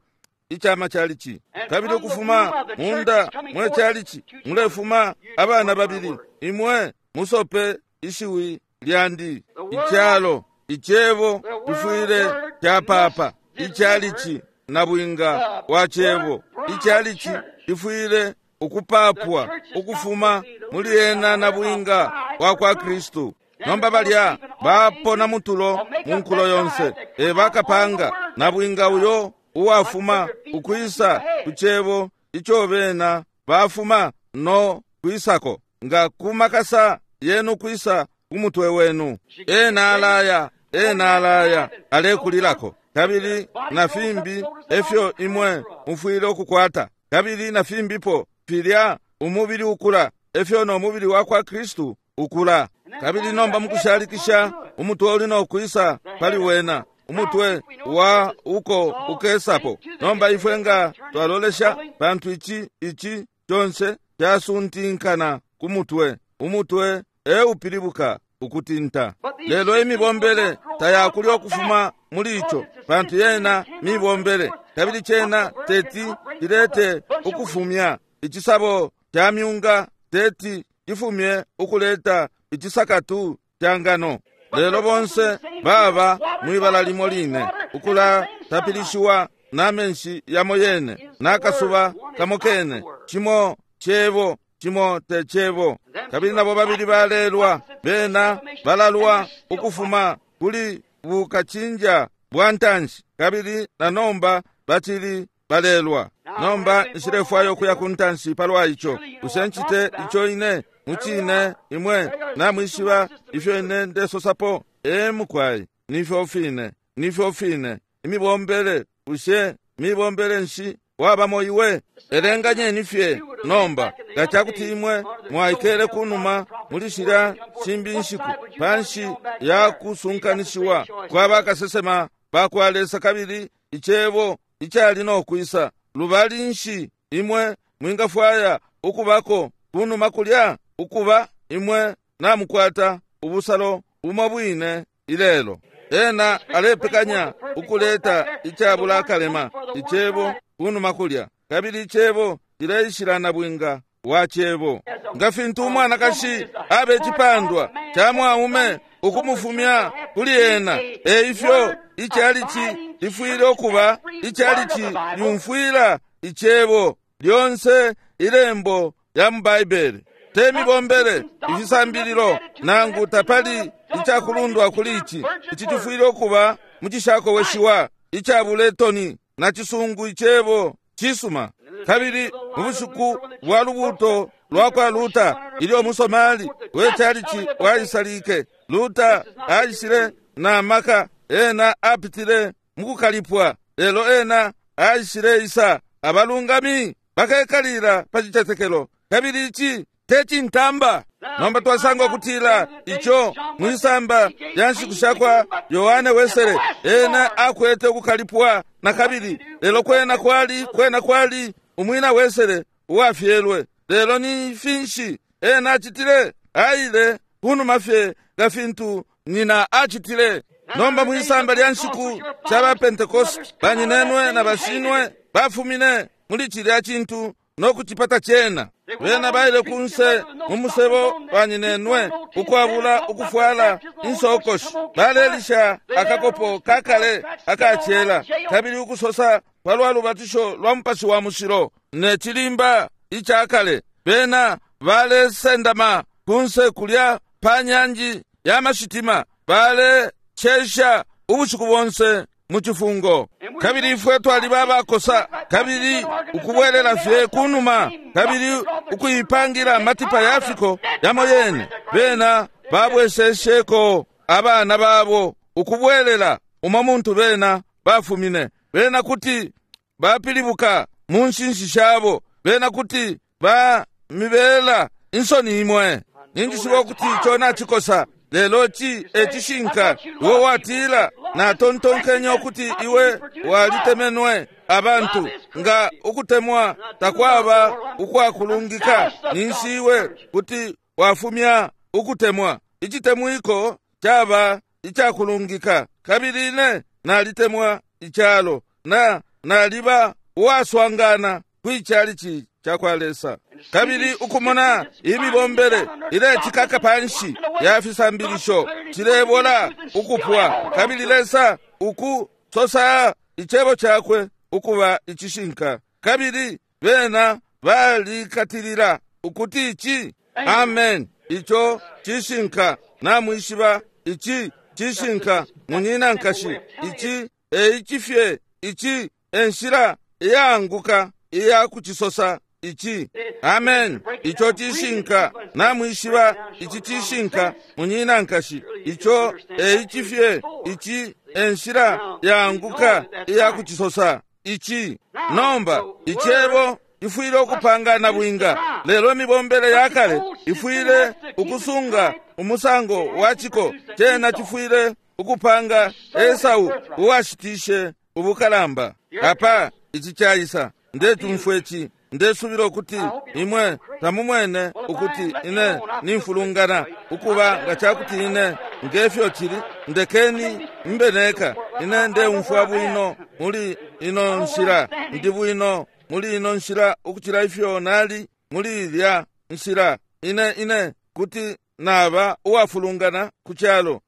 ica machalichi. Kabili ukufuma munda mwe chalichi mulefuma abana babili. Imwe musope ishiwi lyandi. Icalo icebo cifwile capapa ichalichi na bwinga wa cebo. Ichalichi cifwile ukupapwa ukufuma muli ena na bwinga wa kwa Kristu. Nomba balya bapona mutulo mu nkulo yonse e bakapanga na bwinga uyo uwafuma ukwisa ku cebo ico bena bafuma no kwisako, nga kumakasa yenu kwisa ku mutwe wenu. Ena alaya, ena alaya alekulilako. Kabili na fimbi efyo imwe mufwile ukukwata. Kabili na fimbipo filya umubili ukula, efyo no mubili wa kwa Kristu ukula. Kabili nomba mukushalikisha umutwe uli no kwisa pali wena, umutwe wa uko ukesapo. Nomba ifwe nga twalolesha, pantu ici ici conse casuntinkana ku mutwe. Umutwe e upilibuka ukutinta. Lelo imibombele tayakulya ukufuma muli ico, pantu yena mibombele, kabili cena teti cilete ukufumya icisabo ca myunga, teti cifumye ukuleta icisakatu ca ngano. Lelo bonse baba mwibala limo line, ukulatapilishiwa na menshi yamo yene nakasuba kamo kene, cimo cebo cimo te cebo. Kabili nabo babili balelwa, bena balalwa ukufuma kuli bukacinja bwa ntanshi, kabili na nomba bacili balelwa. Nomba nshilefwaya ukuya ku ntanshi palwa ico. Bushe ncite ico ine mucine? Imwe namwishiba ifyo ine ndesosapo. E mukwai, nifyo fine, nifyo fine imibombele. Bushe Mibombele nshi wabamo iwe? Elenganyeni fye nomba nga cakuti imwe mwaikele kunuma muli shilya shimbi nshiku panshi ya kusunkanishiwa kwa bakasesema bakwa Lesa kabili icebo icali no kwisa. Lubali nshi imwe mwingafwaya ukubako kunuma kulya? Ukuba imwe namukwata ubusalo bumo bwine ilelo. Ena alepekanya ukuleta icabula akalema icebo kunuma kulya, kabili icebo cileishila na bwinga wa cebo. Nga fintu umwanakashi abe icipandwa ca mwaume ukumufumya kuli ena, eifyo icalici lifwile ukuba icalici lyumfwila icebo lyonse ilembo ya mu Baibele. Te mibombele, ifisambililo, nangu tapali icakulundwa kuli ici. Ici cifwile ukuba mu cishakoweshiwa icabuletoni na cisungu icebo cisuma. Kabili mu bushiku bwa lubuuto lwa kwa Luta, ilyo umusomali we calici waisalike, Luta aishile na maka. Ena apitile mu kukalipwa, lelo ena aishile isa. Abalungami bakekalila pa cicetekelo, kabili ici te cintamba. Nomba twasanga ukutila ico mwisamba lya nshiku shakwa Yohane Wesele, ena akwete ukukalipwa na kabili, lelo kwena kwali umwina Wesele uwafyelwe. Lelo ni finshi ena acitile? Aile kunuma fye nga fintu nyina acitile. Nomba mwisamba lya nshiku sha ba Pentecost, banyinenwe na bashinwe bafumine muli cilya cintu no kucipata cena. Bena baile kunse mu musebo banyinenwe ukwabula ukufwala insokoshi, balelisha akakopo kakale akacela, kabili ukusosa palwa lubatisho lwa Mupashi wa Mushilo ne cilimba icakale. Bena balesendama kunse kulya pa nyanji ya mashitima, balecesha ubushiku bonse mu cifungo. Kabili ifwe twaliba abakosa, kabili ukubwelela fye kunuma, kabili ukuipangira amatipa ya fiko yamo yene. Bena babwesesheko abana babo ukubwelela umo muntu bena bafumine. Bena kuti bapilibuka mu nshinshi shabo, bena kuti bamibela insoni imwe. Ninjishiba ukuti ico nacikosa, lelo ci ecishinka. Iwe watila, natontonkenye ukuti iwe walitemenwe abantu. Nga ukutemwa takwaba ukwakulungika, ninshi iwe kuti wafumya ukutemwa. Icitemwiko caba icakulungika, kabili ine nalitemwa icalo, na naliba uwaswangana kwicalici cakwa Lesa. Kabili ukumona imibombele ilecikaka panshi ya fisambilisho cilebola ukupwa, kabili Lesa ukusosa icebo cakwe ukuba icishinka, kabili bena balikatilila ukuti ici amen, ico cishinka. Namwishiba ici cishinka, munyina nkashi. Ici eicifye, ici enshila iyaanguka iya kucisosa ici amen, ico cishinka. Namwishiba ici cishinka, munyina nkashi. Ico eicifye, ici enshila yaanguka iya kucisosa ici. Nomba icebo ifwile ukupangana bwinga, lelo imibombele yakale ifwile ukusunga umusango wa ciko. Cena cifwile ukupanga Esau uwashitishe ubukalamba. Apa ici caisa. Ndetumfwe ci, ndesubila ukuti imwe tamumwene ukuti ine nimfulungana. Ukuba nga cakuti ine ngefyo cili, ndekeni mbe neka. Ine ndeumfwa bwino muli ino nshila, ndi bwino muli ino nshila ukucila ifyo nali muli ilya nshila. Ine kuti naba uwafulungana ku calo.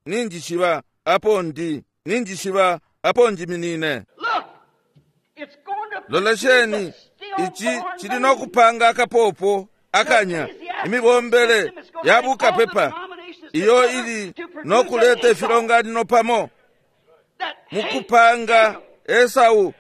Ninjishiba apo ndi, ninjishiba apo njiminine. Lolesheni, ici cili no kupanga akapopo akanya imibombele ya bukapepa iyo ili no kuleta ifilonganino pamo mukupanga Esau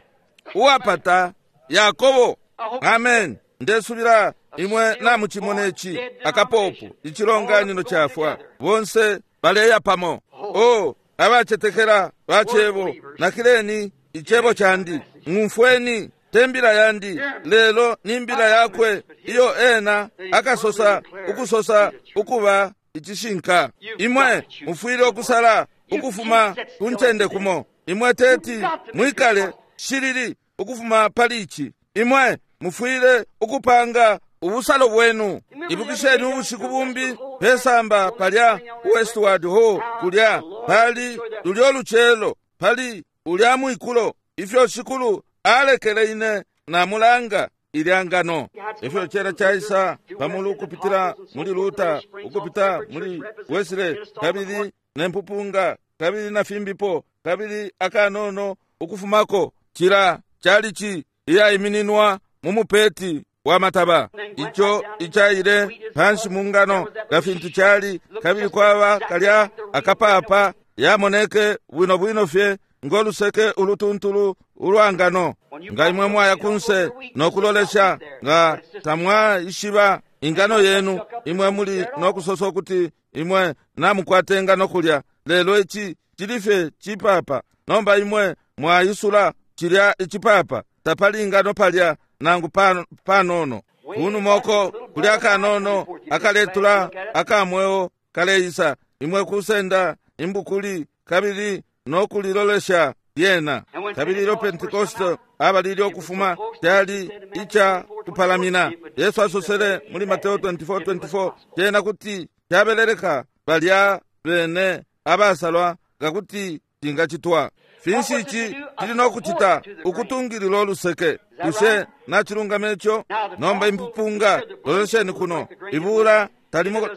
uwapata Yakobo. Amen. Ndesubila imwe namucimona ici akapopo, icilonganino cafwa, bonse baleya pamo. O abacetekela bacebo, nakileni Icebo candi. Ng'umfweni, te mbila yandi, lelo ni mbila yakwe iyo ena akasosa ukusosa ukuba icishinka. Imwe mufwile ukusala ukufuma ku ncende kumo. Imwe teti mwikale shilili ukufuma pali ici. Imwe mufwile ukupanga ubusalo bwenu. Ibukisheni ubushiku bumbi pesamba palya Westward Ho, kulya pali lulyo lucelo, pali ulya mwikulo, ifyo Shikulu alekele ine namulanga ilya ngano. Ifyo cera caisa pamulu ukupitila muli Luther, ukupita muli Wesley, kabili nempupunga, kabili na fimbipo, kabili akanono ukufumako cila calici iyaimininwa mu mupeti wa mataba, ico icaile panshi mu ngano nga fintu cali, kabili kwaba kalya akapapa yamoneke bwino bwino fye ngoluseke ulutuntulu ulwa ngano. Nga imwe mwaya kunse nokulolesha, nga tamwaishiba ingano yenu, imwe muli nokusosa ukuti imwe namukwata ingano kulya, lelo ici cili fye cipapa. Nomba imwe mwaisula cilya icipapa, tapali ingano palya nangu panono. Kunumoko kuli akanono akaletula akamweo kaleisa, imwe kusenda imbukuli kabili nokulilolesha lyena. Kabili ilyo Pentekoste abalile ukufuma, cali ica kupalamina. Yesu asosele muli Mateo 24:24, cena kuti cabeleleka balya bene abasalwa nga kuti cingacitwa. Finshi ici cili nokucita? Ukutungilila uluseke. Bushe nacilungama ico? Nomba impupunga, lolesheni kuno, ibula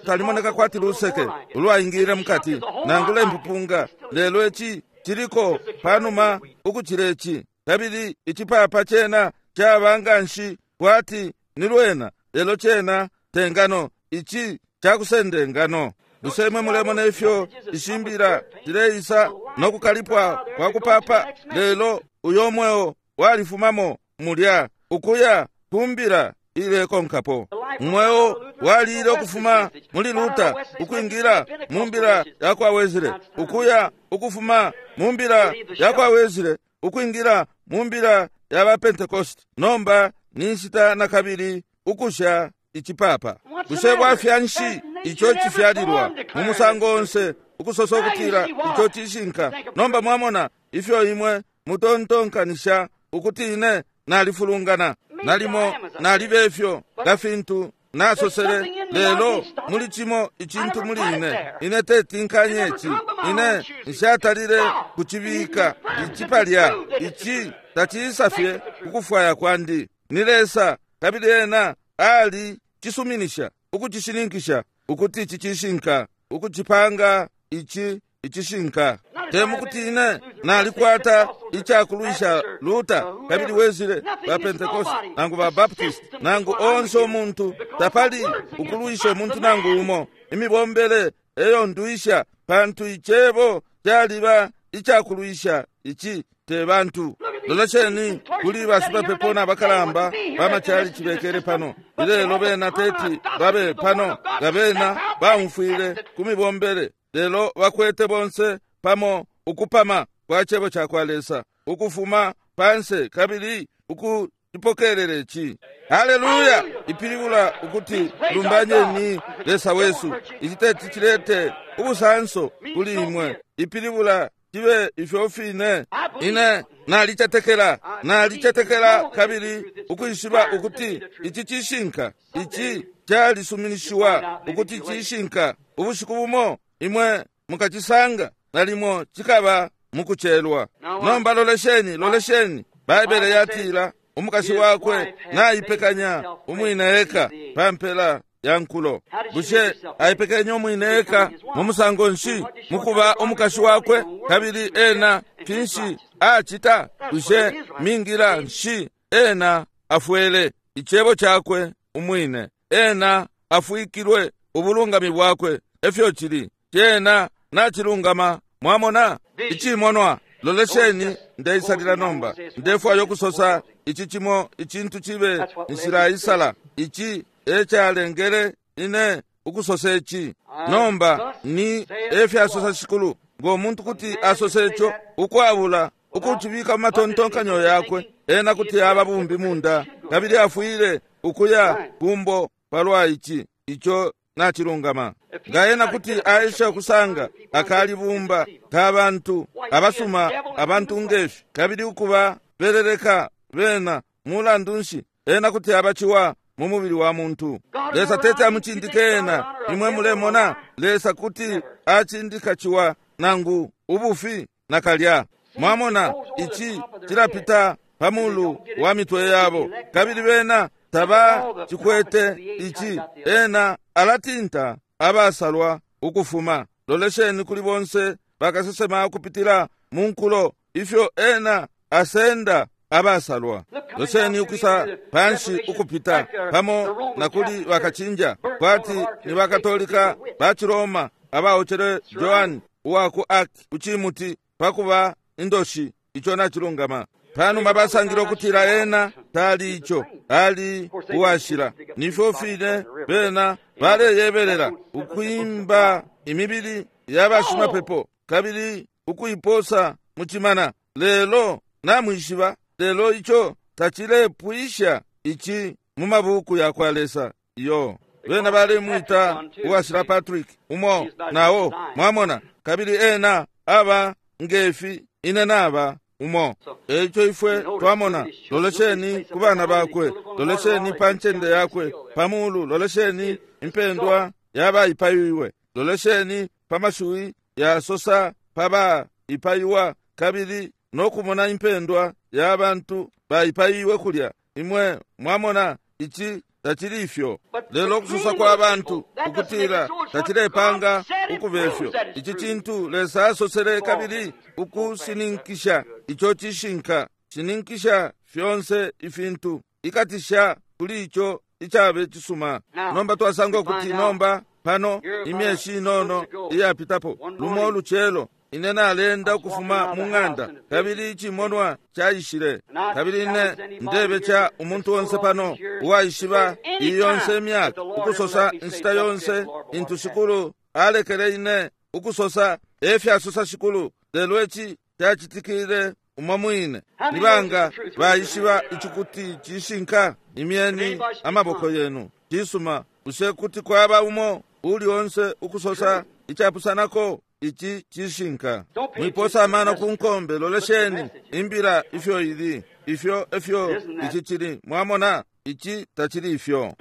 talimoneka kwati luseke ulwaingile mukati, nangula impupunga, lelo ici ciliko panuma ukucila ici. Kabili icipapa cena caba nganshi kwati ni lwena, lelo cena te ngano, ici cakusenda ingano. Bushe imwe mulemona ifyo ishimbila cileisa nokukalipwa kwa kupapa? Lelo uyo mweo walifumamo mulya ukuya kumbila ilekonkapo. Umweo walile ukufuma muli Luther ukwingila mu mbila ya kwa Wesley, ukuya ukufuma mu mbila ya kwa Wesley ukwingila mu mbila ya ba Pentecost. Nomba ni nshita nakabili ukusha icipapa. Bushe bwafya nshi ico cifyalilwa mu musango onse ukusosa ukutila ico cishinka? Nomba mwamona ifyo imwe mutontonkanisha ukuti ine nalifulungana, nalimo nalibe ifyo nga fintu nasosele, lelo muli cimo icintu muli ine, ine tetinkanye ici, ine nshatalile kucibika ici palya. Ici taciisa fye kukufwaya kwandi, ni Lesa, kabili ena ali cisuminisha ukucishininkisha ukuti ici cishinka, ukucipanga ici icishinka. Te mukuti ine nalikwata icakulwisha Luther kabili Wesley, ba Pentecost nangu ba Baptist nangu onse umuntu, tapali ukulwisha umuntu nangu umo. Imibombele eyo ndwisha, pantu icebo caliba icakulwisha ici, te bantu. Lolesheni kuli bashimapepo na bakalamba bamacalici bekele pano ilelo, bena teti babe pano nga bena baumfwile ku mibombele, lelo bakwete bonse pamo ukupama kwa cebo ca kwa Lesa ukufuma panse kabili ukucipokelela ici. Haleluya! Ipilibula ukuti lumbanyeni Lesa wesu. Ici teti cilete ubusanso kuli imwe, ipilibula cibe ifyo fine. Ine nalicetekela, nalicetekela kabili ukwishiba ukuti ici cishinka, ici calisuminishiwa ukuti cishinka. Ubushiku bumo imwe mukacisanga, nalimo cikaba mukucelwa. Nomba lolesheni, lolesheni. Baibele yatila umukashi wakwe naipekanya umwine eka pa mpela ya nkulo. Bushe aipekenye umwine eka mu musango nshi? Mukuba umukashi wakwe. Kabili ena finshi acita? Bushe mingila nshi ena afwele? Icebo cakwe umwine. Ena afwikilwe ubulungami bwakwe. Efyo cili, cena nacilungama. Mwamona icimonwa. Lolesheni, ndeisalila nomba. Ndefwaya ukusosa ici cimo icintu cibe nshilaisala. Ici ecalengele ine ukusosa ici. Nomba ni efyasosa Shikulu, ngo muntu kuti asose ico ukwabula Ukucibika mu matontonkanyo yakwe, ena kuti aba bumbi munda, kabili afwile ukuya kumbo palwa ici. Ico nacilungama. Nga ena kuti aesha ukusanga akalibumba ka bantu abasuma, abantu ngefi, kabili ukuba beleleka bena, mulandu nshi, ena kuti abaciwa mu mubili wa muntu. Lesa tete amucindike ena. Imwe mulemona, Lesa kuti acindika ciwa nangu ubufi nakalya. Mwamona, ici cilapita pa mulu wa mitwe yabo, kabili bena taba cikwete ici. Ena alatinta abasalwa ukufuma. Lolesheni kuli bonse bakasesema ukupitila mu nkulo, ifyo ena asenda abasalwa. Lolesheni ukwisa panshi ukupita pamo na kuli bakacinja, kwati ni bakatolika ba Ciroma abaocele Joan uwa ku Arc kucimuti pakuba indoshi. Ico nacilungama. Panuma basangile ukutila ena tali ico, ali uwashila. Nifyo fine bena baleyebelela ukwimba imibili ya bashimapepo kabili ukuiposa mu cimana. Lelo namwishiba, lelo ico tacilepwisha ici mu mabuku ya kwa Lesa. Iyo bena balemwita uwashila Patrick umo nao, mwamona, kabili ena aba ngefi ine naba umo. Eico ifwe twamona, lolesheni ku bana bakwe, lolesheni pa ncende yakwe pamulu, lolesheni impendwa yabaipaiwe, lolesheni pa mashiwi yasosa pa baipaiwa, kabili nokumona impendwa ya bantu baipaiwe kulya. Imwe mwamona, ici tacili ifyo. Lelo ukusosa kwa bantu ukutila tacilepanga ukubefyo. Ici cintu Lesa asosele kabili ukusininkisha ico cishinka. Shininkisha fyonse ifintu, ikatisha kuli ico icabe cisuma. Nomba twasanga ukuti nomba pano imyeshi inono iyapitapo, lumo lucelo ine nalenda ukufuma mu ng'anda, kabili icimonwa caishile. Kabili ine ndebeca umuntu onse pano uwaishiba iyi yonse imyaka, ukusosa inshita yonse intu Shikulu alekele ine ukusosa, efyasosa Shikulu, lelo ici cacitikile umo mwine. Ni banga baishiba ici cishinka? Imyeni amaboko yenu. Cisuma. Bushe kuti kwaba umo uli onse ukusosa icapusanako? Ici cishinka. Mwiposa amano ku nkombe, lolesheni imbila ifyo ili, ifyo efyo ici cili. Mwamona, ici tacili ifyo.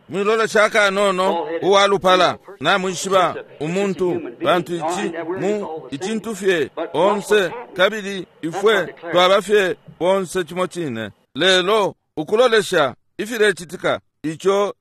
Mwilolesha akanono uwalupala, namwishiba umuntu, pantu ici mu icintu fye onse, kabili ifwe twaba fye bonse cimo cine. Lelo ukulolesha ifilecitika, ico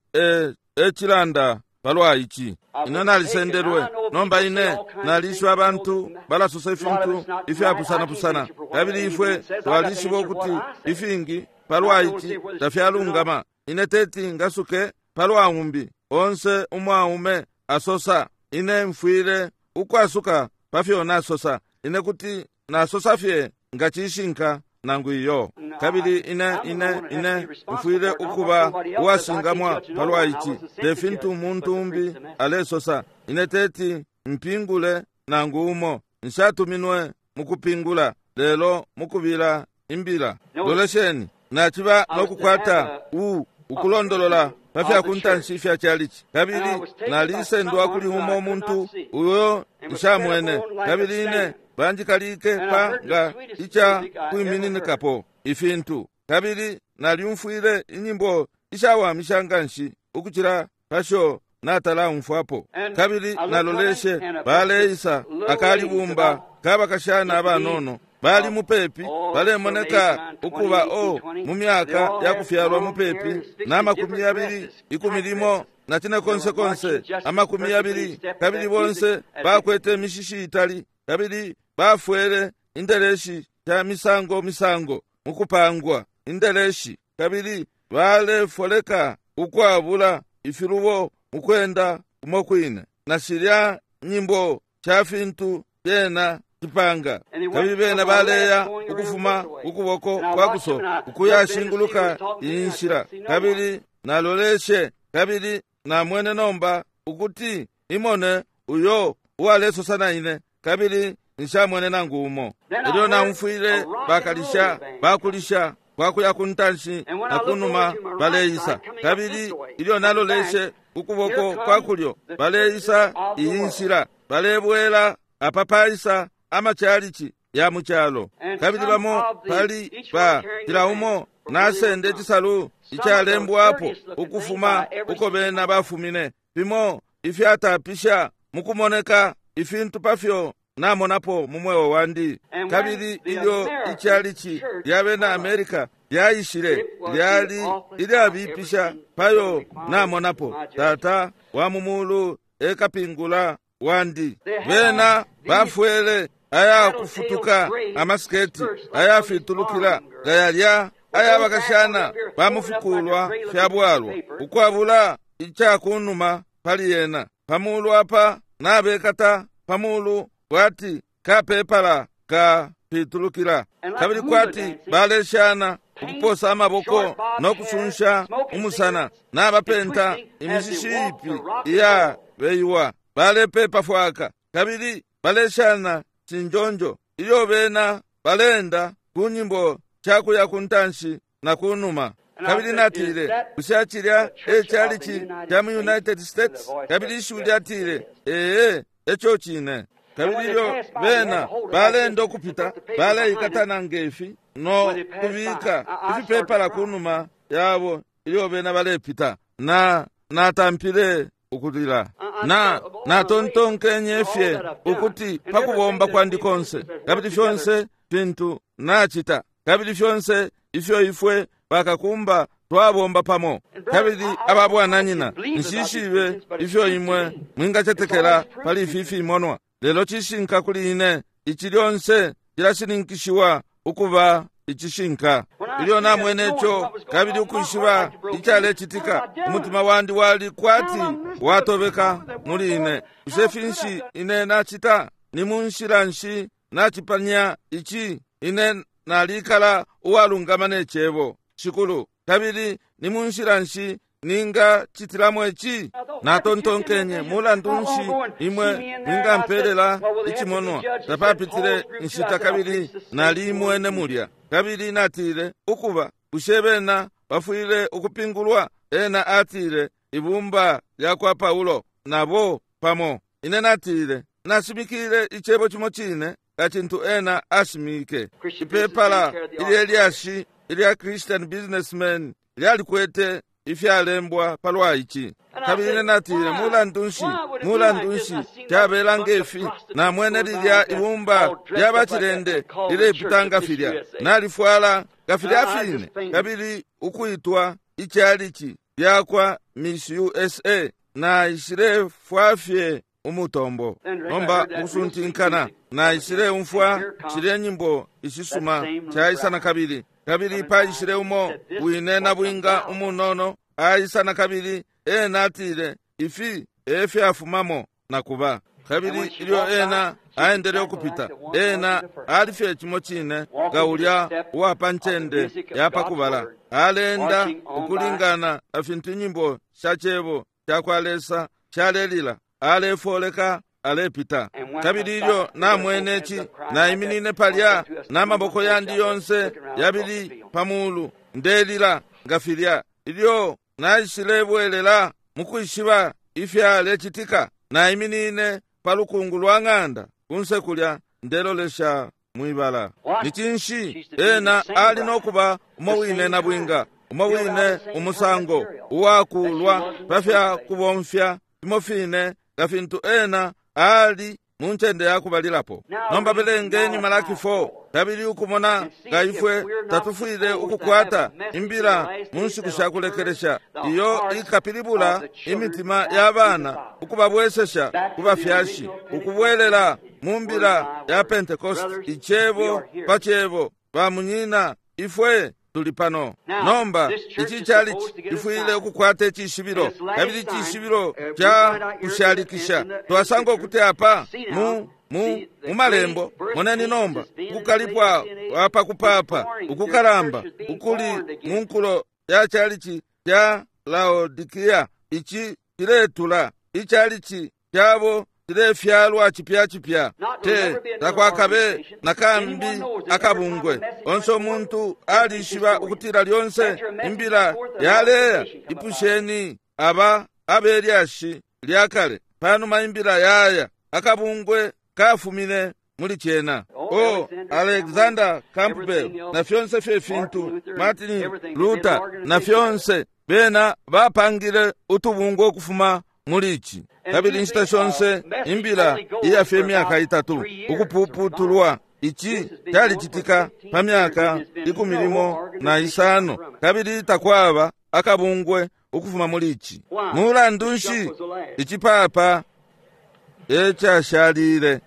ecilanda palwa ici. Ine nalisendelwe. Nomba ine nalishiba abantu balasosa ifintu ifyapusanapusana, kabili ifwe twalishiba ukuti ifingi palwa ici tafyalungama. Ine teti ngasuke palwa umbi onse umwaume asosa. Ine mfwile ukwasuka pafyo nasosa. Ine kuti nasosa fye nga cishinka nangu iyo. Kabili ine ine ine mfwile ukuba uwashingamwa palwa ici, te fintu umuntu umbi alesosa. Ine teti mpingule nangu umo. Nshatuminwe mukupingula, lelo mukubila imbila. Lolesheni, naciba nokukwata ukulondolola pa fya kuntanshi ifya chalichi, kabili nalisendwa kuli umo muntu uyo nshamwene, kabili ine banjikalike pa nga ica kwimininikapo ifintu, kabili nalyumfwile inyimbo ishawamisha nganshi ukucila pasho natalaumfwapo. Kabili naloleshe baleisa akalibumba kabakashana abanono, bali mupepi, balemoneka ukuba mu myaka ya kufyalwa mupepi na 20, 10 na 10 20, kabili bonse bakwete imishishi itali, kabili bafwele indeleshi sha misango misango mukupangwa indeleshi, kabili balefoleka ukwabula ifilubo mukwenda umo kwine, na shilya nyimbo sha fintu fyena cipanga. Kabili bena baleya ukufuma ukuboko kwa kuso ukuyashinguluka iyi nshila, kabili naloleshe kabili namwene nomba ukuti imone uyo uwalesosa na ine, kabili nshamwene nangu umo. Elyo naumfwile bakalisha bakulisha kwakuya ku ntanshi na kunuma baleisa, kabili ilyo naloleshe ukuboko kwa kulyo baleisa iyi nshila, balebwela apa paisa amachalichi ya mu calo. Kabili bamo pali ba cila umo nasende icisalu icalembwapo ukufuma uko bena bafumine, fimo ifyatapisha mukumoneka ifintu pafyo namonapo mu mweo wandi. Kabili ilyo ichalichi lya bena America lyaishile, lyali ilyabipisha payo namonapo. Tata wa mu mulu ekapingula wandi. Bena bafwele aya kufutuka amasiketi ayafitulukila gayalya ayabakashana bamufukulwa fya bwalwa, ukwabula icakunuma pali yena. Pamulu apa nabekata pamulu kwati kapepala ka pitulukila, kabili kwati baleshana ukuposa amaboko no kusunsha umusana, nabapenta imishishi ipi iya beiwa, balepepa fwaka kabili baleshana cinjonjo ilyo bena balenda ku nyimbo cakuya ku ntanshi na ku numa. Kabili natile, bushe cilya e chalichi ca mu United States? Kabili ishiwi lyatile, ee, eco cine. Kabili ilyo bena balenda ukupita, baleikatana ngefi no kubika ifipepala ku numa yabo ilyo bena balepita. Na natampile ukulila. Na natontonkenye fye ukuti pa kubomba kwandi konse, kabili fyonse fintu nacita, kabili fyonse ifyo ifwe bakakumba twabomba pamo, kabili ababwananyina, nshishibe ifyo imwe mwingacetekela pali ifi fimonwa, lelo cishinka kuli ine, ici lyonse cilashininkishiwa ukuba icishinka. Ilyo namwene ico kabili ukwishiba icalecitika, umutima wandi wali kwati watobeka muli ine. Bushe finshi ine nacita? Ni mu nshila nshi nacipanya ici? Ine nalikala uwalungama ne cebo, Shikulu, kabili ni mu nshila nshi ningacitilamo ici? Natontonkenye, mulandu nshi imwe mwingampelela icimonwa? Tapapitile nshita kabili nalimwene mulya. Kabili natile, ukuba, bushe bena bafwile ukupingulwa? Ena atile, ibumba lya kwa Paulo nabo pamo. Ine natile, nashimikile icebo cimo cine nga cintu ena ashimike. Ipepala ilye lyashi ilya Christian Businessman lyalikwete ifyalembwa palwa ici. Kabili natile, mulandu nshi, mulandu nshi cabela ngefi? Namwene lilya ibumba lya bacilende lilepita nga filya, nalifwala nga filya fine, kabili ukuitwa ichalichi lyakwa Miss USA. Naishilefwa fye umutombo. Nomba mukusuntinkana naishileumfwa shilye nyimbo ishisuma caisa na kabili. Kabili paishile umo wine na bwinga umunono aisa na kabili. Ena atile, ifi efyafumamo na kuba. Kabili ilyo ena aendele ukupita, ena alifye cimo cine nga ulya uwapa ncende yapakubala. Alenda ukulingana na fintu inyimbo sha cebo cakwa Lesa shalelila, alefoleka alepita. Kabili ilyo namwene ici, naiminine palya n'amaboko yandi yonse yabili pamulu, ndelila nga filya. Ilyo naishilebwelela mukwishiba ifyalecitika, naiminine pa lukungu lwa ng'anda kunse kulya, ndelolesha mwibala. Ni cinshi? Ena ali nokuba umo wine na bwinga, umo wine umusango uwakulwa pa fya kubomfya fimo fine nga fintu ena ali mu ncende yakubalilapo. Nomba belengeni Malaki 4 kabili ukumona nga ifwe tatufwile ukukwata imbila mu nshiku sha kulekelesha iyo ikapilibula imitima ya bana ukubabwesesha ku bafyashi, ukubwelela mu mbila ya Pentecost, icebo pa cebo. Bamunyina, ifwe tuli pano. Nomba ici chalichi ifwile ukukwata icishibilo, kabili icishibilo ca kushalikisha. Twasanga ukuti apa mu malembo, moneni nomba ukukalipwa apakupapa ukukalamba ukuli mu nkulo ya chalichi ca Laodikia. Ici ciletula ichalichi cabo cilefyalwa cipya cipya. Te takwakabe nakambi akabungwe. Onse umuntu alishiba ukutila lyonse imbila yaleya. Ipusheni aba abelyashi lyakale panuma imbila yaya akabungwe kafumine muli cena. O Alexander Campbell na fyonse fye fintu, Martin Luther na fyonse, bena bapangile utubungwe ukufuma muli ici. Kabili inshita shonse imbila iyafye imyaka itatu ukupuputulwa. Ici calicitika pa myaka 15, kabili takwaba akabungwe ukufuma muli ici. Mulandu nshi icipapa ecashalile?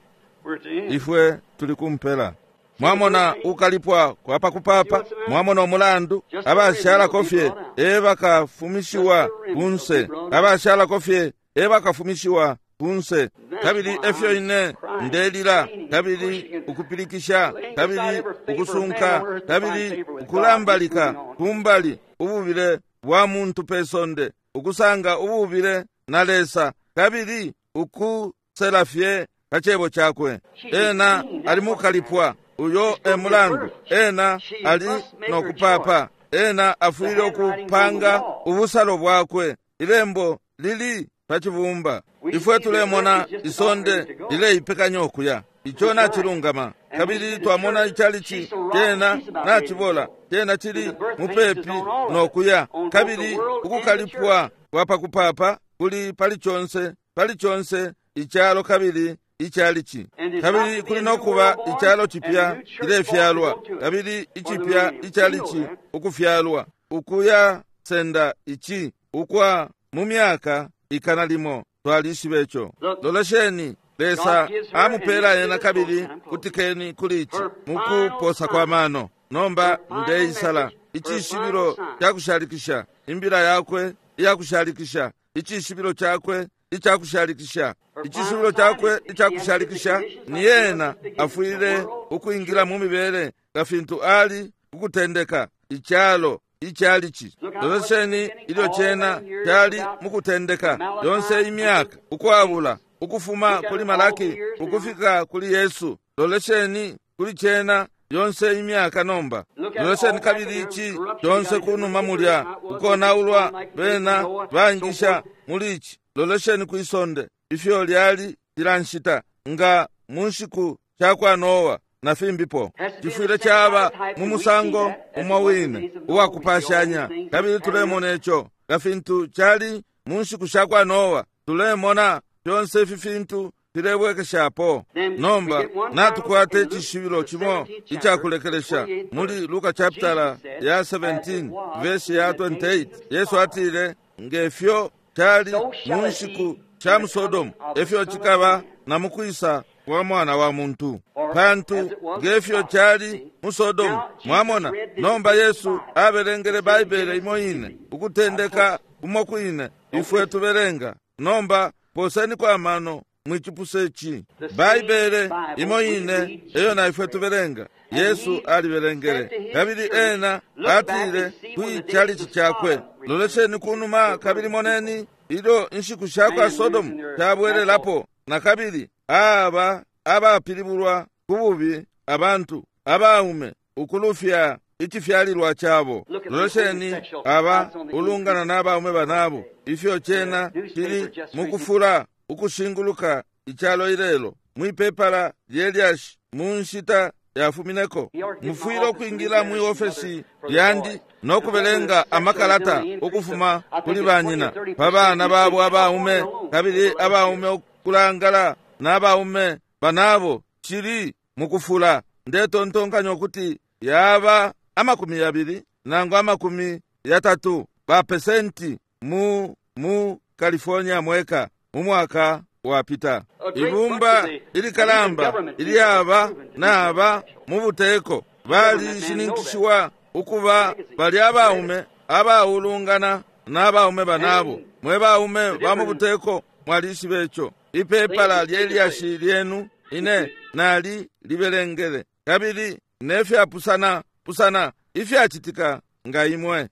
Ifwe tuli kumpela. Mwamona ukalipwa kwa pakupapa, mwamona umulandu abashalako fye ebakafumishiwa kunse, abashalako fye ebakafumishiwa kunse. Kabili efyo ine ndelila, kabili ukupilikisha, kabili ukusunka, kabili ukulambalika kumbali ububile bwa muntu pe sonde, ukusanga ububile na Lesa, kabili ukusela fye pa cebo cakwe. Ena ali mukalipwa, uyo e mulandu ena ali nokupapa. Ena afwile ukupanga ubusalo bwakwe. Ilembo lili pa cibumba. Ifwe tulemona isonde lileipekanya ukuya. Ico nacilungama. Kabili twamona icalici cena nacibola, cena cili mupepi nokuya. Kabili ukukalipwa kwa pakupapa kuli pali conse, pali conse icalo kabili icalici. Kabili kuli nokuba icalo cipya cilefyalwa, kabili icipya icalici ukufyalwa, ukuya senda ici ukwa mu myaka 100. Twalishiba ico. Lolesheni, Lesa amupela ena, kabili kutikeni kuli ici mukuposa kwa mano. Nomba ndeisala icishibilo cakushalikisha, imbila yakwe iyakushalikisha, icishibilo cakwe icakushalikisha, icishibilo cakwe icakushalikisha ni ena afwile ukwingila mu mibele nga fintu ali kukutendeka icalo icalici. Lolesheni ilyo cena cali mukutendeka, yonse imyaka ukwabula ukufuma kuli Malaki ukufika kuli Yesu. Lolesheni kuli cena yonse imyaka nomba. Lolesheni kabili ici conse kunuma mulya ukonaulwa bena baingisha muli ici. Lolesheni kwisonde ifyo lyali cila nshita nga mu nshiku shakwa Noa na fimbipo. Cifwile caba mu musango umo wine uwakupashanya, kabili tulemona ico nga fintu cali mu nshiku shakwa Noa. Tulemona fyonse ifi fintu filebwekeshapo. Nomba natukwata icishibilo cimo icakulekelesha muli Luka chapitala ya 17 verse ya 28. Yesu atile, ngefyo cali mu nshiku sha mu Sodomu, efyo cikaba na mukwisa kwa mwana wa muntu. Pantu ngefyo cali mu Sodomu, mwamona. Nomba Yesu abelengele Baibele imo ine, ukutendeka umo kwine ifwe tubelenga. Nomba poseni kwa mano mwicipuse ici. Baibele imo ine eyo na ifwe tubelenga, Yesu alibelengele. Kabili ena atile kwi chalichi cakwe, lolesheni kunuma kabili moneni ilyo inshiku shakwa Sodomu shabwelelapo na kabili aba abapilibulwa ku bubi, abantu abaume ukulufya icifyalilwa cabo. Lolesheni aba ulungana n'abaume banabo, ifyo cena cili mukufula ukushinguluka icalo ilelo. Mwipepala lyelyashi mu nshita yafumineko, mufwile ukwingila mwi ofesi lyandi no kubelenga amakalata ukufuma kuli banyina pa bana babo abaume, kabili abaume ukulangala n'abaume banabo. Cili mukufula. Ndetontonkanya ukuti yaba 20 nangu 30 ba pesenti mu California mweka mu mwaka wapita. Ibumba ilikalamba ilyaba naba mu buteko balishininkishiwa ukuba bali abaume abaulungana n'abaume banabo. Mwe baume ba mu buteko mwalishiba ico. Ipepala lyelyashi lyenu ine nali libelengele, kabili nefyapusana pusana ifyacitika nga imwe.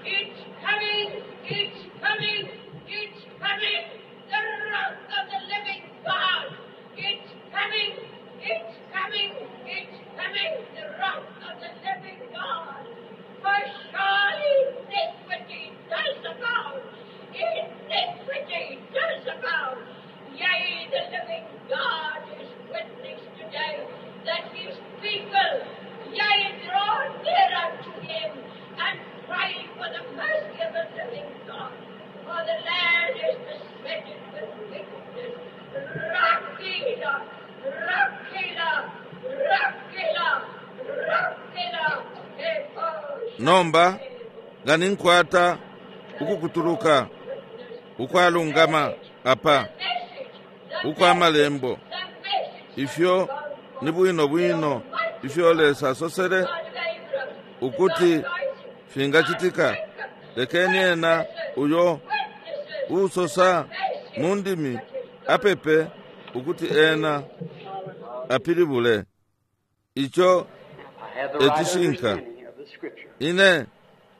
It's coming! It's coming! It's coming! The wrath of the living God! It's coming! It's coming! It's coming! The wrath of the living God! For surely iniquity does abound! Iniquity does abound! Yea, the living God is witness today that his people, yea, draw near unto him and pray for the mercy of the living God. For the land is besetted with wickedness. Rakila, Rakila, Rakila, Rakila, Nomba nga ninkwata ukukutuluka ukwalungama apa ukwa malembo ifyo ni bwino bwino ifyo Lesa asosele ukuti fingacitika. Lekeni ena uyo usosa mu ndimi apepe ukuti ena apilibule ico I have the right Ecishinka. understanding of the scripture. Ine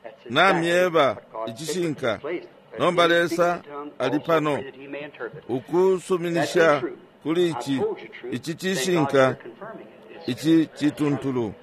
That's namyeba exactly what God icishinka. sacred place. That Nomba he may Lesa speak in tongues, ali also pano pray that he may interpret. ukusuminisha kuli ici ici cishinka ici cituntulu.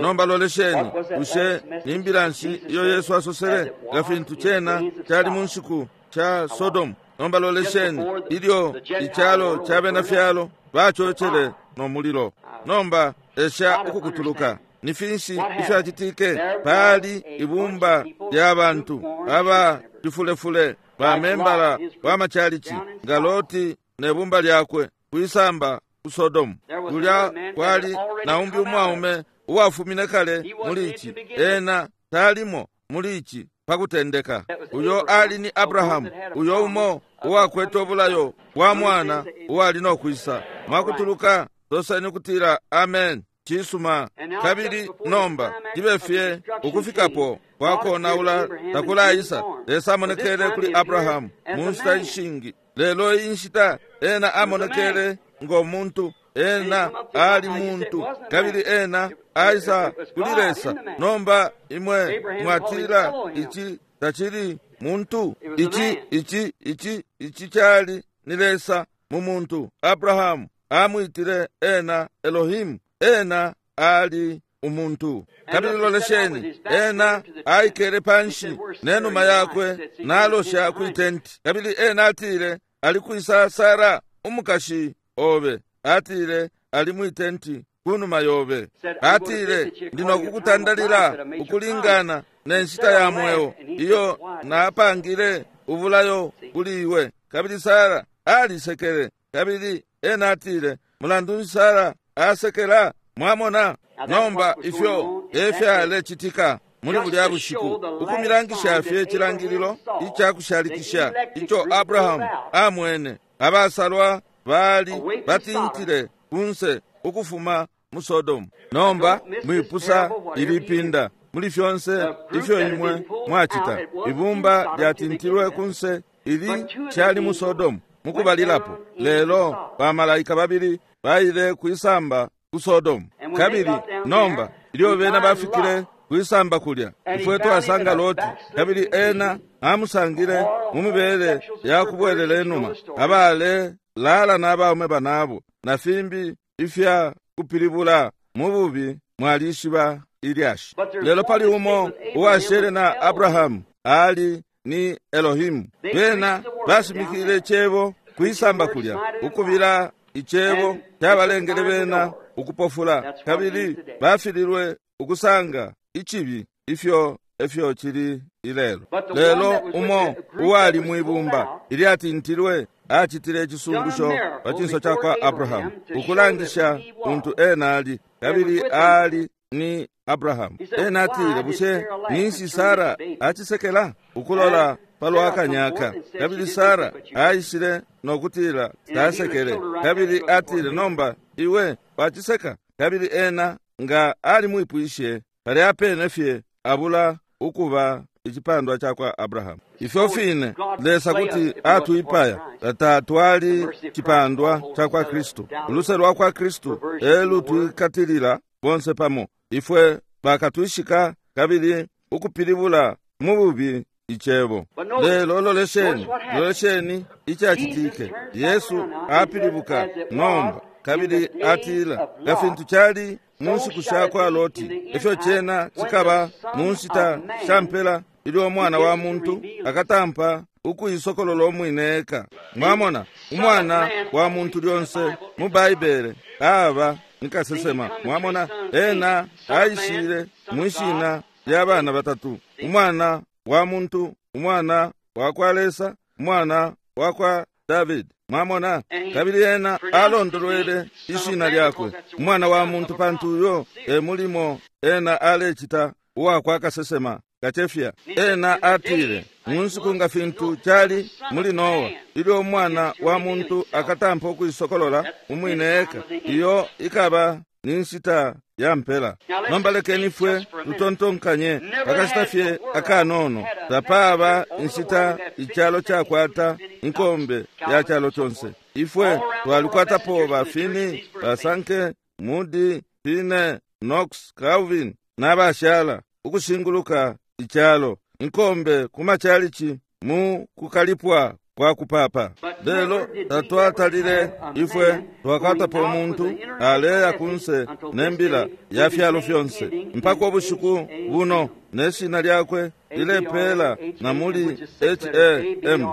Nomba lolesheni, bushe ni mbila nshi iyo Yesu asosele nga fintu cena cali mu nshiku ca Sodomu? Nomba lolesheni ilyo icalo ca bena fyalo bacocele no mulilo. Nomba esha ukukutuluka. Ni finshi ifyacitike? Pali ibumba lya bantu aba cifulefule bamembala ba macalici nga Loti ne bumba lyakwe kwisamba ku Sodomu. Kulya kwali na umbi umwaume uwafumine kale muli ici, ena talimo muli ici pakutendeka. Uyo ali ni Abrahamu, uyo umo uwakwete ubulayo bwa mwana uwali no kwisa. Mwakutuluka soseni kutila amen. Cisuma. Kabili nomba cibe fye ukufikapo kwakonaula takulaisa. Lesa amonekele kuli Abrahamu mu nshita ishingi, lelo iyi nshita ena amonekele ngo muntu. Ena ali muntu kabili ena aisa kuli Lesa. Nomba imwe mwatila ici tacili muntu, ici ici ici ici cali ni Lesa mu muntu. Abrahamu amwitile ena Elohimu, ena ali umuntu. Kabili lolesheni, ena aikele panshi nenuma yakwe nalosha kwi tenti. Kabili ena atile, ali kwisa Sara umukashi obe? Atile, ali mwi tenti kunuma yobe. Atile, ndi nokukutandalila ukulingana ne nshita ya mweo iyo napangile ubulayo kuli iwe. Kabili Sara alisekele. Kabili ena atile, mulandu nshi Sara asekela? Mwamona nomba ifyo efyalecitika muli bulya bushiku, ukumilangisha fye icilangililo icakushalikisha ico Abrahamu amwene. Abasalwa bali batintile kunse ukufuma mu Sodomu. Nomba mwipusa ilipinda muli fyonse ifyo imwe mwacita. Ibumba lyatintilwe kunse ili cali mu Sodomu mukubalilapo, lelo bamalaika babili baile kwisamba ku Sodomu. Kabili nomba ilyo bena bafikile kwisamba kulya, ifwe twasanga Loti, kabili ena amusangile mu mibele ya kubwelela inuma, abale lala n'abaume banabo na fimbi ifya kupilibula mu bubi. Mwalishiba ilyashi. Lelo pali umo uwashele na Abrahamu, ali ni Elohimu. Bena bashimikile icebo kwisamba kulya, ukubila icebo cabalengele bena ukupofula, kabili bafililwe ukusanga icibi. Ifyo efyo cili ilelo. Lelo umo uwali mwibumba ilyatintilwe acitile icisungusho pa cinso ca kwa Abrahamu, ukulangisha untu ena ali, kabili ali ni Abrahamu. Ena atile, bushe ninshi Sara acisekela ukulola palwa kanyaka? Kabili Sara aishile nokutila tasekele. Kabili atile, nomba iwe waciseka. Kabili ena nga alimwipwishe palya pene fye abula ukuba icipandwa cakwa Abrahamu. Ifyo fine Lesa kuti atwipaya tatwali cipandwa cakwa Kristu. Uluse lwakwa Kristu elutwikatilila bonse pamo. Ifwe bakatwishika kabili ukupilibula mu bubi icebo. Lelo lolesheni, lolesheni icacitike. Yesu apilibuka nomba kabili atila, nga fintu cali mu nshiku shakwa Loti, efyo cena cikaba mu nshita sha mpela ilyo Umwana wa muntu akatampa ukuisokolola umwine eka. Mwamona, Umwana wa muntu lyonse mu Baibele aba ni kasesema. Mwamona, ena aishile mwishina lya bana batatu: Umwana wa muntu, Umwana wa kwa Lesa, Umwana wa kwa David. Mwamona, kabili ena alondolwele ishina lyakwe Umwana wa muntu, pantu uyo e mulimo ena alecita uwa kwa kasesema kacefya. Ena atile, mu nshiku nga fintu cali muli Noa, ilyo Umwana wa muntu akatampa ukuisokolola umwine eka, iyo ikaba ni nshita ya mpela. Nomba lekeni ifwe tutontonkanye pakashita fye akanono. Tapaba inshita icalo cakwata inkombe ya calo conse. Ifwe twalikwatapo ba Finney, ba Sankey, Moody, Pine, Knox, Calvin n'abashala ukushinguluka icalo, inkombe ku macalici mu kukalipwa kwa kupapa. Lelo tatwatalile ifwe twakwatapo umuntu aleya kunse ne mbila ya fyalo fyonse mpaka ubushiku buno, ne shina lyakwe lilepela na muli H-A-M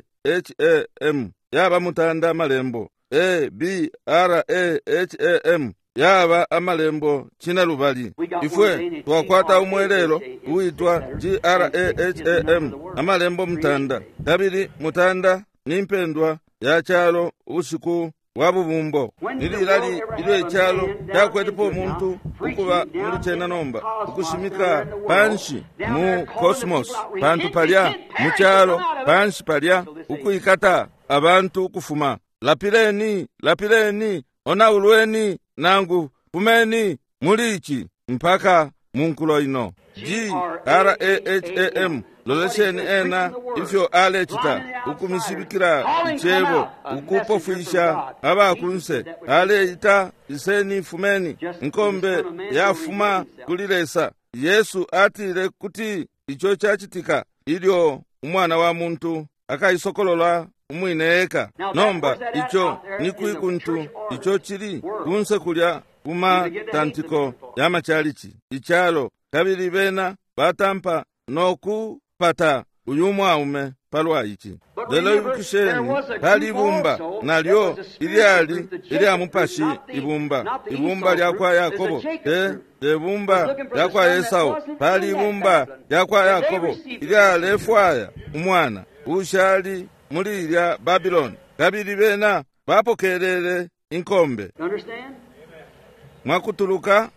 A-B-R-A-H-A-M yaba mutanda amalembo A-B-R-A-H-A-M yaba amalembo cina lubali. Ifwe twakwata umwelelo uitwa G-R-A-H-A-M amalembo mutanda, kabili mutanda ni mpendwa ya calo ubushiku bwa bubumbo. Nililali ilyo icalo cakwetepo umuntu ukuba muli cena nomba ukushimika panshi mu cosmos, pantu palya mu calo panshi palya ukwikata abantu ukufuma lapileni, lapileni, onaulweni nangu fumeni muli ici mpaka mu nkulo ino. G-R-A-H-A-M lolesheni ena ifyo alecita ukumishibikila icebo, ukupofwisha abakunse. Aleita, iseni fumeni, inkombe yafuma kuli Lesa. Yesu atile kuti ico cacitika ilyo Umwana wa muntu akaisokolola umwine eka. Nomba ico ni kwi kuntu ico cili kunse kulya kumatantiko ya macalici icalo, kabili bena batampa nokupata uyu mwaume palwa ici. Lelo ibukisheni, pali ibumba nalyo ilyali ilya mupashi, ibumba ibumba lyakwa Yakobo, te bumba lyakwa Esau. Pali ibumba lyakwa Yakobo ilyalefwaya umwana ushali muli ilya Babiloni, kabili bena bapokelele inkombe. Mwakutuluka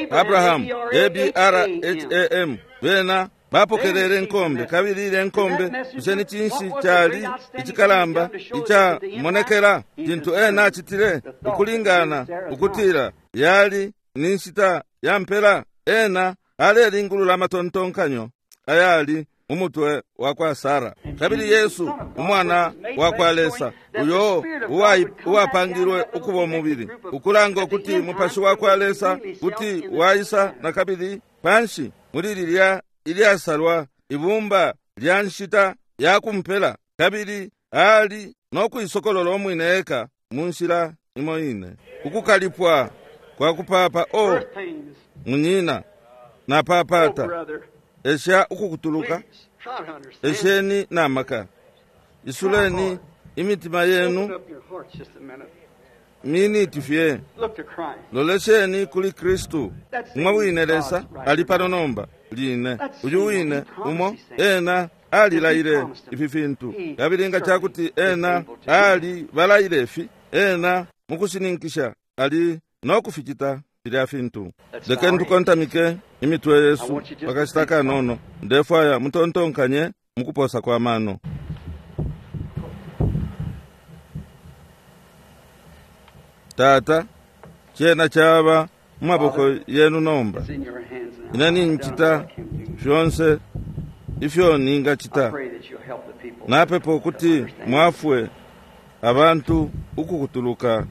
Abrahamu, A-B-R-H-A-M, bena bapokelele inkombe, kabili ile nkombe bushe ni cinshi cali icikalamba icamonekela cintu ena acitile ukulingana ukutila yali ni nshita ya mpela? Ena alelingulula amatontonkanyo ayali umutwe wa kwa Sara. Kabili Yesu Umwana wa kwa Lesa, uyo uwapangilwe ukuba umubili, ukulanga ukuti Mupashi wa kwa Lesa kuti waisa na kabili panshi muli lilya ilyasalwa ibumba lya nshita ya kumpela, kabili ali no kuisokolola umwine eka mu nshila imo ine. Ukukalipwa kwa kupapa, o munyina, napapata esha ukukutuluka, esheni na maka, isuleni imitima yenu miniti fye, lolesheni kuli Kristu. Umwe wine Lesa ali pano nomba line, uyu wine umo ena alilaile ifi fintu, kabili nga cakuti ena ali balaile ifi, ena mukushininkisha ali no kuficita filya fintu. Lekeni tukontamike imitwe yesu pakashita kanono. Ndefwaya mutontonkanye mukuposa kwa mano. Tata, cena caba mu maboko yenu nomba. It's in your hands now. Ine I've done nincita what I can do. fyonse ifyo I ningacita. pray that you'll help the people Napepa to ukuti understand. mwafwe abantu ukukutuluka.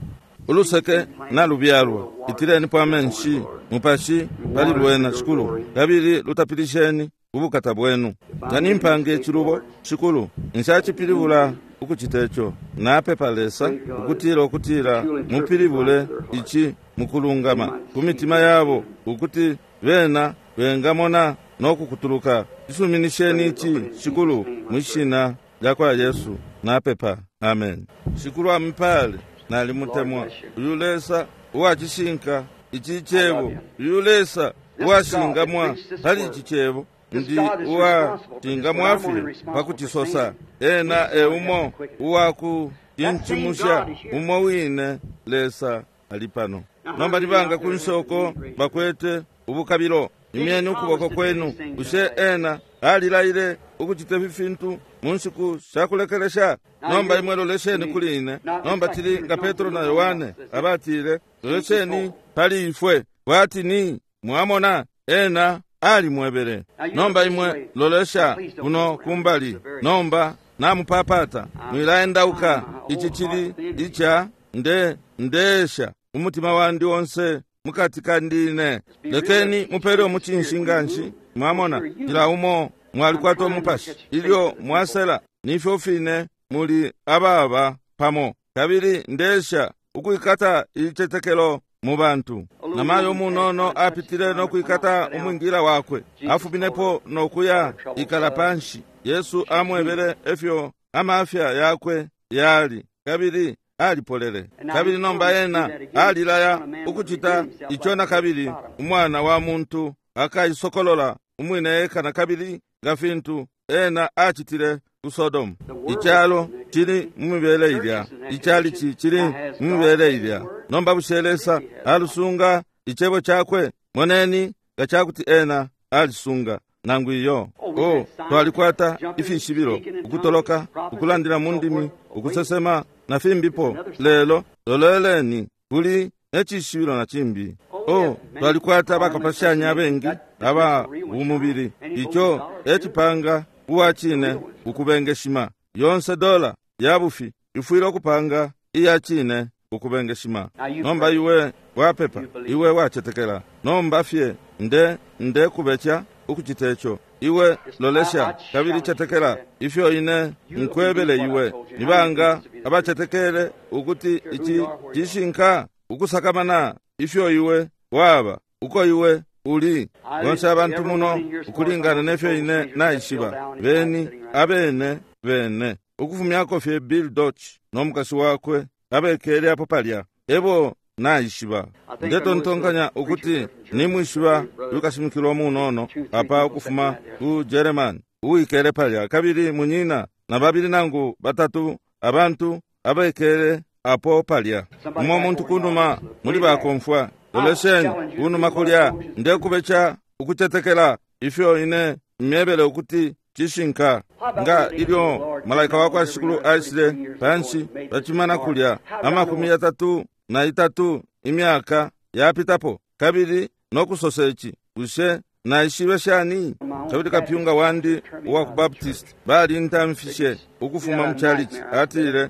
Uluseke nalubyalwa, itilenipo amenshi mupashi pali lwena, Shikulu, kabili lutapilisheni ubukata bwenu. Nga nimpanga icilubo, Shikulu, nshacipilibula ukucita ico. Napepa Lesa ukutila ukutila mupilibule ici mukulungama ku mitima yabo, ukuti bena bengamona no kukutuluka. Isuminisheni ici, Shikulu, mwishina lya kwa Yesu napepa, amen. Shikulu amupale. Nalimutemwa uyu Lesa uwacishinka ici cebo, uyu Lesa uwashingamwa pali ici cebo. Ndi uwashingamwa fye pa kucisosa. Ena e umo uwakucincimusha, umo wine Lesa ali pano nomba. Libanga ku nsoko bakwete ubukabilo, imyeni ukuboko kwenu. Bushe ena alilaile ukucita ifi fintu mu nshiku shakulekelesha? Nomba imwe lolesheni kuli ine. Nomba tili nga Petro na Yohane abatile, lolesheni pali ifwe, bwati ni mwamona ena alimwebele. Nomba imwe lolesha kuno kumbali. Nomba namupapata, mwilaendauka. Ici cili ica nde ndesha umutima wandi onse mukati kandine. Lekeni mupele umucinshi nganshi. Mwamona, kila umo mwalikwata umupashi ilyo mwasela, nifyo fine muli ababa pamo. Kabili ndesha ukwikata ilicetekelo mu bantu. Namayo munono apitile no kwikata umwingila wakwe, afuminepo no kuya ikala panshi. Yesu amwebele efyo amafya yakwe yali, kabili alipolele. Kabili nomba ena alilaya ukucita ico na kabili, umwana wa muntu akaisokolola umwine eka na kabili, nga fintu ena acitile ku Sodomu. Icalo cili mu mibele ilya, icalici cili mu mibele ilya. Nomba bushe Lesa alusunga icebo cakwe? Moneni nga cakuti ena alisunga nangu iyo. O, twalikwata ifishibilo, ukutoloka, ukulandila mu ndimi, ukusesema na fimbipo, lelo loleleni kuli necishibilo na cimbi. O, twalikwata bakapashanya abengi aba bumubili. Ico ecipanga uwa cine ukubengeshima. Yonse dola ya bufi ifwile ukupanga iya cine ukubengeshima. Nomba iwe wapepa, iwe wacetekela. Nomba fye nde ndekubeca ukucita ico. Iwe lolesha kabili cetekela ifyo ine nkwebele iwe. Nibanga abacetekele ukuti ici cishinka? Ukusakamana ifyo iwe waba, uko iwe uli. Bonse abantu muno ukulingana nefyo ine naishiba, beni abene bene, ukufumyako fye Bill Dodge no mukashi wakwe abekele apo palya, ebo naishiba. Ndetontonkanya ukuti nimwishiba yukashimikilwa munono apa ukufuma ku German uwikele palya, kabili munyina na babili nangu batatu abantu abekele apo palya. Umo muntu kunuma muli bakomfwa, lolesheni kunuma kulya. Ndekubeca ukucetekela ifyo ine myebele ukuti cishinka. Nga ilyo malaika wa kwa Shikulu aishile panshi pacimana kulya 33 imyaka yapitapo, kabili nokusosa ici, bushe naishibe shani? Kabili kapyunga wandi uwa ku Baptist balintamfishe ukufuma mu chalichi. Atile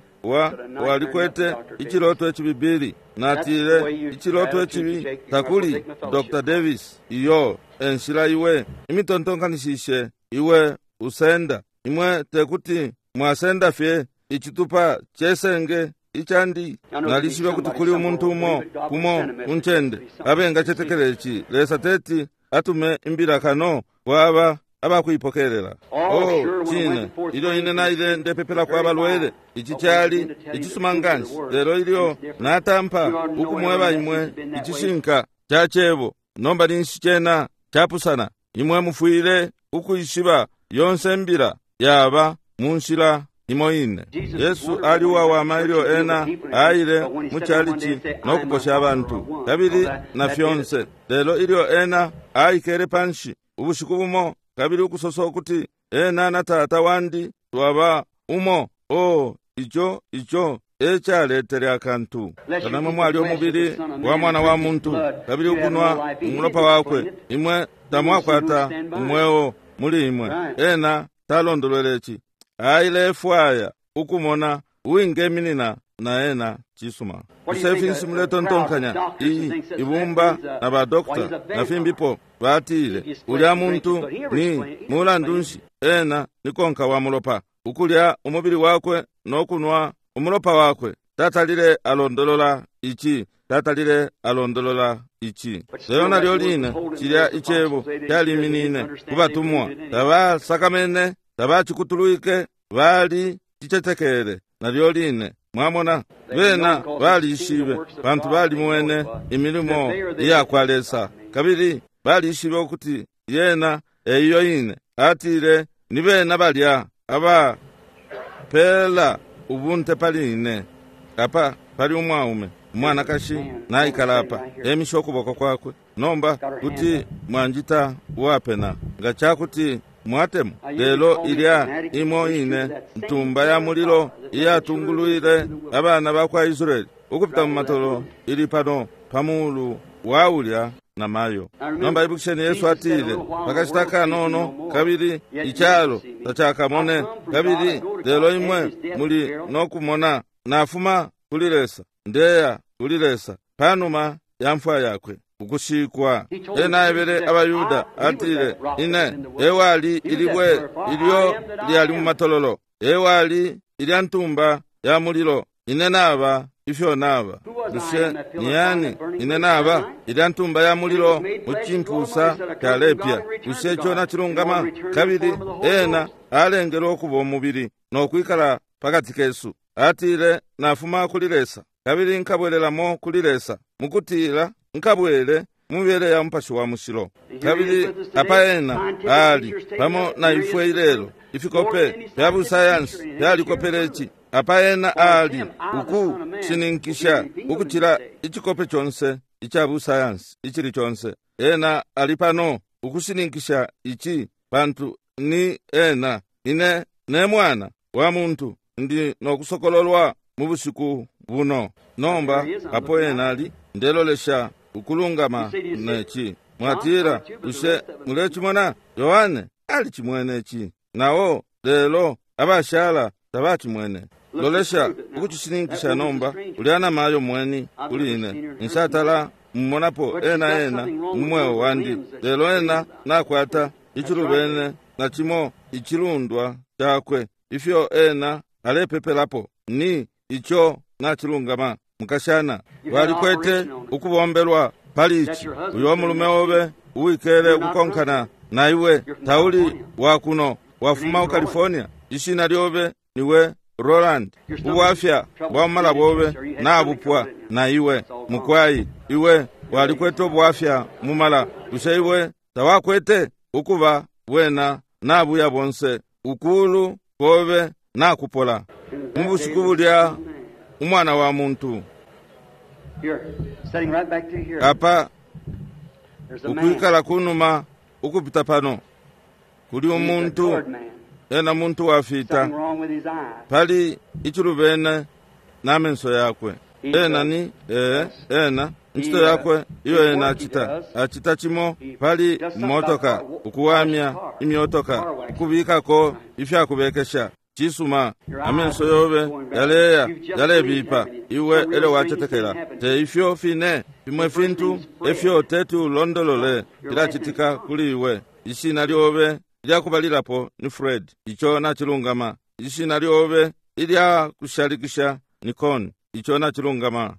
walikwete iciloto icibibili. Natile, iciloto icibi takuli, Dr. Davis. Iyo enshila iwe imitontonkanishishe iwe usenda. Imwe tekuti mwasenda fye icitupa cesenge icandi. Nalishibe kuti kuli umuntu umo kumo kuncende abengacetekela ici. Lesa teti atume imbila kano kwaba abakuipokelela. Oh, cine ilyo ine naile ndepepela kwa balwele, ici cali icisuma nganshi. Lelo ilyo natampa ukumweba imwe icishinka ca cebo, nomba ninshi cena capusana. Imwe mufwile ukwishiba yonse mbila yaba mu nshila imo ine. Yesu ali uwawama ilyo ena aile mu chalichi no kuposha abantu kabili na fyonse. Lelo ilyo ena aikele panshi ubushiku bumo kabili ukusosa ukuti ena na tata wandi twaba umo, oh, ico ico Ecaletele akantu. Kanamwe mwali umubili wa mwana wa muntu kabili ukunwa umulopa wakwe, imwe tamwakwata umweo muli imwe. Ena talondolwele ici. Ailefwaya ukumona uwingeminina na ena. Cisuma. Bushe finshi muletontonkanya? Iyi ibumba na badokta na fimbipo batile ulya muntu ni mulandu nshi ena ni konka wa mulopa, ukulya umubili wakwe no kunwa umulopa wakwe. Tatalile alondolola ici, tatalile alondolola ici. Lelo nalyo line cilya icebo caliminine ku batumwa, tabasakamene, tabacikutulwike, bali cicetekele nalyo line. Mwamona, bena balishibe pantu balimwene imilimo iya kwa Lesa, kabili balishibe ukuti yena eyo ine. Atile ni bena balya abapela ubunte pali ine. Apa pali umwaume umwanakashi naikala apa, emisha ukuboko kwakwe. Nomba kuti mwanjita uwapena nga cakuti mwatemo. Lelo ilya imo ine ntumba ya mulilo iyatungulwile abana ba kwa Israeli ukupita mu matolo ili pano pamulu wa ulya na mayo. Nomba ibukisheni, Yesu atile pakashita kanono kabili icalo tacakamone kabili, lelo imwe muli nokumona. Nafuma kuli Lesa, ndeya kuli Lesa, panuma ya mfwa yakwe ukushikwa. Ena aebele abayuda atile, ine ewali ilibwe ilyo lyali mu matololo, ewali ilya ntumba ya mulilo, ine naba ifyo naba. Bushe ni yani ine naba? Ilya ntumba ya mulilo mu cimpusa calepya. Bushe ico nacilungama? Kabili ena alengelwe ukuba umubili no kwikala pakati kesu. Atile nafuma kuli Lesa kabili nkabwelelamo kuli Lesa, mukutila nkabwele mubele ya Mupashi wa Mushilo. Kabili apa ena ali pamo na ifwe ilelo. Ifikope fya busayansi fyalikopele ici. Apa ena ali ukushininkisha ukucila icikope conse ica busayansi icili conse. Ena ali pano ukushininkisha ici, pantu ni ena. Ine ne mwana wa muntu ndi nokusokololwa mu bushiku buno. Nomba apo ena ali, ndelolesha ukulungama neci. Mwatila, bushe mulecimona? Yohane alicimwene ici nawo, lelo abashala tabacimwene. Lolesha ukucishininkisha nomba. Ulya namayo mweni kuli ine, nshatala mmonapo ena ena mu mweo wandi, lelo ena nakwata icilubene na cimo icilundwa cakwe ifyo ena alepepelapo ni ico nacilungama. Mukashana, walikwete ukubombelwa pali ici. Uyo mulume obe uwikele ukukonkana na iwe tauli wakuno, wafuma ku California. Ishina lyobe niwe Roland. Ubwafya bwa mumala bobe nabupwa na iwe. Mukwai, iwe walikwete ubwafya mumala. Bushe iwe tawakwete? Ukuba bwena nabuya bonse, ukulu kobe nakupola. Mu bushiku bulya umwana wa muntu apa ukwikala kunuma ukupita pano kuli umuntu, ena muntu wafita, pali icilubene na menso yakwe. Ena ni ena ncito yakwe iyo ena acita, acita cimo pali motoka, ukuwamya imyotoka, ukubikako ifyakubekesha. Cisuma. Amenso yobe yaleya yalebipa, iwe elyo wacetekela. Te ifyo fine fimwe fintu efyo teti ulondolole filacitika kuli iwe. Ishina lyobe ilyakubalilapo ni Fred, ico nacilungama. Ishina lyobe ilya kushalikisha ni Con, ico nacilungama.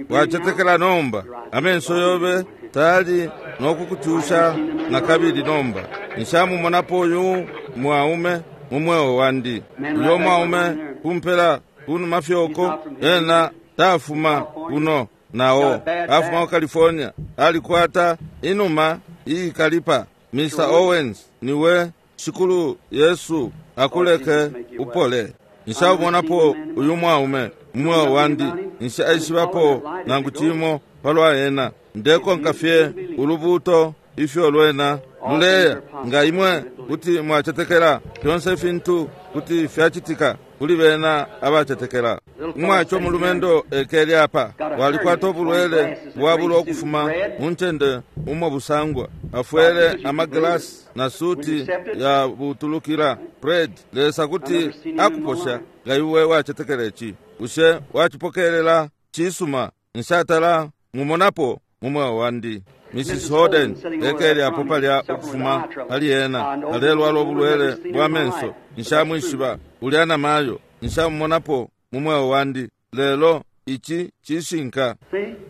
Wacetekela nomba. Amenso yobe tali nokukucusha na kabili nomba. Nshamumonapo uyu mwaume mu mweo wandi. Uyo mwaume kumpela kunuma fyoko, ena tafuma kuno nao afuma ku California, alikwata inuma iikalipa. Mr. Owens, niwe Shikulu Yesu akuleke upole. Nshamumonapo uyu mwaume mu mweo wandi, nshaishibapo nangu cimo palwa ena. Ndekonka fye ulubuto ifyo lwena luleya. Nga imwe kuti mwacetekela, fyonse fintu kuti fyacitika. kuli bena abacetekela. Umwacho mulumendo ekele apa walikwata ubulwele bwabula ukufuma mu ncende umo busangwa, afwele amaglasi na suti ya butulukila. Fred, Lesa kuti akuposha nga iwe wacetekela ici. Bushe wacipokelela? Cisuma, nshatala mumonapo mu mweo wandi. Mrs. Holden ekele apo palya ukufuma pali ena alelwala ubulwele bwa menso. Nshamwishiba ulya na mayo, nshamumonapo mu mweo wandi, lelo ici cishinka.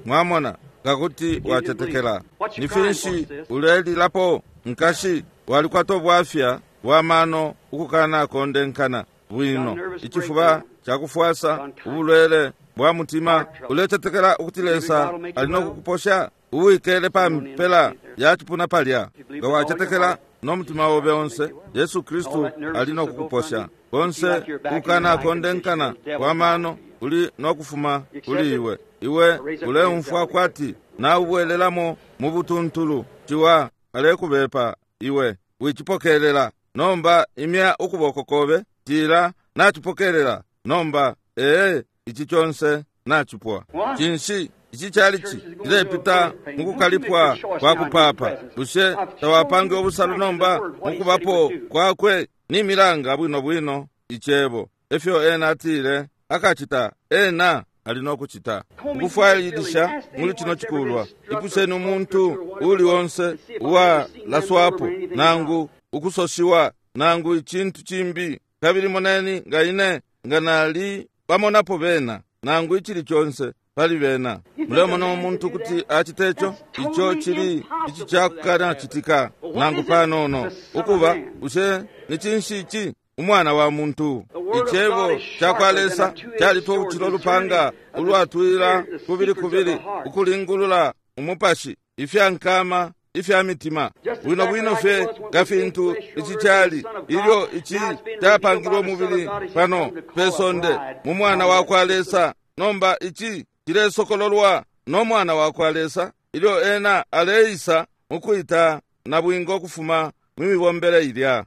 Mwamona, ngakuti wacetekela. Ni finshi ulelilapo, nkashi? Walikwata ubwafya bwa mano ukukana kondenkana bwino, icifuba cakufwasa, ubulwele bwa mutima. Ulecetekela ukuti Lesa ali no kukuposha? Uwikele pa mpela ya cipuna palya, nga wacetekela no mutima obe onse, Yesu Kristu ali no kukuposha. Konse ukukana kondenkana kwa mano uli no kufuma kuli iwe. Iwe uleumfwa kwati naubwelelamo mu butuntulu. Ciwa alekubepa iwe, wicipokelela. Nomba imya ukuboko kobe, tila nacipokelela. Nomba ee, ici conse nacipwa. Cinshi ici calici cilepita mukukalipwa kwa kupapa? Bushe tawapange ubusalo nomba mukubapo kwakwe? Ni milanga bwino bwino icebo efyo ena atile akacita, ena ali no kucita. Ukufwailisha muli cino cikulwa, ipusheni umuntu uli onse uwalaswapo nangu ukusoshiwa nangu icintu cimbi, kabili moneni nga ine nga nali bamonapo bena nangu icili conse pali bena. Mulemona umuntu kuti acite ico? Ico cili ici cakukanacitika nangu panono. Ukuba, bushe ni cinshi ici? Umwana wa muntu. Icebo cakwa Lesa calitwa ukucila ulupanga ulwatwila kubili kubili, ukulingulula umupashi, ifyankama ifya mitima, bwino bwino fye nga fintu ici cali ilyo ici capangilwe umubili pano pe sonde mu mwana wa kwa Lesa. Nomba ici cilesokololwa no mwana wa kwa Lesa ilyo ena aleisa mukwita na bwingo kufuma mu mibombele ilya.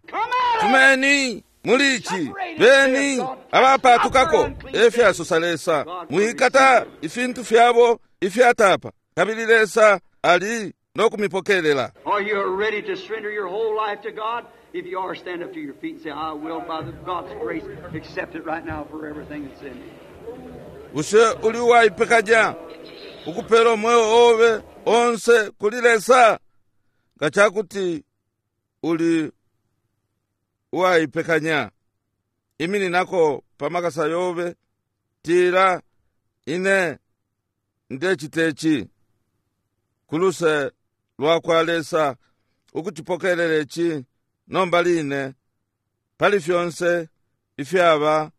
Fumeni muli ici, beni abapatukako, efyasosa Lesa. Mwikata ifintu fyabo ifyatapa, kabili Lesa ali no kumipokelela. Are you ready to surrender your whole life to God? If you are, stand up to your feet and say, I will, by the God's grace, accept it right now for everything that's in me. Bushe uli uwaipekanya ukupela umweo obe onse kuli Lesa? Nga cakuti uli uwaipekanya, imininako pa makasa yobe, tila ine ndecita ici kuluse lwa kwa Lesa, ukucipokelela ici nomba line pali fyonse ifyaba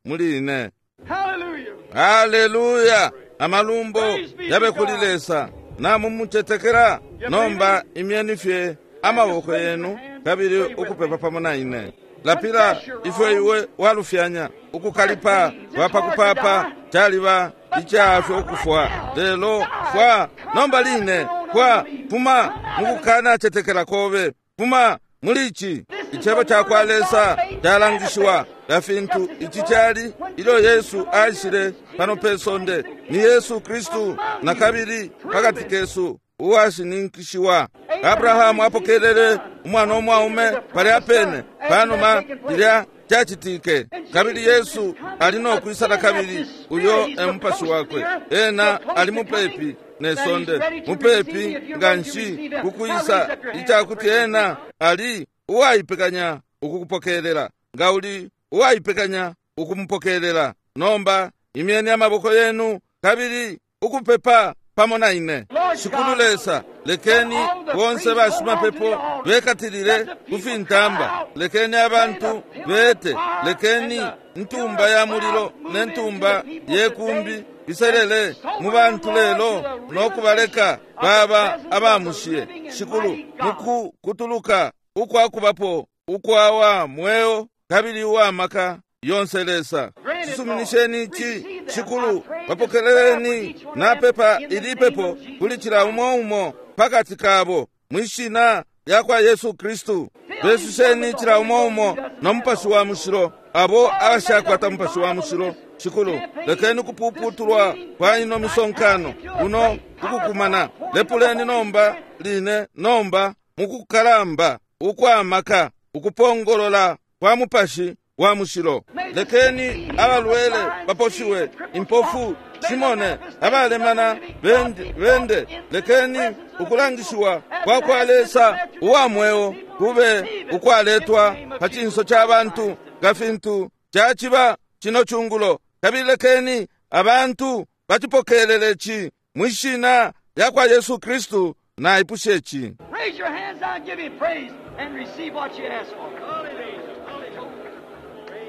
muli ine. Hallelujah! Haleluya! Amalumbo yabe kuli Lesa. Namumucetekela. Nomba imyeni fye amaboko yenu kabili ukupepa pamo na ine. Lapila ifyo iwe walufyanya. Ukukalipa kwapakupapa caliba icafya ukufwa, lelo fwa nomba line. Fwa, fuma mukukana cetekela kobe, fuma muli ici. Icebo cakwa Lesa calangishiwa nga fintu ici cali ilyo Yesu aishile pano pe sonde. Ni Yesu Kristu na kabili pakati kesu uwashininkishiwa. Abrahamu apokelele umwana umwaume palya pene panuma lilya cacitike, kabili Yesu ali no kwisala kabili uyo e mupashi wakwe. Ena ali mupepi ne sonde, mupepi nga nshi kukwisa, icakuti ena ali uwaipekanya ukukupokelela. Nga uli uwaipekanya ukumupokelela, nomba imyeni amaboko yenu kabili ukupepa pamo na ine. Shikulu Lesa, lekeni bonse bashimapepo bekatilile kufintamba, lekeni abantu bete, lekeni ntumba ya mulilo ne ntumba ye kumbi biselele mu bantu lelo no kubaleka baba abamushiye. Shikulu, mukukutuluka ukwakubapo ukwawa mweo kabili uwamaka yonse Lesa, cisuminisheni ici. Shikulu, bapokeleleni. Napepa ilipepo kuli cila umo umo pakati kabo mwishina lya kwa Yesu Kristu. Besusheni cila umo umo no Mupashi wa Mushilo. abo abashakwata Mupashi wa Mushilo, Shikulu, lekeni kupuputulwa kwa ino misonkano kuno ukukumana. Lepuleni nomba line nomba mukukalamba ukwamaka ukupongolola kwa Mupashi wa Mushilo. Lekeni abalwele baposhiwe, impofu shimone, abalemana bende, bende. Lekeni ukulangishiwa kwa kwa Lesa uwa mweo kube ukwaletwa pa cinso ca bantu nga fintu caciba cino cungulo, kabili lekeni abantu bacipokelele ci mwi shina lya kwa Yesu Kristu. Naipushe ci. Raise your hands now and give him praise and receive what you ask for.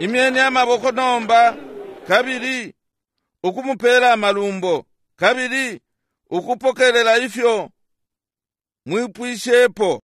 Imyeni amaboko nomba kabili ukumupela amalumbo kabili ukupokelela ifyo mwipwishepo.